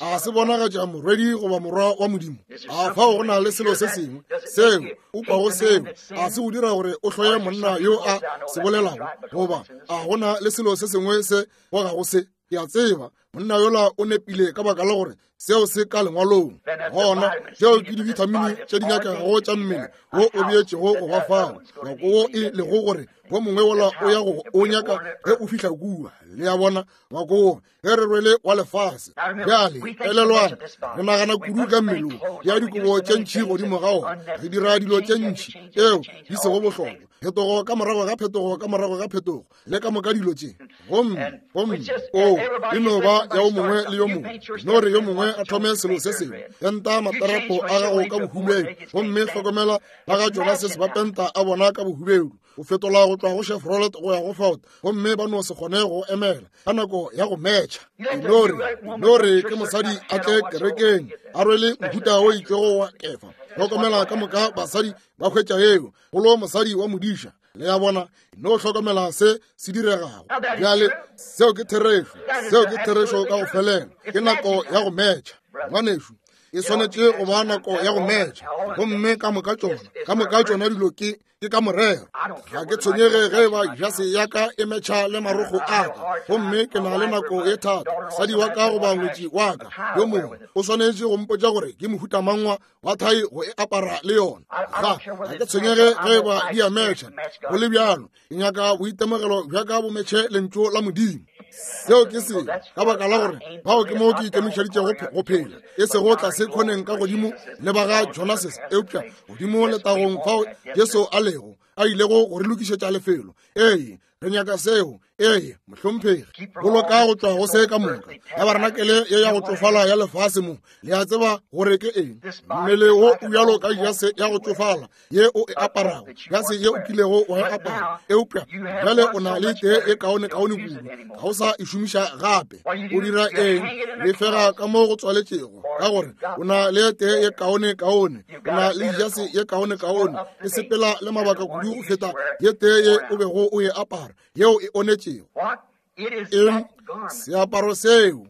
A se bonagatša morwedi goba morwa wa Modimo? A fao go na le selo se sengwe seo o kwago seo a se o dira gore o hloye monna yo a se bolelago, goba a go na le selo se sengwe se gogago se? Ke a tseba monna yola o nepile ka baka la gore seo se ka lengwalong. Gona tšeo ke dibithamini tše di nyakegago tša mmele wo o beetšego go ba fao, ngwako wo e lego gore wo mongwe wola o ya go o nyaka ge o fihla kua. Le a bona, ngwako wo ge re rwele wa lefase. Bjale elelwang, re nagana kudu ka mmele wo, ya dikobo tše ntši godimo ga ona, re dira dilo tše ntši tšeo di sego bohlokwa, phetogo ka morago ga phetogo ka morago ga phetogo, le ka moka dilo tše. Gomme gomme o e no ba ya o mongwe le yo mongwe. No re yo mongwe a thome selo se sengwe, penta materapo a gago ka bohubedu, gomme hlokomela ba ga Jonas ba penta a bona ka bohubedu. O fetola go tšwa go Chevrolet go ya go Ford, gomme ba no se kgone go emela ka nako ya go metšha. No re no re ke mosadi a tle kerekeng a rwele mohuta o itšego wa kefa. Hlokomela ka moka basadi ba hwetša yeo, golo mosadi wa modiša. Le a bona, no hlokomela se se diregago. Bjale seo ke therešo, seo ke therešo ka go felela. Ke nako ya go metšha, ngwanešu. E swanetše go ba nako ya go metšha, gomme ka moka tšona, ka moka tšona dilo ke ke ka morero. Ga ke tshwenyege ge ba jase ya ka e metšha le marokgo a ka, gomme ke na le nako ye thata. Mosadi wa ka goba ngwetši wa ka yo mongwe o swanetše go mpotša gore ke mohuta mang wa thai go e apara le yona. Ga ga ke tshwenyege ge ba di a metšha. Go le bjalo, ke nyaka boitemogelo bja ka bo metšhe lentšu la Modimo. Seo ke se ka baka la gore bao ke mo ke ikemišeditšego go phela, e sego tlase khoneng ka godimo le ba ga Jonases, eupša godimo letagong fao Jesu a lego, a ilego go re lokišetša lefelo. Ee, re nyaka seo. Ee, mohlomphegi, boloka go tšwa go se ka moka. Tabarenakele ye ya go tšofala ya lefase mo, le a tseba gore ke eng? Mmele wo o bjalo ka jase ya go tšofala ye o e aparago, jase ye o kilego wa e apara, eupša bjale o na le tee e kaone-kaone kudu, ga o sa e šomiša gape. O dira eng? Lefega ka mo go tswaletšego, ka gore o na le tee ye kaone-kaone, o na le jase ye kaone-kaone, e sepela le mabaka kudu go feta ye tee ye o bego o e apara, yeo e onetšego. Eng? Seaparo seo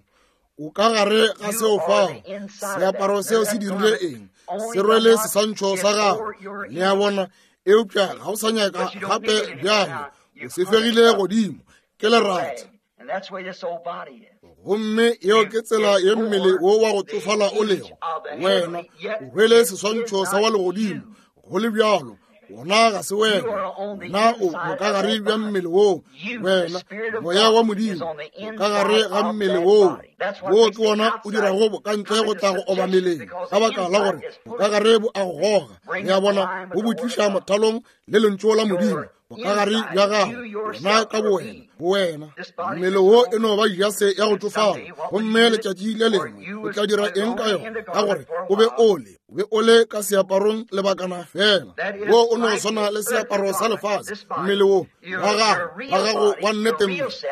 o ka gare ga seo fao. Seaparo seo se dirile eng? Se rwele seswantšho sa gago. Le a bona, eupša ga o sa nyaka gape bjale, o se fegile godimo, ke lerata. Gomme yeo ke tsela ye mmele wo wa go tsofala o lego. Wena o rwele seswantšho sa wa legodimo, go le bjalo wona ga se wena. Wena o bokagare bja mmele woo. Wena moya wa Modimo o ka gare ga mmele woo. Wo ke wona o dirago bokantle go tla go obameleng, ka baka la gore bokagare bo a go goga. Le a bona, bo bo tliša mothalong le lentšu la Modimo. Bokagare bja gago, wena ka bowena, bowena. Mmele wo e no ba jase ya go tšofala, gomme letšatši le lengwe o tla dira eng ka yona? Ka gore o be o le, o be o le ka seaparong lebakana fela. Wo o no swana le seaparo sa lefase. Mmele wo wa gago, wa gago wa nnete,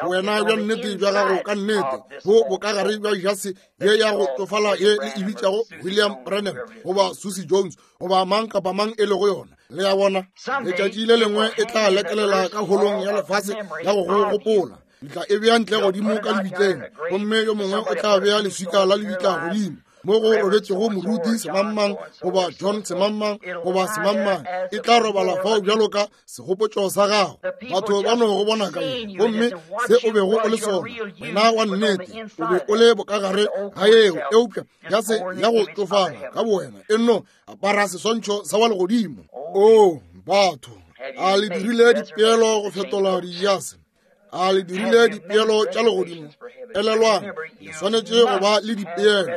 wena bja nnete bja gago ka nnete, bo bokagare bja jase ye ya go tšofala ye le e bitšago William Branham goba Susie Jones goba mang kapa mang e lego yona. Le a bona, letšatši le lengwe e tla lekelela ka holong ya lefase ya go go gopola. Le tla e bea ntle godimo ka lebitleng, gomme yo mongwe o tla bea leswika la lebitla godimo mo go robetšego moruti semangmang goba John semangmang goba semangmang. E tla robala fao bjalo ka segopotšo sa gago. Batho ba no go bona ka ye, gomme se o bego o le sona, wena wa nnete, o be o le bokagare ga yeo, eupša ya se ya go tšofala ka bowena e nno apara seswantšho sa wa legodimo. O batho, a le dirile dipeelo go fetola dijase? A le dirile dipeelo tša legodimo? Elelwang, le swanetše go ba le dipeelo.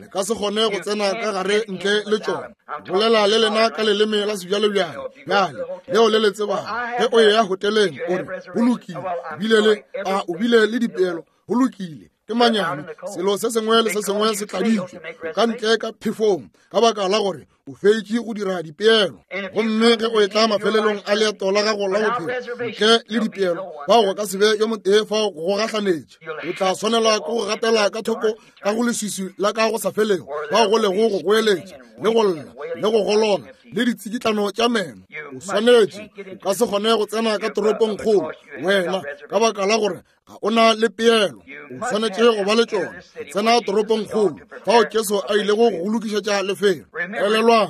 Le ka se kgone go tsena ka gare ntle le tšona. Bolela le lena ka leleme la sebjalebjale bjale leo le le tsebago. Ge o eya hoteleng o re, go lokile, bile le, a o bile le dipeelo, go lokile. Ke manyami, selo se sengwe le se sengwe se tladitšwe ka ntle ka phefong, ka baka la gore o feitše go dira dipeelo. Gomme ge o etla mafelelong a leeto la gago la bophelo ntle le dipeelo, bao go ka se be yo motee fao go gahlanetše. O tla swanela ke go gatela ka thoko ka go leswiswi la ka go sa felego, bao go lego go goeletša le go lla le go golona le ditsikitlano tša meno. O swanetše, o ka se kgone go tsena ka toropong kgolo wena, ka baka la gore ga o na le peelo. O swanetše go ba le tšona. Tsena toropong kgolo fao Jesu a ilego go lokišetša lefelo. Elelwang,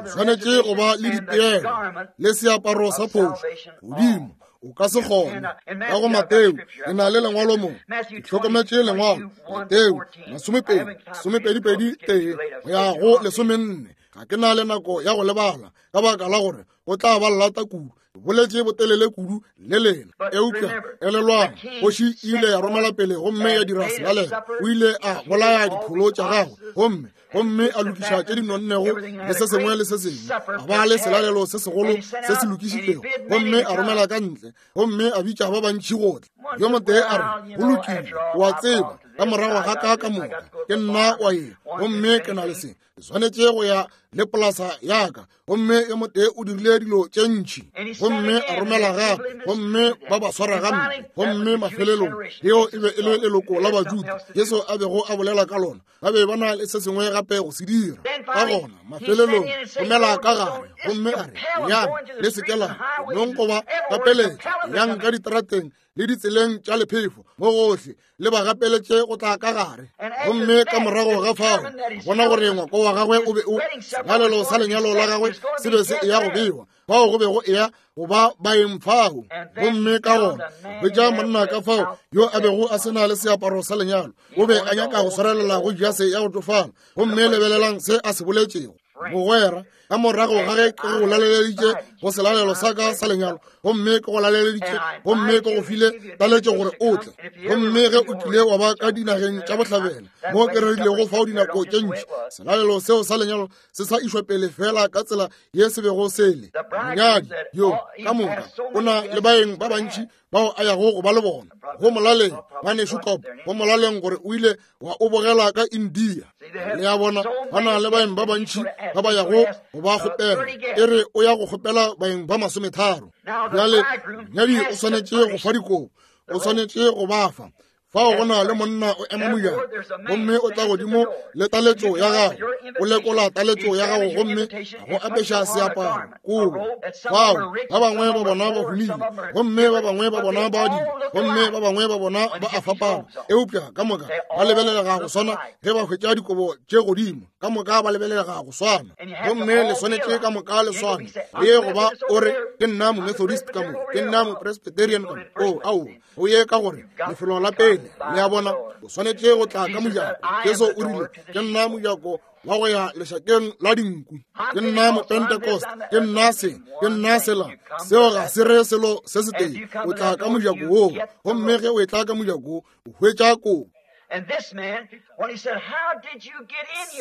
o swanetše go ba le dipeelo le seaparo sa phošo godimo. O ka se kgone. Ka go Mateo, ke na le lengwalo mo. Ke hlokometše lengwalo. Mateo, masomepedi, somepedipedi tee, go ya go lesomenne. Ga ke na le nako ya go lebala, ka baka la gore go tla ba llata kudu. Boletše botelele kudu le lena. Eupša elelwang, kgoši e ile ya romela pele gomme ya dira selalelo. O ile a bolaya dipholo tša gagwe gomme gomme a lokiša tše di nonnego le se sengwe le se sengwe. A ba le selalelo se segolo se se lokišitšego, gomme a romela ka ntle gomme a bitša ba bantši go tla. Yo motee a re, go lokile, o a tseba, ka morago ga ka ka moka ke nna wa ye, gomme ke na le se. Ke swanetše go ya le polasa ya ka. Gomme yo motee o dirile dilo tše ntši, gomme a romela gape, gomme ba ba swara gampe. Gomme mafelelong, leo e be e le leloko la Bajuda Jesu a bego a bolela ka lona. Ba be ba na le se sengwe gape go se dira. Ka gona mafelelong romela ka gare, gomme a re, yang le se ke la nong go ba gapeletša, yang ka diterateng le ditseleng tša lephefo mo gohle, le ba gapeletše go tla ka gare. Gomme ka morago ga fao, bona gore ngwako wa gagwe o be o selalelo sa lenyalo la gagwe se be se eya go bewa, bao go bego eya go ba baeng fao. Gomme ka gona hwetša monna ka fao yo a bego a se na le seaparo sa lenyalo, o be a nyaka go swarelela go jase ya go tšofala. Gomme lebelelang se a se boletšego. Mogwera, ka morago ga ge ke go laleleditše go selalelo sa ka sa lenyalo, gomme ke go laleleditše, gomme ke go file taletšo gore o tle, gomme ge o tlile wa ba ka dinageng tša bohlabela mo ke rerilego fao dinako tše ntši, selalelo seo sa lenyalo se sa išwa pele fela ka tsela ye se bego se le. Monyadi yo ka moka o na le baeng ba bantši bao a yago go ba le bona. Go molaleng, ngwanešu Kop, go molaleng gore o ile wa o bogela ka India. Le a bona, ba na le baeng ba bantši ba ba yago go ba kgopela. E re o ya go kgopela baeng ba masometharo. Bjale monyadi o swanetše go fa dikobo, o swanetše go ba fa. Fao go na le monna o ema mojako, gomme o tla godimo le taletšo ya gago, o lekola taletšo ya gago gomme go apeša seaparo kobo. Fao ba bangwe ba bona ba humile, gomme ba bangwe ba bona ba dile, gomme ba bangwe ba bona ba a fapana, eupša ka moka ba lebelelega go swana ge ba hwetša dikobo tše godimo. Ka moka ba lebelelega go swana, gomme le swanetše ka moka le swane. Le ye go ba o re, ke nna Momethodist ka mo, ke nna Mopresbyterian ka mo. O, ao, o ye ka gore lefelo la pele. Le a bona, o swanetše go tla ka mojako. Jesu o rile, ke nna mojako wa go ya lešakeng la dinku. Ke nna Mopentecost, ke nna se, ke nna sela. Seo ga se re selo se setee. O tla ka mojako woo, gomme ge o etla ka mojako wo, o hwetša kobo.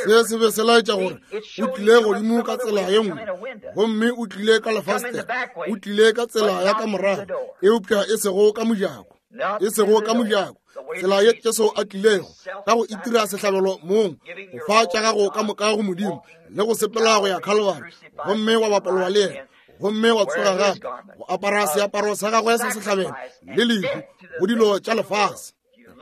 Se se be se laetša gore o tlile godimo ka tsela ye nngwe, gomme o tlile ka lefastere, o tlile ka tsela ya ka morago, eupša e sego ka mojako, e sego ka mojako. Tsela ye Jesu a tlilego ka go itira sehlabelo mong, go fa tša gago ka moka go Modimo le go sepela go ya Calvary, gomme wa bapalwa le yena, gomme wa tsoga gape go apara seaparo sa gagwe sa sehlabelo le lehu go dilo tša lefase.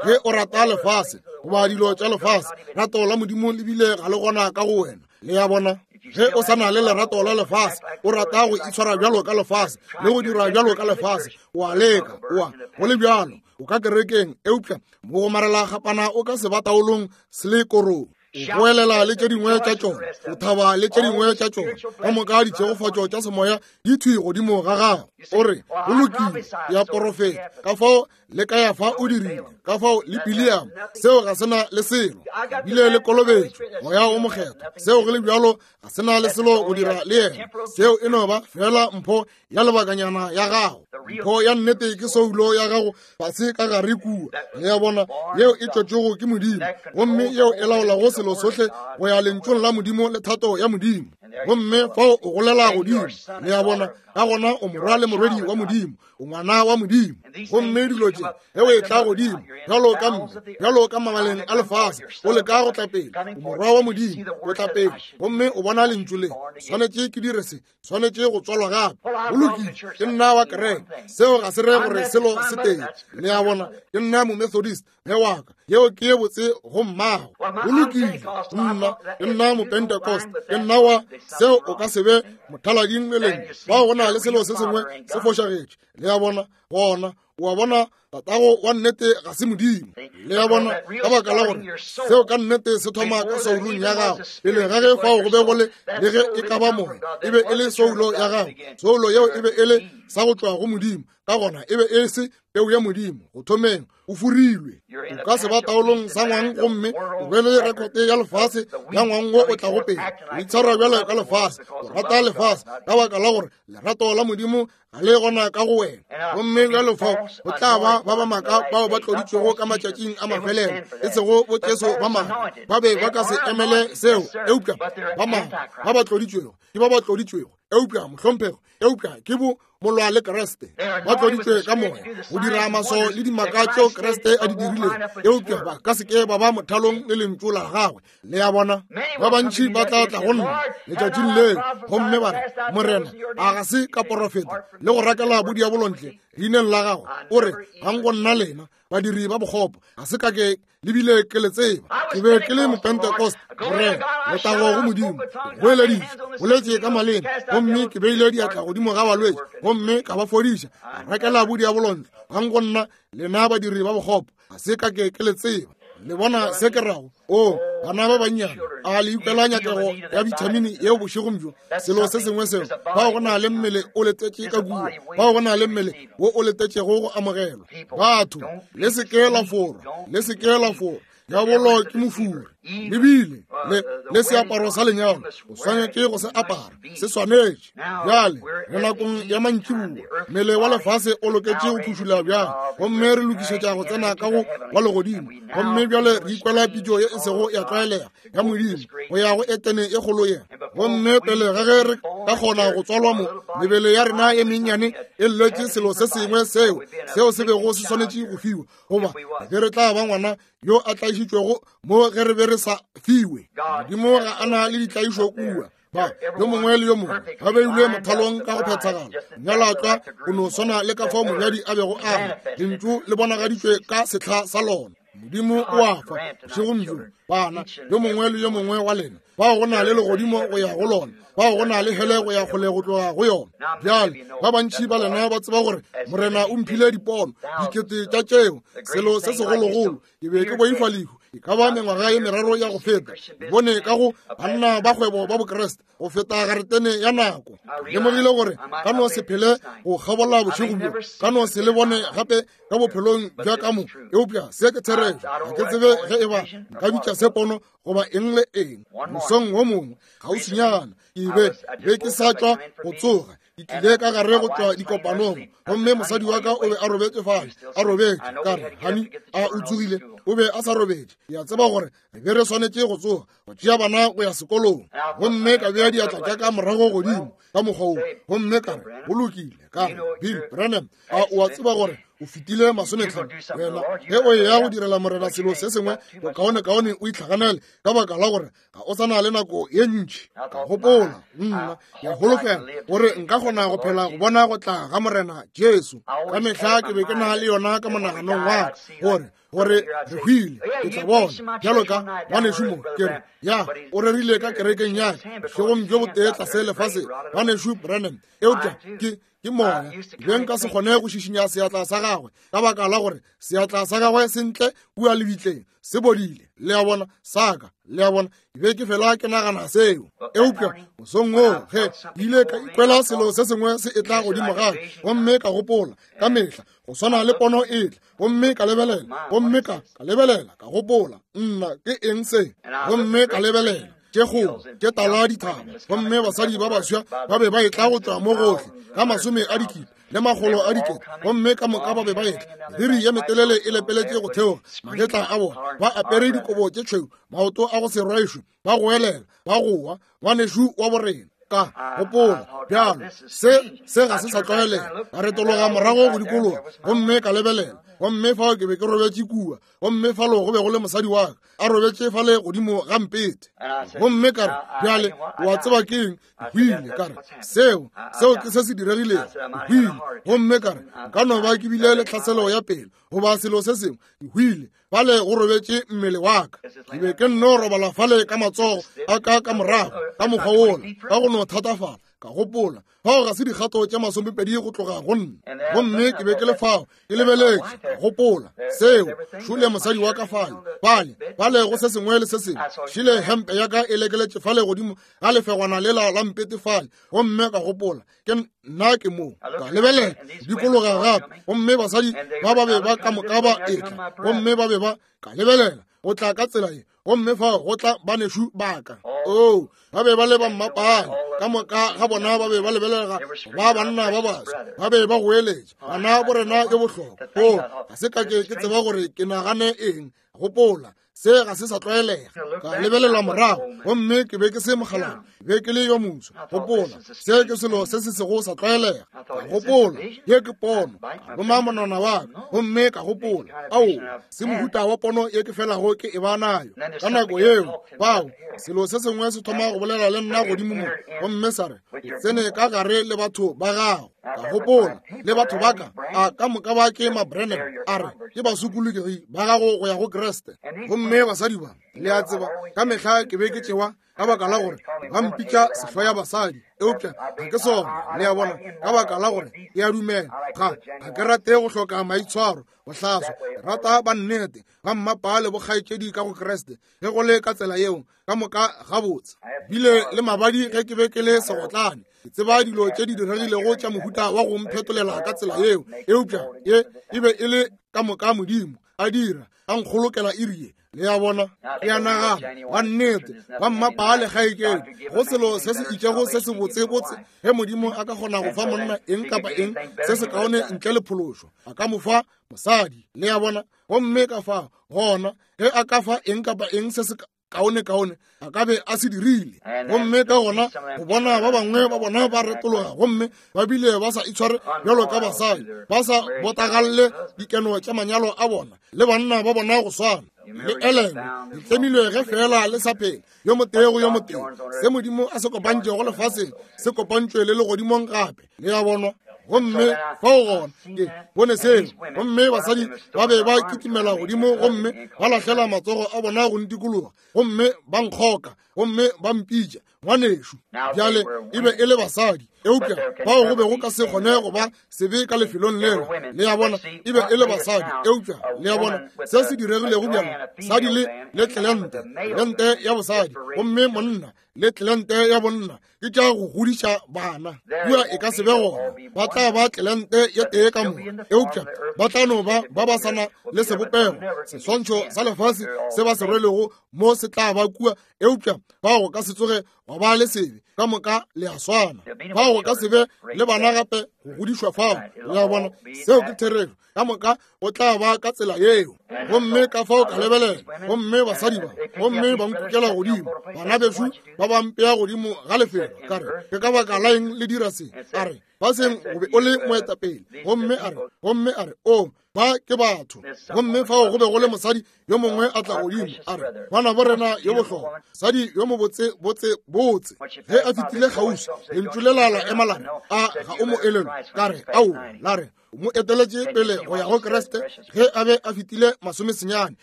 Ge o rata lefase goba dilo tša lefase, rato la Modimo le bile ga le gona ka go wena. Le ya bona? Ge o sa na le lerato la lefase, o rata go itshwara bjalo ka lefase le go dira bjalo ka lefase, o a leka, oa go le bjalo, o ka kerekeng, eupša mo go marela gapana o ka se ba taolong se le korong. O goelela le tše dingwe tša tšona, o thaba le tše dingwe tša tšona, ka moka ditšhegofatšo tša semoya di thwi godimo ga gago. O re, go lokile, ke a porofeta, ka fao le ka ya fa o dirile, ka fao le Biliam, seo ga sena le selo, bile le kolobetšo, moya o mokgethwa, seo go le bjalo ga sena le selo go dira le yena. Seo e no ba fela mpho ya lebakanyana ya gago. Mpho ya nnete ke soulo ya gago fase ka gare kua, le ya bona, yeo e tšwetšwego ke Modimo, gomme yeo e laolago selo sohle go ya lentšong la Modimo le thato ya Modimo. Gomme fao o golela godimo, le ya bona, ka gona o morwa le morwedi wa Modimo, o ngwana wa Modimo. Gomme dilo tše ge o etla godimo bjalo ka mme, bjalo ka mabaleng a lefase, o leka go tla pele, o morwa wa Modimo, o tla pele, gomme o bona lentšu le, swanetše ke dire se, swanetše go tswalwa gape. Go lokile, ke nna wa kereke, seo ga se re gore selo se teng. Le ya bona, ke nna Momethodist, ge wa ka, yeo ke ye botse go mmago. Go lokile, nna ke nna Mopentecost, ke nna wa seo, o ka se be mothalading meleng, bao go na le selo se sengwe se fošagetše. Le ya bona, gona o a bona, tatago wa nnete ga se Modimo. Le ya bona, ka baka la gore seo ka nnete se thoma ka soulong ya gago. Pele ga ge fao go be go le le ge e ka ba moya, e be e le soulo ya gago. Soulo yeo e be e le sa go tšwa go Modimo, ka gona e be e se peu ya Modimo. Go thomeng o furilwe, o ka se ba taolong sa ngwang, gomme o be le rekote ya lefase ya ngwang wo o tlago pele. O itshwara bjalo ka lefase, o rata lefase, ka baka la gore lerato la Modimo ga le gona ka go wena. Gomme bjalo fao go tla ba ba ba maaka bao ba tloditšwego ka matšatšing a mafelelo, e sego bo Jesu ba maaka, ba be ba ka se emele seo, eupša ba maaka ba ba tloditšwego ke ba ba tloditšwego, eupša mohlomphego, eupša ke bo molwa le Kreste, ba tloditšwe ka moya go dira maswao le dimaka tšeo Kreste a di dirilego, eupša ba ka se ke ba ba mothalong le lentšu la gagwe. Le ya bona, ba bantši ba tla tla go nna letšatšing leo, gomme ba re, Morena, a ga se ka porofeta le go rakela bodiabolo ntle leineng la gago? O re, gang go nna lena badiri ba bokgopo, ga se ka ke le bile ke le tseba. Ke be ke le Mopentecost, Morena, letago go Modimo, goeleditše, boletše ka maleme, gomme ke beile diatla godimo ga balwetši, gomme ka ba fodiša, ka rakela bodiabolo ntle. Gang go nna lena badiri ba bokgopo, ga se ka ke ke le tseba. Le bona se ke rago? O bana ba bannyane, a le ikwela nyakego ya bithamini yeo bošegong bjo? Selo se sengwe seo, bao go na le mmele o letetše ka kua, bao go na le mmele wo o letetšego go amogelwa. Batho, le se ke la forwa, le se ke la forwa. Diabolo ke mofuri, lebile le le seaparo sa lenyalo, o swanetše go se apara, se swanetše. Bjale re nakong ya mantšiboa, mmele wa lefase o loketše go phušula bjale, gomme re lokišetša go tsena ka go wa legodimo. Gomme bjale re ikwela pitšo ye e sego ya tlwaelega ya Modimo go ya go Etene e kgolo ye. Gomme pele ga ge re ka kgona go tswalwa mo, mebele ya rena ye mennyane e lletše selo se sengwe seo seo se bego se swanetše go fiwa, goba ge re tla ba ngwana yo a tlaišitšwego mo ge re be re sa fiwe. Modimo ga a na le ditlaišo kua. Ba yo mongwe le yo mongwe ba beilwe mothalong ka go phethagala. Monyalwa o no swana le ka fao monyadi a bego a re, lentšu le bonagaditšwe ka sehla sa lona. Modimo o a fa bošegong bjo, bana, yo mongwe le yo mongwe wa lena, bao go na le legodimo go ya go lona, bao go na le hele go ya kgole go tloga go yona. Bjale ba bantši ba lena ba tseba gore Morena o mphile dipono dikete tša tšeo, selo se segologolo. Ke be ke boifa lehu e ka ba mengwaga ye meraro ya go feta. Bone ka go banna ba kgwebo ba Bokreste go feta garetene ya nako. Lemogile gore ka no se phele go kgabola bošego bjo, ka no se le bone gape ka bophelong bja ka mo, eupša se ke therešo. Ga ke tsebe ge e ba nka bitša se pono goba eng le eng. Mosong wo mongwe kgauswinyana ke be be ke sa tšwa go tsoga, ke tlile ka gare go tšwa dikopanong, gomme mosadi wa ka o be a robetše fale, a robetše. Ka re, Hani, a o tsogile? O be a sa robetše. Ke a tseba gore re be re swanetše go tsoga go tšea bana go ya sekolong. Gomme ka bea diatla tša ka morago godimo ka mokgwa wo, gomme ka re, go lokile. Ka re, Bill Branham, a o a tseba gore o fetile masometlhano? Wena ge o eya go direla Morena selo se sengwe, bokaonekaone o itlhaganele, ka baka la gore ga o sa na le nako ye ntši. Ka gopola, nna ke a holofela gore nka kgona go phela go bona go tla ga Morena Jesu. Ka mehla ke be ke na le yona ka monaganong wa ka, gore gore re hwile, ke tla bona. Bjalo ka ngwanešu mo, ke re, ya, o rerile ka kerekeng ya ka bošegong bjo botee tlase lefaseng, ngwanešu Branham, eupša ke ke moya. Be nka se kgone go šišinya seatla sa gagwe, ka baka la gore seatla sa gagwe se ntle kua lebitleng, se bodile. Le a bona, sa ka, le a bona, ke be ke fela ke nagana seo. Eupša mosong woo ge ke ile ka ikwela selo se sengwe se etla godimo ga ka, gomme ka gopola ka mehla go swana le pono e tla, gomme ka lebelela, gomme ka ka lebelela, ka gopola, nna ke eng se? Gomme ka lebelela tše kgolo tše tala dithaba, gomme basadi ba baswa ba be ba etla go tšwa mo gohle ka masome a dikete le makgolo a dikete, gomme ka moka ba be ba etla, meriri ye metelele e lepeletše go theoga magetla a bona, ba apere dikobo tše tšhweu, maoto a go se rwešwe, ba goelela, ba goa, ngwanešu wa borena. Ka gopola, bjalo se se ga se sa tlwaelega. Ka retologa morago go dikologa, gomme ka lebelela, gomme fao ke be ke robetše kua, gomme falo go be go le mosadi wa ka a robetše fale godimo ga mpete. Gomme ka re, bjale o a tseba ke eng? Ke hwile. Ka re, seo seo ke se se diregilego, ke hwile. Gomme ka re, nka no ba ke bile le tlhaselo ya pelo goba selo se sengwe, ke hwile. Fale go robetše mmele wa ka. Ke be ke nno robala fale ka matsogo a ka ka morago ka mokgwa wola, ka go no thatafala. Ka gopola, fao ga se dikgato tše masomepedi go tloga go nna. Gomme ke be ke le fao ke lebeletše, ka gopola seo, šole mosadi wa ka fale, fale, fale go se sengwe le se sengwe, šile hempe ya ka e lekeletše fale godimo ga lefegwana lela la mpete fale. Gomme ka gopola, ke nna ke mo. Ka lebelela dikologa gape, gomme basadi ba ba be ba ka moka ba etla, gomme ba be ba ka lebelela go tla ka tsela ye, gomme fao go tla banešu ba ka. Oo, ba be ba le ba mmapale ka moka ga bona, ba be ba lebelega ba banna ba baswa, ba be ba goeletša, bana borena yo bohlokwa. Oo, ga se ka ke ke tseba gore ke nagane eng. Gopola, se ga se sa tlwaelega. Ka lebelela morago, gomme ke be ke se mokgalabje, be ke le yo moso. Gopola, se ke selo se se sego sa tlwaelega. Ka gopola, ye ke pono. Ka loma monwana wa ka, gomme ka gopola, ao, se mohuta wa pono ye ke felago ke e ba nayo ka nako yeo. Bao, selo se sengwe se thoma go bolela le nna godimo mo, gomme sa re, o tsene ka gare le batho ba gago. Ka gopola, le batho ba ka, a ka moka ba ke ma-Branham? A re, ke basokologegi ba gago go ya go Kriste. Gomme basadi ba, le a tseba, ka mehla ke be ke tšewa ka baka la gore ba mpitša sehlo ya basadi, eupša ga ke sona, le a bona, ka baka la gore ke a dumela, ga ga ke rate go hloka maitshwaro, go hlaswa, ke rata ba nnete, ba mmapale bokgaetšedi ka go Kriste. Ge go le ka tsela yeo, ka moka gabotse. Bile le mabadi ge ke be ke le segotlane, ke tseba dilo tše di diregilego tša mohuta wa go mphetolela ka tsela yeo, eupša ye e be e le ka moka Modimo a dira, a nkgolokela iri ye. Le a bona, ke a nagana, wa nnete, ba mmapale kgaetšedi, go selo se se itšego se se botsebotse, ge Modimo a ka kgona go fa monna eng kapa eng se se kaone ntle le phološo, a ka mo fa mosadi. Le a bona, gomme ka fa gona, ge a ka fa eng kapa eng se se kaone kaone, a ka be a se dirile. Gomme ka gona go bona ba bangwe ba bona ba retologa, gomme ba bile ba sa itshware bjalo ka basadi, ba sa botagalle dikeno tša manyalo a bona le banna ba bona go swana. Le elelwe, le tlemilwe ge fela le sa phela, yo motee go yo motee. Se Modimo a se kopantšego lefaseng se kopantšwe le legodimong gape. Le a bonwa? Gomme fao gona ke bone seo, gomme basadi ba be ba kitimela godimo, gomme ba lahlela matsogo a bona go ntikologa, gomme ba nkgoka, gomme ba mpitša ngwanešu. Bjale e be e le basadi, eupša bao go be go ka se kgone go ba sebe ka lefelong lela. Le a bona, e be e le basadi, eupša le a bona se se diregilego bjalo, sadi le le tlelente, tlelente ya bosadi, gomme monna le tlelente ya bonna, ke tša go godiša bana. Kua e ka se be gona, ba tla ba tlelente ye tee ka moka, eupša ba tla no ba ba ba sana le sebopego, seswantšho sa lefase se ba se rwelego mo se tla ba kua, eupša Fao go ka se tsoge gwa ba le sebe, ka moka le a swana. Fao go ka se be le bana gape go godišwa fao. Le a bona, seo ke therešo. Ka moka o tla ba ka tsela yeo. Gomme ka fao ka lebelela, gomme basadi ba, gomme ba nkukela godimo, bana bešo ba ba mpea godimo ga lefelo. Ka re, ke ka baka la eng le dira se? A re, baseng o be o le moetapele. Gomme a re, gomme a re, o ba ke batho. Gomme fao go be go le mosadi yo mongwe a tla godimo, a re, ngwana bo rena yo bohlokwa, mosadi yo mobotse botse botse. Ge a fetile kgauswi, lentšu le la la ema la re, a ga o mo elelwe? Ka re, aowa. La re, o mo eteletše pele go ya go Kriste ge a be a fetile masomesenyane.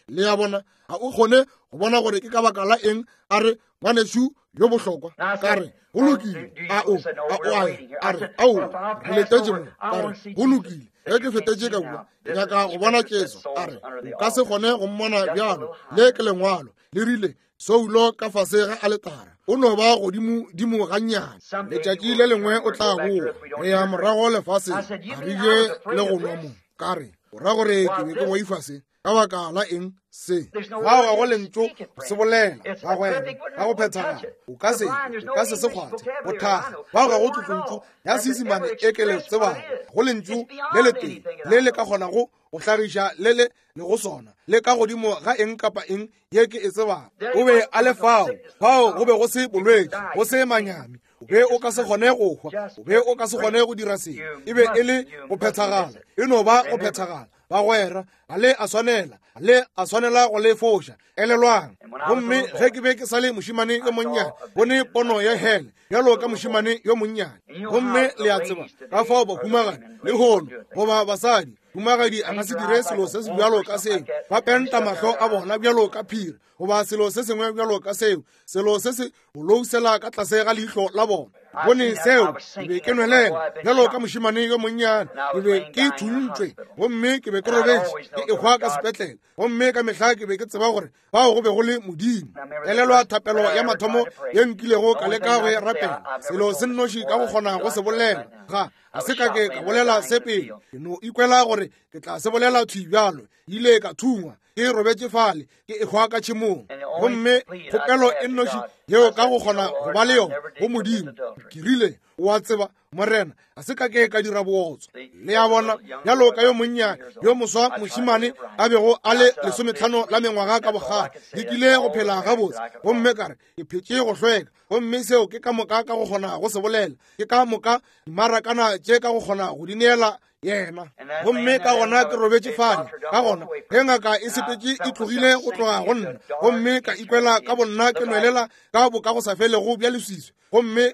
Le a bona, ga o kgone go bona gore ke ka baka la eng a re ngwanešu yo bohlokwa. Ka re, go lokile. A o, a o a ya? A re, aowa, re letetše mo. Ka re, go lokile. Ge ke fetetše ka kua, ke nyaka go bona Jesu. A re, o ka se kgone go mmona bjalo. Le ke lengwalo le rile soulo ka fase ga aletara. O no ba godimo dimo gannyane. Letšatši le lengwe o tla boa. Re ya morago lefaseng, a re je le go nwa mo. Ka re, o ra gore ke be ke boifa se? Ka baka la eng se? Fao ga go lentšu go se bolela, bagwera, ka go phethagala. O ka se, o ka se se kgwathe, go thakga. Fao ga go tlotlontšu ya Seisemane e ke le tsebago. Go lentšu le letee le le ka kgonago go hlagiša le le le go sona, le ka godimo ga eng kapa eng ye ke e tsebago. O be a le fao, fao go be go se bolwetši, go se manyami. O be o ka se kgone go hwa, o be o ka se kgone go dira selo. E be e le go phethagala, e no ba go phethagala. Bagwera, ga le a swanela, ga le a swanela go le foša. Elelwang. Gomme ge ke be ke sa le mošemane yo monnyane, bone pono ya hele bjalo ka mošemane yo monnyane. Gomme le a tseba ka fao bahumagadi lehono goba basadi, humagadi a ka se dire selo se se bjalo ka seo. Ba penta mahlo a bona bjalo ka phiri, goba selo se sengwe bjalo ka seo, selo se se bolousela ka tlase ga leihlo la bona. Bone seo, ke be ke nwelela bjalo ka mošemane yo monnyane. Ke be ke thuntšwe, gomme ke be ke robetše ke ehwa ka sepetlele. Gomme ka mehla ke be ke tseba gore fao go be go le Modimo. Elelwa thapelo ya mathomo ye nkilego ka leka go e rapela. Selo se nnoši ka go kgona go se bolela, ga ga se ka ke ka bolela se pele. Ke no ikwela gore ke tla se bolela thwi bjalo. Ile ka thungwa ke robetše fale ke ehwa ka tšhemong. Gomme kgopelo e nnoši yeo ka go kgona go ba le yona go Modimo, ke rile, o a tseba Morena, ga se ka ke ka dira bootswa. Le a bona, bjalo ka yo monnyane yo moswa mošemane a bego a le lesometlhano la mengwaga ka bokgale, ke kile go phela gabotse. Gomme ka re, ke phetše go hlweka. Gomme seo ke ka moka ka go kgona go se bolela. Ke ka moka dimarakana tše ka go kgona go di neela yena. Gomme ka gona ke robetše fale. Ka gona ge ngaka e sepetše e tlogile go tloga go nna, gomme ka ikwela ka bonna ke nwelela ka boka go sa felego bja leswiswi. Gomme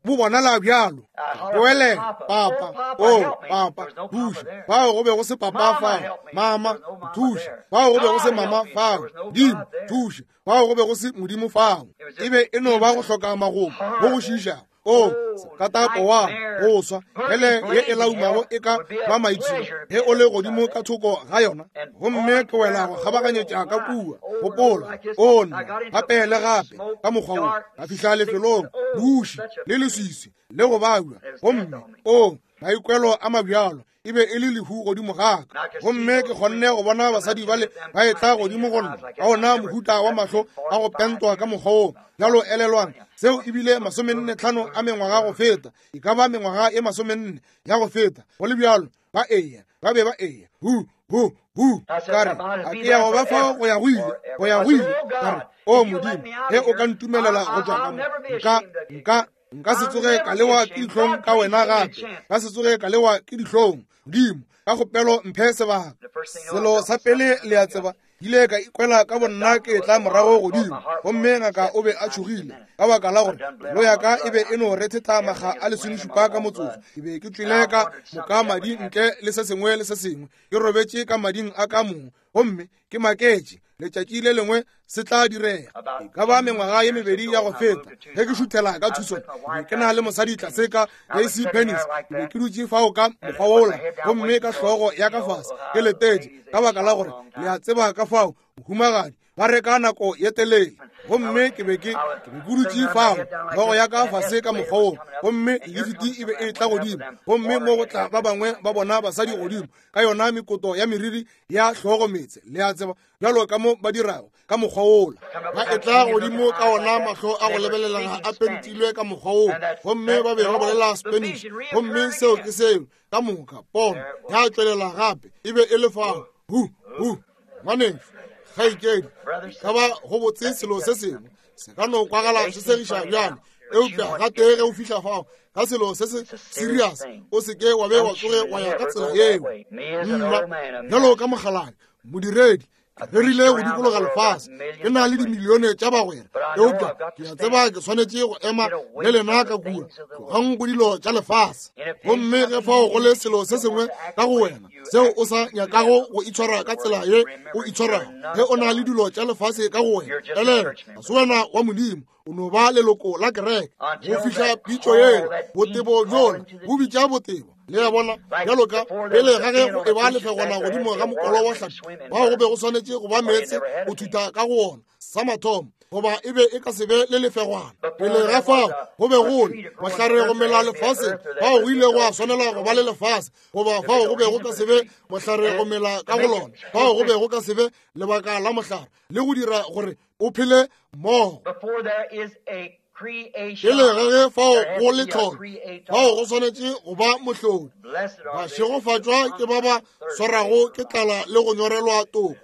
bo bonala bjalo. Boelela, papa, o papa, thuša. Fao go be go se papa fao. Mama, thuša. Fao go be go se mama fao. Modimo, thuša. Fao go be go se Modimo fao. E be e no ba go hloka magomo go go šiišago. O katapo wa go swa, hele ye e laumago e ka ba maipshino ge o le godimo ka thoko ga yona. Gomme ke wela go kgabaganyetša ka kua. Gopola, o nna gape le gape ka mokgwa wo, ka fihla lefelong buši le leswiswi le go babja. Gomme o maikwelo a mabjalo e be e le lehu godimo ga ka. Gomme ke kgonne go bona basadi bale ba etla godimo go nna ka ona mohuta wa mahlo a go pentwa ka mokgwa wo. Bjalo elelwang, seo e bile masomenne tlhano a mengwaga go feta, e ka ba mengwaga e masomenne ya go feta. Go le bjalo, ba eya, ba be ba eya, hu hu hu. Ka re, a ke ya go ba fao go ya go ile, go ya go ile. Ka re, o Modimo, ge o ka ntumelela go tšwa ka mo, nka nka nka se tsoge ka lewa ke dihlong ka wena gape, ka se tsoge ka lewa ke dihlong. Modimo, ka kgopelo mphe sebaka. Selo sa pele le a tseba, ile ka ikwela ka bonna ke tla morago godimo. Gomme ngaka o be a tšhogile ka baka la gore pelo ya ka e be e no rethetha makga a lesomešupa ka motsotso. Ke be ke tšwele ka moka madi ntle le se sengwe le se sengwe, ke robetše ka mading a ka mong. Gomme ke maketše, letšatši le lengwe se tla direga. E ka ba mengwaga ye mebedi ya go feta, ge ke šuthela ka Tucson, ke be ke na le mosadi tlase ka J C Penney's. Ke be ke dutše fao ka mokgwa wola, gomme ka hlogo ya ka fase ke letetše, ka baka la gore le a tseba ka fao mohumagadi ba reka nako ye telele. Gomme ke be ke ke be ke dutše fao, hlogo ya ka fase ka mokgwa wo, gomme lifiti e be e tla godimo, gomme mo go tla ba bangwe ba bona basadi godimo ka yona mekoto ya meriri ya hlogo meetse, le a tseba, bjalo ka mo ba dirago ka mokgwa wola. Ba etla godimo ka ona mahlo a go lebelelega a pentilwe ka mokgwa wo, gomme ba be ba bolela Spanish, gomme seo ke seo ka moka. Pono ya tšwelela gape, e be e le fao. Hu hu, ngwanešu, kgaetšedi, ka ba go botse selo se sengwe se ka no kwagala se segiša bjale, eupša gatee ge o fihla fao ka selo se se serious, o se ke wa be wa tsoge wa ya ka tsela yeo. Nna bjalo ka mogaladi modiredi, ke rerile go dikologa lefase, ke na le dimilione tša bagwera, eupša ke a tseba ke swanetše go ema le lena ka kua, tlogang go dilo tša lefase. Gomme ge fao go le selo se sengwe ka go wena seo o sa nyakago go itshwara ka tsela ye o itshwarago, ge o na le dilo tša lefase ka go wena, elelwa, ga se wena wa Modimo, o no ba leloko la kereke. Go fihla pitšo yela, botebo bjola bo bitša botebo. Le a bona, bjalo ka pele ga ge go eba lefegwana godimo ga mokolo wa hlapi, bao go be go swanetše go ba meetse go thutha ka go ona sa mathomo, goba e be e ka se be le lefegwana. Pele ga fao go be go le mohlare go mela lefaseng, fao go ile gwa swanela go ba le lefase, goba fao go be go ka se be mohlare go mela ka go lona, fao go be go ka se be lebaka la mohlare le go dira gore o phele mmogo. Pele ga ge fao go le tlholo, fao go swanetše go ba mohlodi. Bašegofatšwa ke ba ba swarago ke tlala le go nyorelwa toko.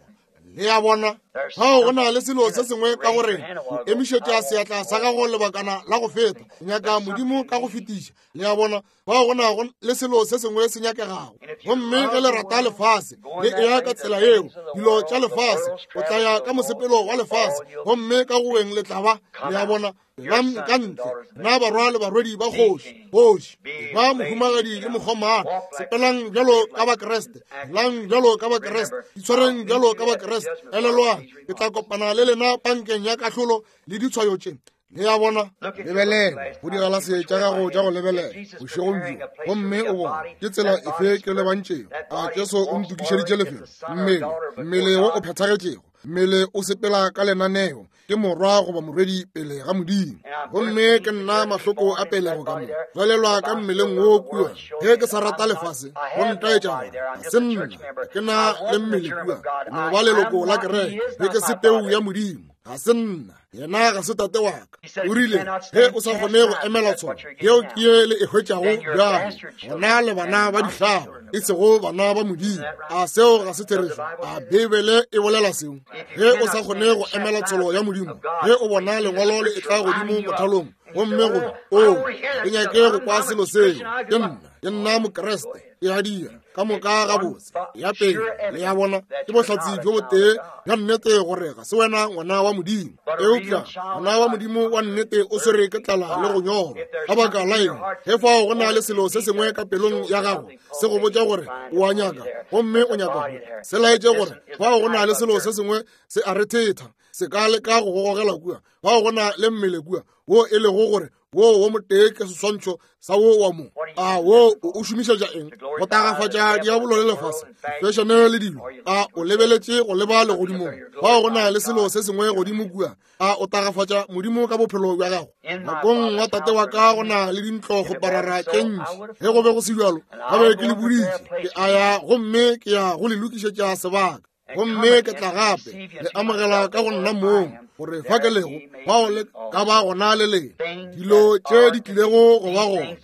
Le a bona, fao go na le selo se sengwe ka go rena. O emišetša seatla sa gago lebakana la go feta, o nyaka Modimo ka go fetiša. Le a bona, fao go na le selo se sengwe se nyakegago. Gomme ge le rata lefase, le eya ka tsela yeo, dilo tša lefase, o tla ya ka mosepelo wa lefase, gomme ka go weng le tla ba. Le a bona, Lam ka ntle, nna barwa le barwedi ba kgoši, kgoši, ba mohumagadi le mokgomana, sepelang bjalo ka Bakreste, lang bjalo ka Bakreste, itshwareng bjalo ka Bakreste. Elelwang, ke tla kopana le lena pankeng ya kahlolo le ditshwayo tše. Le a bona, lebelela go digalase tša gago tša go lebelela bošegong bjo, gomme o bone ke tsela efe ke lebantšego. A Jesu o ntokišeditše lefelo, mmele, mmele wo o phethagetšego, mmele o sepela ka lenaneo, ke morwa goba morwedi pele ga Modimo. Gomme ke nna mahloko a pelego ka mo tswalelwa ka mmeleng wo kua. Ge ke sa rata lefase, go ntaetša gore ga se nna, ke na le mmele kua, ke no ba leloko la kereke, ge ke se peu ya Modimo, ga se nna, yena ga se tate wa ka. O rile, ge o sa kgone go emela tsholo, yeo ke ye le e hwetšago bjalo, gona le bana ba dihlabo, e sego bana ba Modimo. A seo ga se therešo? A Beibele e bolela seo? Ge o sa kgone go emela tsholo ya Modimo, ge o bona lengwalo le etla godimo mothalong, gomme gore o ke nyake go kwa selo seo, ke nna, ke nna Mokreste, ke a dira ka moka gabotse. Ya pele, le a bona, ke bohlatse bjo botee bja nnete gore ga se wena ngwana wa Modimo. Eupša ngwana wa Modimo wa nnete o swere ke tlala le go nyorwa. Ka baka la eng? Ge fao go na le selo se sengwe ka pelong ya gago se go botša gore o a nyaka, gomme o nyaka go se laetše gore fao go na le selo se sengwe se a rethetha, se ka leka go gogela kua. Fao go na le mmele kua wo e lego gore wo wo motee ke seswantšho sa wo wa mo. A wo o šomišetša eng? Go tagafatša diabolo le lefase, fešene le dilo. A o lebeletše go leba legodimong? Fao go na le selo se sengwe godimo kua. A o tagafatša Modimo ka bophelo bja gago? Nakong wa tate wa ka go na le dintlo go parara tše ntši. Ge go be go se bjalo, ga be ke le boditše, ke a ya gomme ke ya go le lokišetša sebaka. Gomme ke tla gape le amogela ka go nna mong, gore fa ke lego, fao le ka ba gona le lena. Dilo tše di tlilego go ba gona,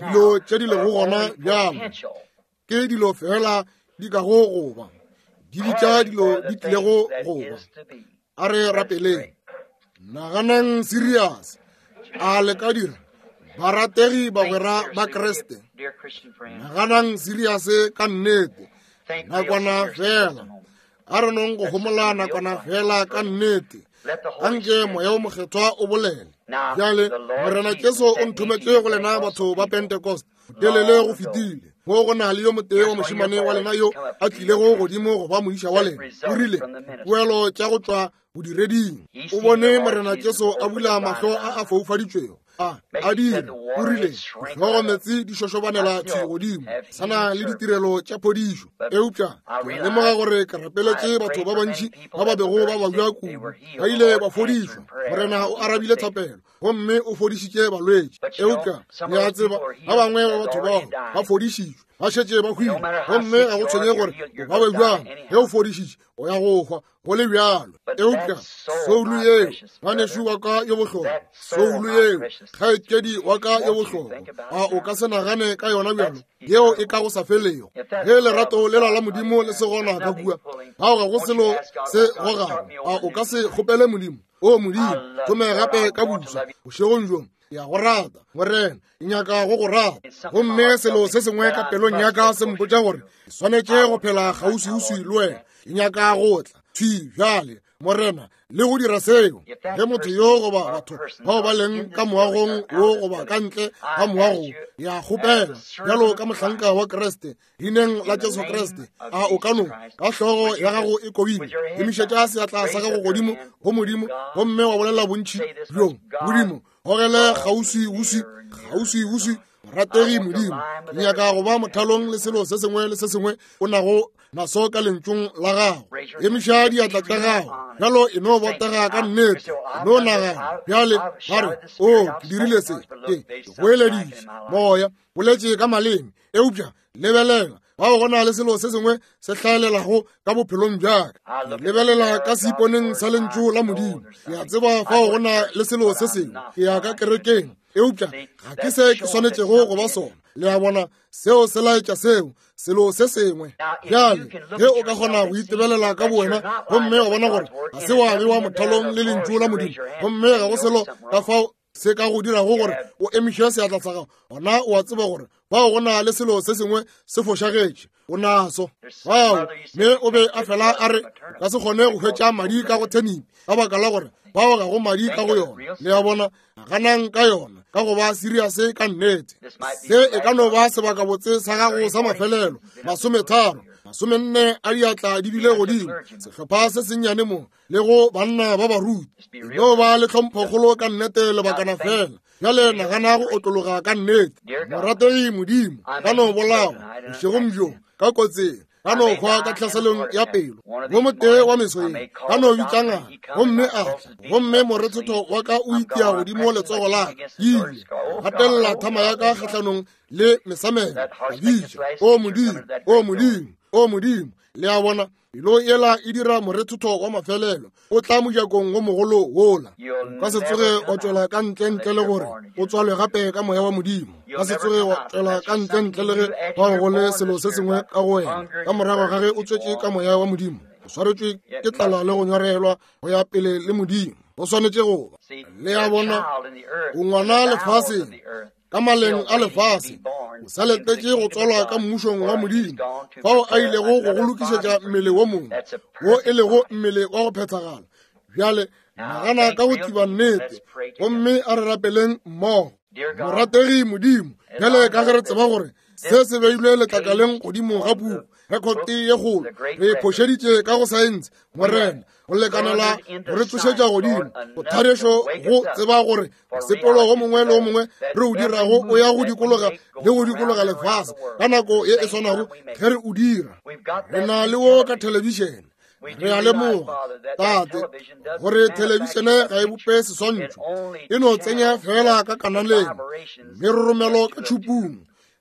dilo tše di lego gona bjalo, ke dilo fela di kago go ba, di bitša dilo di tlilego go ba. A re rapeleng. Naganang serious. A le ka dira, barategi bagwera ba Kreste? Naganang serious ka nnete, nakwana fela. A re nong go homola nakwana fela ka nnete. Anke Moya o Mokgethwa o bolele. Bjale, Morena Jesu o nthometše go lena batho ba Pentecost, telele go fetile. Mo go na le yo motee wa mošemane wa lena yo a tlilego godimo go ba moiša wa lena. O rile, poelo tša go tšwa bodireding. O bone Morena Jesu a bula mahlo a a foufaditšwego, A a dira, o rile, hlogo meetse di šošobanela thwi godimo, sana le ditirelo tša phodišo. Eupša ke a lemoga gore ke rapeletše batho ba bantši ba ba bego ba babja kudu, ba ile ba fodišwa. Morena o arabile thapelo gomme o fodišitše balwetši. Eupša le a tseba, ba bangwe ba batho bao ba fodišitšwe, ba šetše ba hwile, gomme ga go tshwenye gore o ba be bjang, ge o fodišitše o ya go hwa go le bjalo. Eupša soulu yeo, ngwanešu wa ka yo bohlokwa, soulu yeo, kgaetšedi wa ka yo bohlokwa, a o ka se nagane ka yona bjalo, yeo e ka go sa felego. Ge lerato lela la Modimo le se gona ka kua, ao ga go selo se gogago, a o ka se kgopele Modimo, o Modimo, thome gape ka buswa bošegong bjo, ke a go rata, Morena, ke nyaka go go rata. Gomme selo se sengwe ka pelong ya ka se mpotša gore ke swanetše go phela kgauswiuswi le wena. Ke nyaka go tla thwi bjale, Morena, le go dira seo. Ge motho yo goba batho bao ba leng ka moagong wo goba ka ntle ga moago, ya kgopela bjalo ka mohlanka wa Kriste, leineng la Jesu Kriste, a o ka no ka hlogo ya gago e kobile, emišetša seatla sa gago godimo go Modimo, gomme wa bolela bontši bjo, Modimo, gogele kgauswiuswi, kgauswiuswi, morategi Modimo, ke nyaka go ba mothalong le selo se sengwe le se sengwe o nago naso ka lentšong la gago. Emiša diatla tša gago bjalo, e no botega ka nnete, e no nagana bjale, ba re, o ke dirile se, ke goeleditše moya, boletše ka maleme, eupša lebelela, bao go na le selo se sengwe se hlaelelago ka bophelong bjaka. Lebelela ka seiponeng sa lentšu la Modimo, ke a tseba fao go na le selo se sengwe. Ke ya ka kerekeng, eupša ga ke se ke swanetšego go ba sona. Le a bona, seo se laetša seo, selo se sengwe. Bjale ge o ka kgona go itebelela ka bowena gomme wa bona gore ga se wa bewa mothalong le lentšu la Modimo, gomme ga go selo ka fao se ka go dirago gore o emiše seatla sa gago, gona o a tseba gore bao go na le selo se sengwe se fošagetše, o naso. Bao mme o be a fela a re o ka se kgone go hwetša madi ka go thenipi, ka baka la gore bao ga go madi ka go yona. Le a bona, ganang ka yona ka go ba serious ka nnete. Se e ka no ba sebakabotse sa gago sa mafelelo. Masometharo, masomenne a diatla di bile godimo, sehlopha se sennyane mo, le go banna ba baruti. E no ba le tlhomphokgolo ka nnete lebakana fela. Bjale nagana go otlologa ka nnete. Morategi Modimo, ka no bolawa bošegong bjo ka kotseng, ka no hwa ka tlhaselong ya pelo, wo motee wa meso ye, ka no bitša ngaka, gomme a tla, gomme morethetho wa ka o itia godimo letsogo la ka, ile gatelela thama ya ka kgahlanong le mesamelo, ka bitša, o Modimo, o Modimo, o Modimo. Le a bona, pelo yela e dira morethetho wa mafelelo, o tla mojakong wo mogolo wola. O ka se tsoge wa tšwela ka ntle ntle le gore o tswalwe gape ka moya wa Modimo. Ka se tsoge wa tšwela ka ntle ntle le ge bao go le selo se sengwe ka go wena. Ka morago ga ge o tswetše ka moya wa Modimo, o swaretšwe ke tlala le go nyorelwa go ya pele le Modimo. O swanetše go ba. Le a bona, o ngwana lefaseng, ka maleng a lefase, o sa letetše go tswalwa ka mmušong wa Modimo, fao a ilego go go lokišetša mmele wo mongwe, wo e lego mmele wa go phethagala. Bjale nagana ka go tiba nnete, gomme a re rapeleng mmogo. Morategi Modimo, bjale ka ge re tseba gore se se beilwe letlakaleng godimo ga buku, rekote ye kgolo, re phošeditše ka go saense, Morena, go lekanela go re tsošetša godimo go tharešo, go tseba gore mosepelo go mongwe le o mongwe re o dirago o ya go dikologa le go dikologa lefase ka nako ye e swanago ge re o dira. Re na le wo ka thelebišene. Re a lemoga, Tate, gore thelebišene ga e bope seswantšho, e no tsenya fela ka kanaleng meroromelo ka tšhupung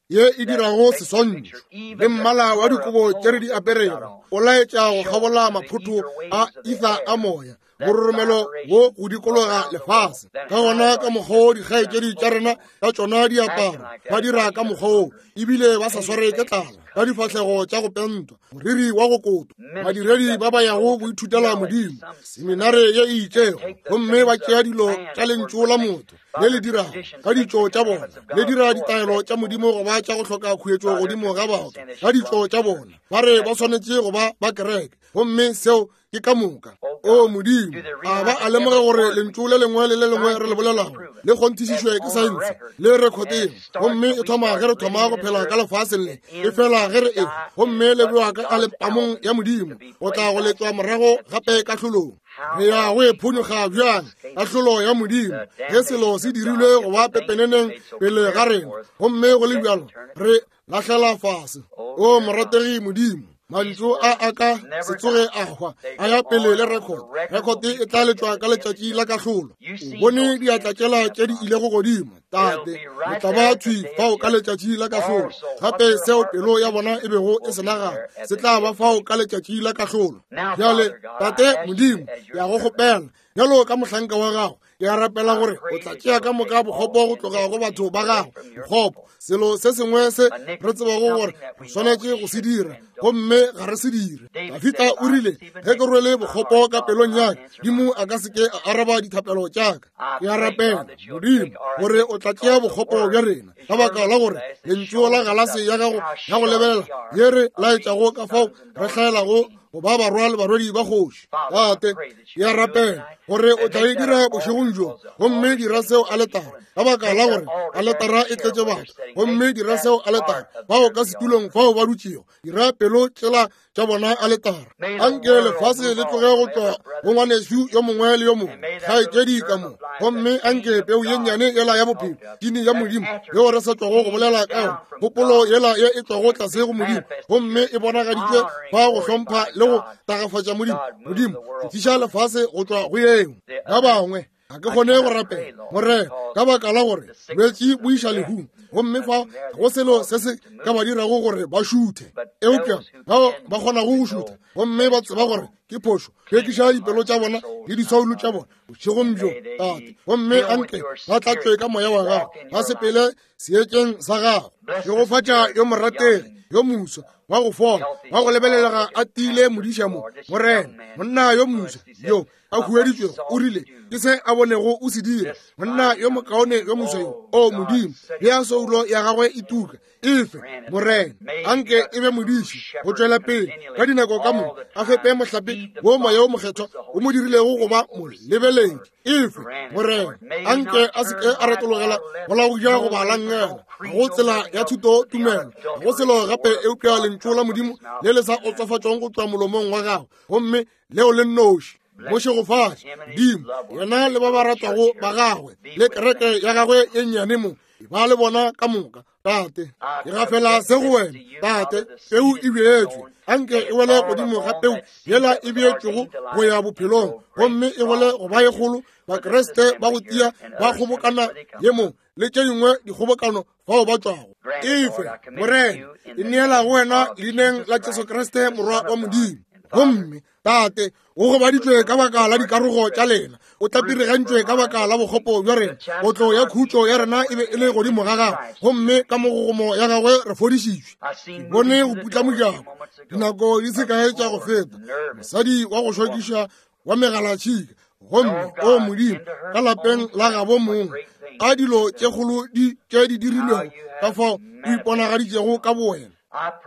ye e dirago seswantšho. Le mmala wa dikobo tše re di aperego o laetša go kgabola maphotho a ether a moya, mororomelo wo go dikologa lefase. Ka gona ka mokgwa wo dikgaetšedi tša rena ka tšona diaparo ba dira ka mokgwa wo, ebile ba sa sware ke tlala, ka difahlego tša go pentwa, moriri wa go kotwa, badiredi ba ba yago go ithutela Modimo seminare ye e itšego, gomme ba tšea dilo tša lentšu la motho le le dirago ka ditšo tša bona, le dira ditaelo tša Modimo go ba tša go hloka khuetšo godimo ga batho ka ditšo tša bona, ba re ba swanetše go ba ba kereke, gomme seo ke ka moka. O Modimo, a ba a lemoga gore lentšu le lengwe le le lengwe re le bolelago le kgonthišišwe ke saense le rekoteng, gomme e thoma ge re thoma go phela ka lefaseng le, e fela ge re e, gomme le bewa ka alepamong ya Modimo go tla go letšwa morago gape kahlolong. Re ya go e phonyokga bjang kahlolo ya Modimo ge selo se dirilwe go ba pepeneneng pele ga rena, gomme go le bjalo re lahlela fase. O morategi Modimo, mantšu a a ka se tsoge a hwa, a ya pele le record. Record e tla letšwa ka letšatši la kahlolo. O bone diatla tšela tše di ilego godimo, Tate, le tla ba thwi fao ka letšatši la kahlolo. Gape seo pelo ya bona e bego e se nagana se tla ba fao ka letšatši la kahlolo. Bjale, Tate Modimo, ke a go kgopela bjalo ka mohlanka wa gago, ke a rapela gore o tla tšea ka moka bokgopo go tloga go batho ba gago. Bokgopo, selo se sengwe se re tsebago gore re swanetše go se dira, gomme ga re se dire. Dafita o rile, ge ke rwele bokgopo ka pelong ya ka, Modimo a ka se ke a araba dithapelo tša ka. Ke a rapela Modimo gore o tla tšea bokgopo bja rena, ka baka la gore lentšu la galase ya gago ya go lebelela ye re laetšago ka fao re hlaelago go ba barwa le barwedi ba kgoši. Tate, ke a rapela gore o tla e dira bošegong bjo, gomme dira seo aletara, ka baka la gore aletara e tletše batho, gomme dira seo aletara bao ka setulong fao ba dutšego, dira pelo tšela tša bona aletara. Anke lefase le tloge go tšwa go ngwanešu yo mongwe le yo mongwe, kgaetšedi ka mo, gomme anke peu ye nnyane yela ya bophelo, tini ya Modimo yeo re sa tšwago go bolela ka yona, kgopolo yela ye e tšwago tlase go Modimo, gomme e bonagaditšwe fa go hlompha le go tagafatša Modimo. Modimo, tliša lefase go tšwa go yeo. Ba bangwe ga ke kgone go rapela, Morena, ka baka la gore bolwetši bo iša lehung, gomme fa go selo se se ka ba dirago gore ba šuthe. Eupša bao ba kgonago go šutha gomme ba tseba gore ke phošo, hlwekiša dipelo tša bona le disoulo tša bona bošegong bjo, Tate, gomme anke ba tlatšwe ka moya wa gago, ba sepele seetšeng sa gago. Šegofatša yo morategi yo moswa wa go fola, wa go lebelelega a tiile modiša mo, Morena, monna yo moswa yo a hueditšwego, o rile ke se a bonego o se dira, monna yo mokaone yo moswa yo. O Modimo, bea soulo ya gagwe e tuka, efe Morena, anke e be modiši go tšwela pele ka dinako ka moka, a fepe mohlape wo moya o mokgethwa o mo dirilego go ba molebeledi. Efe Morena, anke a se ke a retologela go la go ja goba la nngela, ga go tsela ya thuto tumelo, ga go selo gape eupša lentšu la Modimo le le sa otsofatšwang go tšwa molomong wa gago, gomme leo le nnoši. Mo šegofatše Modimo, yena le ba ba ratwago ba gagwe le kereke ya gagwe ye nnyane mo, ba le bona ka moka. Tate, ke gafela se go wena, Tate. Peu e bjetšwe, anke e wele godimo ga peu yela e bjetšwego go ya bophelong, gomme e wele go ba ye kgolo. Bakriste ba go tia ba kgobokana ye mo le tše dingwe dikgobokano fao ba tšwago. Efe Morena, e neela go wena leineng la Jesu Kriste morwa wa Modimo. Gomme Tate, o gobaditšwe ka baka la dikarogo tša lena, o tlapirigantšwe ka baka la bokgopo bja rena. Kotlo ya khutšo ya rena e be e le godimo ga gagwe, gomme ka mogogomo ya gagwe re fodišitšwe. Ke bone go putla mojako dinako di se kae tša go feta, mosadi wa go šokiša wa megalatšhika, gomme o Modimo, ka lapeng la gabo mongwe, a dilo tše kgolo di tše di dirilwego ka fao o iponagaditšego ka bowena.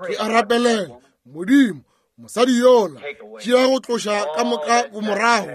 Ke a rapelela Modimo, mosadi yola, tšea go tloša ka moka bomorago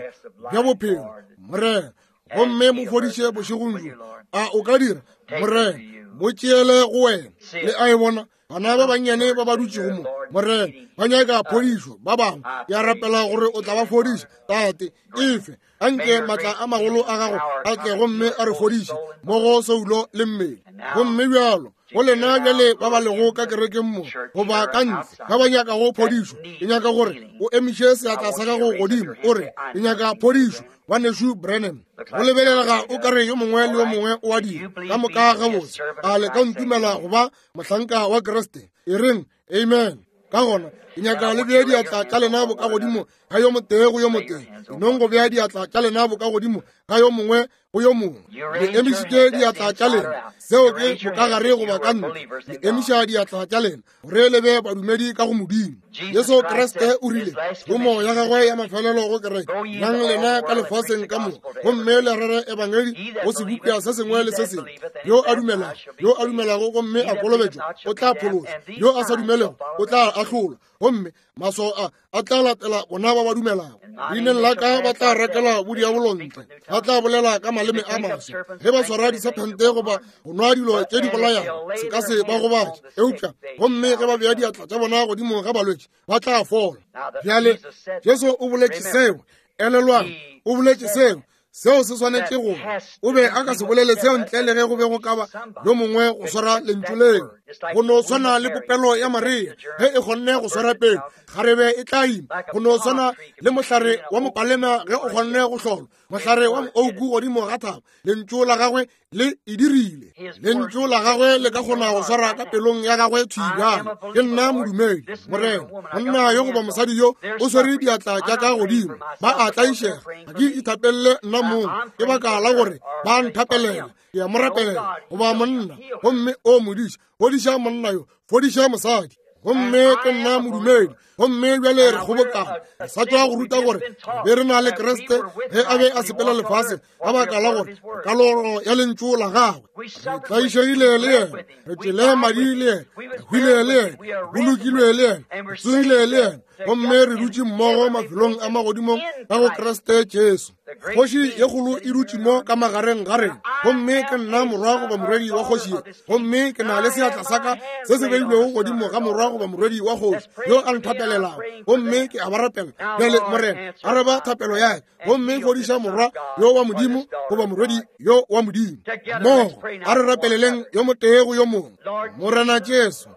bja bophelo, Morena, gomme mo fodiše bošegong bjo. A o ka dira, Morena? Mo tšeele go wena. Le a e bona, bana ba bannyane ba ba dutšego mo, Morena, ba nyaka phodišo. Ba bangwe, ke a rapela gore o tla ba fodiša, Tate. Efe anke maatla a magolo a gago a tle gomme a re fodiše mo go soulo le mmele. Gomme bjalo go lena bjale ba ba lego ka kerekeng mo goba ka ntle ba ba nyakago phodišo, ke nyaka gore o emiše seatla sa gago godimo o re, ke nyaka phodišo, ngwanešu Branham. Go lebelelega o ka re yo mongwe le yo mongwe o a dira ka moka gabotse. A le ka ntumela go ba mohlanka wa Kriste? E reng amen. Ka gona ke nyaka le bee diatla tša lena boka godimo ga yo motee go yo motee, enong go bea diatla tša lena boka godimo ga yo mongwe go yo mongwe. Le emišitše diatla tša lena, seo ke bokagare goba ka ntle. Le emiša diatla tša lena gore le be badumedi ka go Modimo. Jesu Kriste o rile thomo ya gagwe ya mafelelo go kereke, yang lena ka lefaseng ka moka gomme le rere ebangedi go sebopša se sengwe le se sengwe. Yo a dumelago, yo a dumelago gomme a kolobetšwa o tla phološwa, yo a sa dumelego o tla ahlolwa, gomme maswao a a tla latela bona ba ba dumelago. Leineng la ka ba tla rakela bodiabolo ntle, ba tla bolela ka maleme a maswa. Ge ba swara disephente goba go nwa dilo tše di bolayago, se ka se ba gobatše, eupša gomme ge ba bea diatla tša bona godimo ga balwetši ba tla fola. Bjale Jesu o boletše seo. Elelwang, o boletše seo, seo se swanetše go o be a ka se bolele seo ntle le ge go be go ka ba yo mongwe go swara lentšu leo. Go no swana le popelo ya Maria ge e kgonne go swara pele, kgarebe e tla ima. Go no swana le mohlare wa mopalema ge o kgonne go hlolwa, mohlare wa moouku godimo ga thaba, lentšu la gagwe le e dirile. Lentšu la gagwe le ka kgona go swara ka pelong ya gagwe thwi bjalo. Ke nna modumedi, Morena. Monna yo goba mosadi yo o swere diatla tša ka godimo, ba a tlaišega. Ga ke ithapelele nna mong, ke baka la gore ba nthapelela. Ke a mo rapelela goba monna, gomme o modiša, fodiša monna yo, fodiša mosadi. Gomme ke nna modumedi, gomme bjale re kgobokana. Re sa tšwa go ruta gore be re na le Kriste ge a be a sepela lefase ka baka la gore kaloro ya lentšu la gagwe. Re tlaišegile le yena, re tšwele madi le yena, re hwile le yena, re bolokilwe le yena, re tsogile le yena, gomme re dutše mmogo mafelong a magodimong ka go Kriste Jesu. Kgoši ye kgolo e dutše mo ka magareng ga rena, gomme ke nna morwa goba morwedi wa kgoši ye, gomme ke na le seatla sa ka se se beilwego godimo ga morwa goba morwedi wa kgoši yo a nthapelelago, gomme ke a ba rapela. Bjale Morena, araba thapelo ya ka, gomme fodiša morwa yo wa Modimo goba morwedi yo wa Modimo. Mmogo a re rapeleleng yo motee go yo mongwe. Morena Jesu,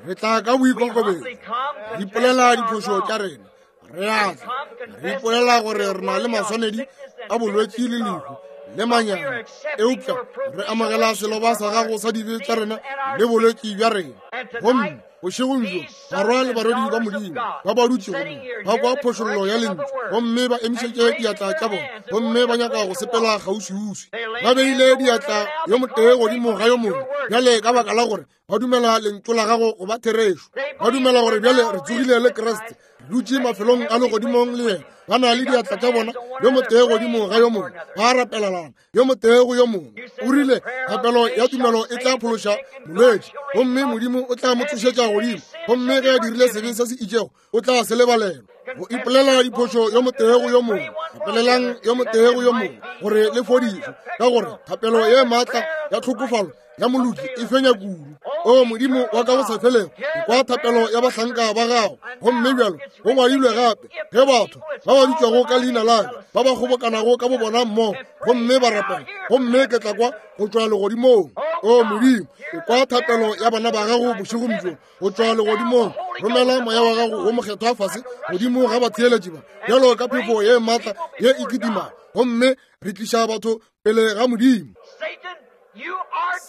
re tla ka boikokobetšo, re ipolela diphošo tša rena. Re a tla re ipolela gore re na le maswanedi a bolwetši le lehu le manyami, eupša re amogela seloba sa gago sa dibe tša rena le bolwetši bja rena. Gomme bošegong bjo barwa le barwedi ba Modimo ba ba dutšego mo ba kwa phošollo ya lentšu, gomme ba emišetše diatla tša bona, gomme ba nyaka go sepela kgauswiuswi. Ba beile diatla yo motee godimo ga yo mongwe bjale ka baka la gore ba dumela lentšu la gago go ba therešo. Ba dumela gore bjale re tsogile le Kriste, re dutše mafelong a legodimong le yena. Ba na le diatla tša bona yo motee godimo ga yo mongwe, ba rapelelana yo motee go yo mongwe. O rile thapelo ya tumelo e tla phološa molwetši, gomme Modimo o tla mo tsošetša godimo, gomme ge a dirile sebe se se itšego o tla se lebalelwa. Go ipolela diphošo yo motee go yo mongwe, rapelelang yo motee go yo mongwe gore le fodišwe, ka gore thapelo ye maatla ya tlhokofalo ya moloki e fenya kudu. O Modimo wa ka go sa felego, kwa thapelo ya bahlanka ba gago. Gomme bjalo go ngwadilwe gape, ge batho ba ba bitšwago ka leina la ka ba ba kgobokanago ka bobona mmogo gomme ba rapela, gomme ke tla kwa go tšwa legodimong. O Modimo, kwa thapelo ya bana ba gago bošegong bjo go tšwa legodimong. Romela moya wa gago wo mokgethwa fase godimo ga batheeletši ba bjalo ka phefo ye maatla ye e kitima, gomme re tliša batho pele ga Modimo.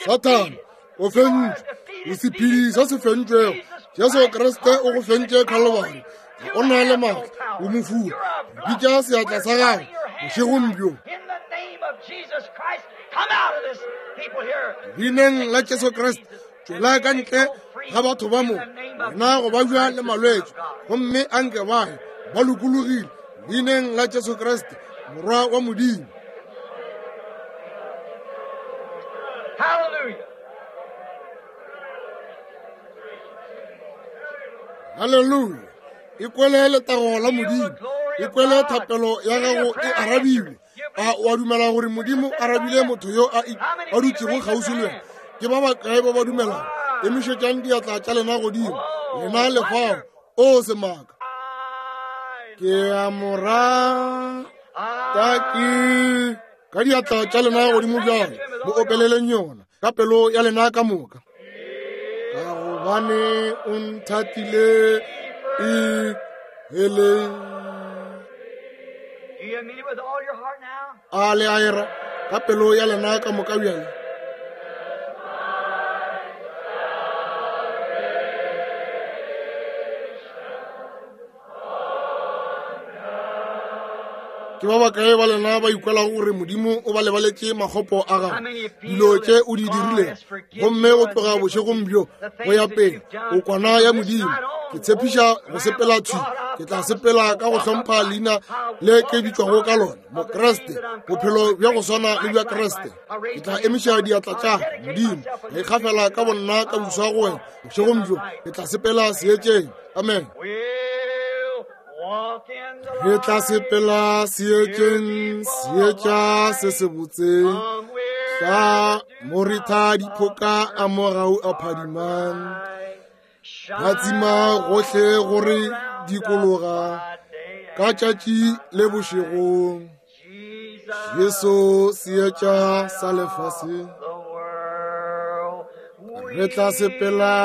Sathane, o fentšwe, o sephedi se se fentšwego. Jesu Kriste o go fentše Calvary. O na le maatla, o mofula. Bitša seatla sa gago bošegong bjo. Leineng la Jesu Kriste, tšwela ka ntle ga batho ba mo, wena go babja le malwetši, gomme anke ba ye ba lokologile. Leineng la Jesu Kriste, Morwa wa Modimo. Hallelujah. Hallelujah. Ikwele letago la Modimo, ikwele thapelo ya gago e arabilwe. A o a dumela gore Modimo arabile motho yo a a dutšego kgauswi le wena? Ke ba bakae ba ba dumelago? Emišetšang diatla tša lena godimo, lena le fao. O semaka. Ke a mo rata ke ka diatla tša lena godimo bjale, mo opeleleng yona ka pelo ya lena ka moka. Ka gobane o nthatile e hele. A le a era ka pelo ya lena ka moka bjale. Ke ba bakae ba lena ba ikwelago gore Modimo o ba lebaletše makgopo a gago, dilo tše o di dirilego, gomme go tloga bošegong bjo go ya pele o kwana ya Modimo? Ke tshepiša go sepela thwi, ke tla sepela ka go hlompha leina le ke bitšwago ka lona, Mokriste, bophelo bja go swana le bja Kriste. Ke tla emiša diatla tša Modimo, ka ikgafela ka bonna ka buswa go wena bošegong bjo, ke tla sepela seetšeng. Amen. Re tla sepela seetšeng, seetša se se botse, tla moritha diphoka a mogau a phadimang, phatsima gohle gore dikologa, Ka tšatši le bošego, Jesu seetša sa lefase. Re tla sepela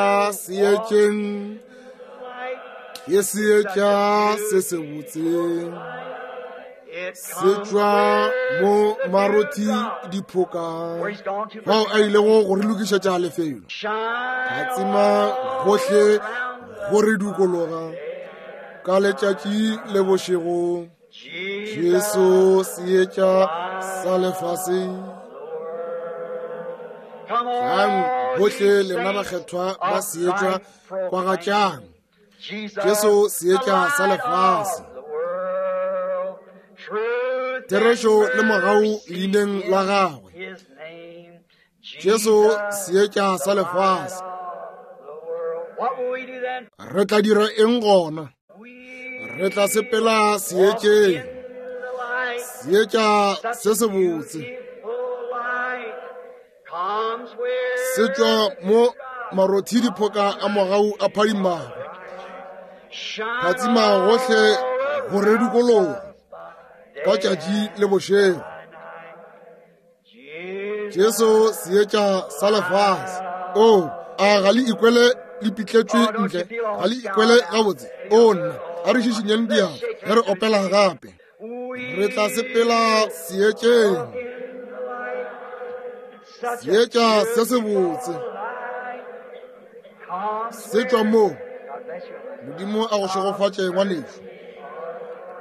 seetšeng, ke seetša se sebotse. Se tšwa mo marothi diphoka, fao a ilego go re lokišetša lefelo. Phatsima gohle go re dikologa ka letšatši le bošego. Jesu seetša sa lefase. Tlang bohle lena bakgethwa ba seetša kwagatšang. Jesu seetša sa lefase. Therešo le mogau leineng la gagwe. Jesu seetša sa lefase. Re tla dira eng gona? Re tla sepela seetšeng, seetša se sebotse. Se tšwa mo marothi diphoka a mogau a phadimago. Phatsima gohle go re dikologa ka tšatši le bošego. Jesu seetša sa lefase. O, a ga le ikwele le pitletšwe ntle? Ga le ikwele gabotse? O nna, a re šišinyeng diatla ge re opela gape. Re tla sepela seetšeng, seetša se sebotse. Se tšwa mo. Modimo a go šegofatše ngwanešu.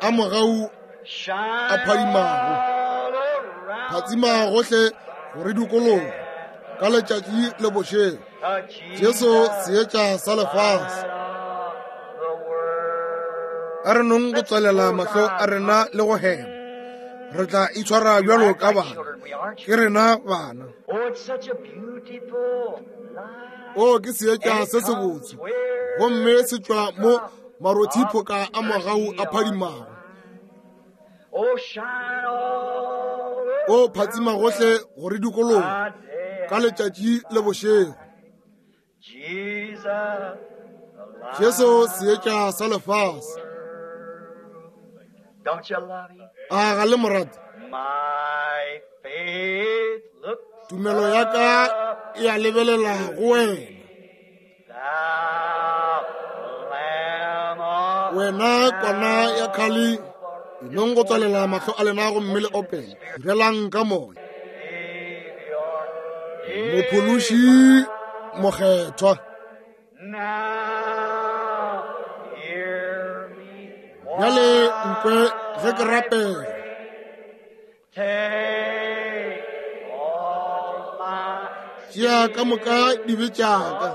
A mogau a phadimago. Phatsima gohle go re dikologa ka letšatši le bošego. Jesu seetša sa lefase. A re nong go tswalela mahlo a rena le go hema. Re tla itshwara bjalo ka bana. Ke rena bana. O ke seetša se sebotse, gomme se tšwa mo marothiphoka a mogau a phadimago. O phatsima gohle go re dikologa ka letšatši le bošego. Jesu seetša sa lefase. A ga le mo rate? Tumelo ya ka e a lebelela go wena. Wena kwana ya kgale, enong go tswalela mahlo a lena gomme le opele. Direlang ka moya. Mophološi mokgethwa. Bjale nkwe ge ke rapela. Tšea ka moka dibe tša ka.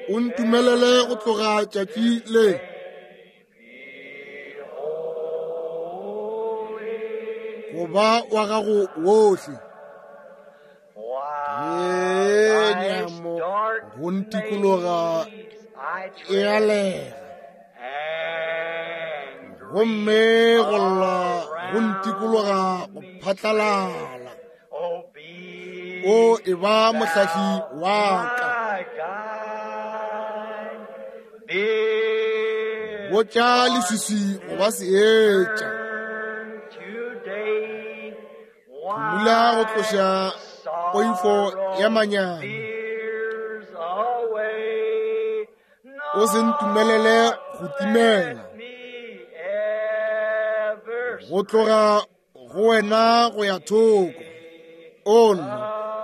O ntumelele go tloga tšatši le. Go ba wa gago wohle. Ye nyamo go ntikologa e a lega. Gomme go lla go ntikologa go phatlalala. O e ba mohlahli wa ka. Botša leswiswi go ba seetša. Phumula go tloša poifo ya manyami. O se ntumelele go timela. Go tloga go wena go ya thoko. O nna,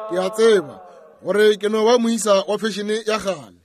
ke a tseba gore ke no ba moisa wa fešene ya kgale.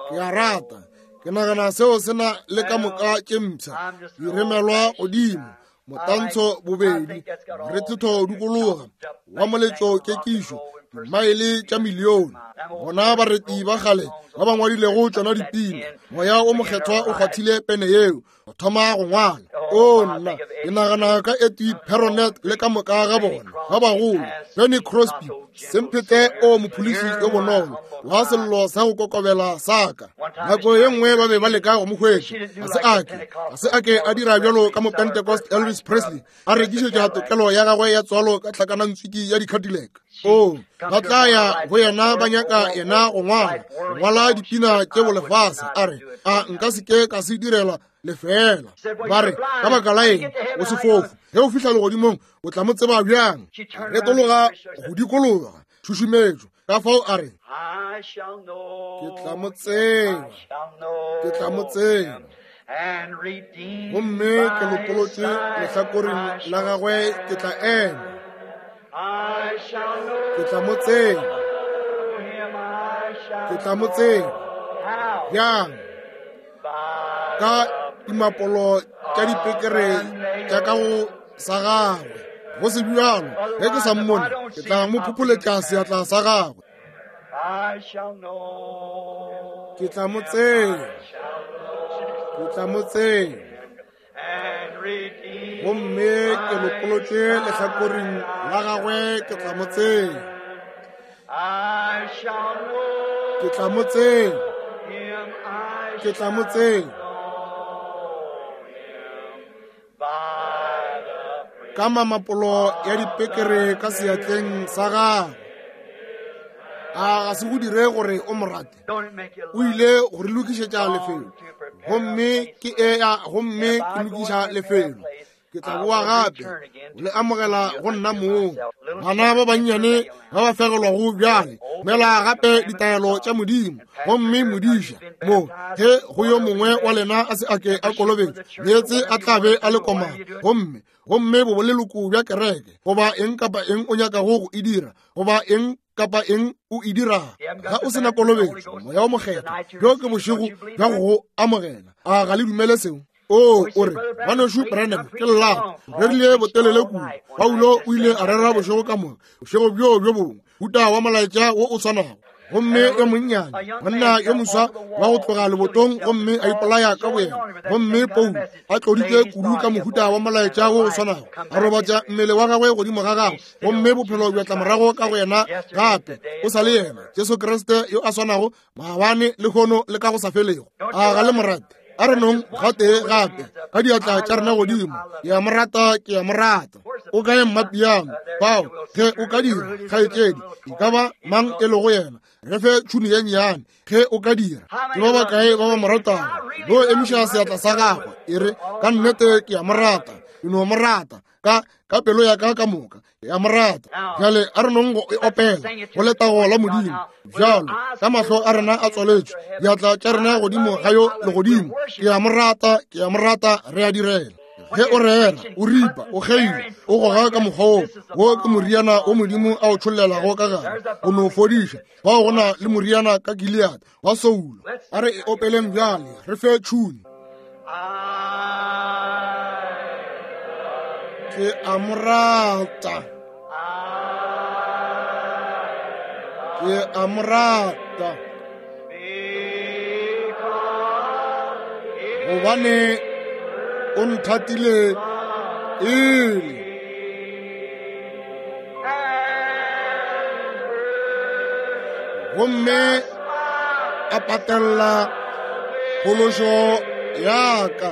Ke a rata. Ke nagana seo se na le ka moka tše mpsha. Di remelwa godimo. Motantsho bobedi, morethetho dikologa, wa moletšo kekišo, dimaele tša milione. Bona bareti ba kgale ba ba ngwadilego tšona dipina, moya o mokgethwa o kgwathile pene yeo go thoma go ngwala. O nna, ke nagana ka Etty Peronet le ka moka ga bona ba bagolo, Benny Crosby, Semphete o mophološi yo bonolo wa sello sa go kokobela sa ka. Nako ye nngwe ba be ba leka go mo hwetša, ga se ake ga se ake a dira bjalo ka Mopentecost Elvis Presley a rekišetša tokelo ya gagwe ya tswalo ka tlhakanantswiki ya di-Cadillac. O ba tla ya go yena ba nyaka yena go ngwala, go ngwala Tša dipina tše bolefase, a re, a nka se ke ka se direla lefela. Ba re, ka baka la eng o sefofu? Ge o fihla legodimong o tla mo tseba bjang? Retologa go dikologa tšhušumetšo. Ka fao a re, ke tla mo tseba, ke tla mo tseba. Gomme ke lopolotše lehlakoreng la gagwe, ke tla ema. Ke tla mo tseba, ke tla mo tseba. Bjang? Ka dimapolo tša dipekere tša ka go sa gagwe. Go se bjalo, ge ke sa mmone, ke tla mo phopholetša seatla sa gagwe. Ke tla mo tseba, ke tla mo tseba. Gomme ke lopolotše lehlakoreng la gagwe, ke tla mo tseba. Ke tla mo tseba, ke tla mo tseba. Ka mamapolo ya dipekere ka seatleng sa gagwe. A ga se go dire gore o mo rate? O ile go re lokišetša lefelo, gomme ke ea, gomme ke lokiša lefelo. Ke tla boa gape le amogela go nna mong. Bana ba bannyane ba ba fegelwago bjale, mela gape ditaelo tša Modimo. Gomme modiša mo, ge go yo mongwe wa lena a se ake a kolobetšwe, meetse a tla be a le komana. Gomme gomme bo boleloko bja kereke, goba eng kapa eng o nyakago go e dira, goba eng kapa eng o e dirago, ga o sena kolobetšo Moya o Mokgethwa, bjo ke bošego bja go go amogela. A ga le dumele seo? O o re, ngwanešu Branham, ke llago rerile botelele kudu. Paulo o ile a rera bošego ka moka, bošego bjo bjo bongwe, huta wa molaetša wo o swanago. Gomme yo monnyane, monna yo moswa wa go tloga lebotong, gomme a ipolaya ka boyena. Gomme Paulo a tloditše kudu ka mohuta wa molaetša wo o swanago, a robatša mmele wa gagwe godimo ga gagwe, gomme bophelo bja tla morago ka go yena gape. O sa le yena Jesu Kriste yo a swanago maabane, lehono le ka go sa felego. A ga le mo rate? A re nong gatee gape ka diatla tša rena godimo. Ke a mo rata, ke a mo rata. O kae mmapiano? Bao ge o ka dira, kgaetšedi, e ka ba mang e lego yena, re fe tšhuni ye nnyane ge o ka dira. Ke ba bakae ba ba mo ratago? Bo emiša seatla sa gagwe, e re, ka nnete ke a mo rata, ke no mo rata ka ka pelo ya ka ka moka, ke a mo rata. Bjale a re nong go e opela go letago la Modimo. Bjalo ka mahlo a rena a tswaletšwe, diatla tša rena godimo ga yo legodimo. Ke a mo rata, ke a mo rata, re a direla. Ge o rera, o ripa, o kgeila, o goga ka mokgwa wo, wo ke moriana o Modimo a o tšhollelago ka gare go no fodiša. Bao go na le moriana ka Gilead wa soulo. A re e opeleng bjale, re fe tšhuni. Ke a mo rata, ke a mo rata, gobane o nthatile pele. Gomme a patella phološo ya ka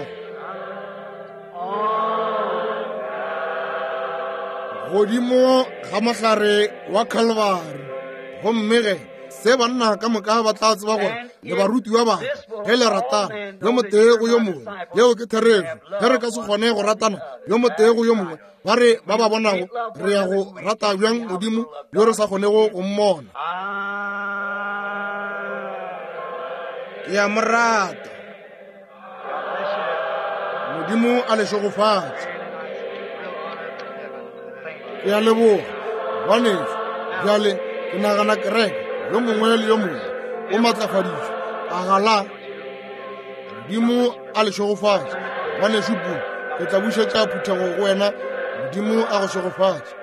godimo ga mohlare wa Calvary. Gomme ge se banna ka moka ba tla tseba gore le barutiwa ba ge le ratana yo motee go yo mongwe. Yeo ke therešo. Ge re ka se kgone go ratana yo motee go yo mongwe, ba re ba ba bonago re ya go rata bjang Modimo yo re sa kgonego go mmona? Ke a mo rata. Modimo a le šegofatše. Ke a leboga ngwanešu. Bjale ke nagana kereke yo mongwe le yo mongwe o matlafaditšwe. A ga la? Modimo a le šegofatše. Ngwanešu Pula, ke tla bušetša phuthego go wena. Modimo a go šegofatše.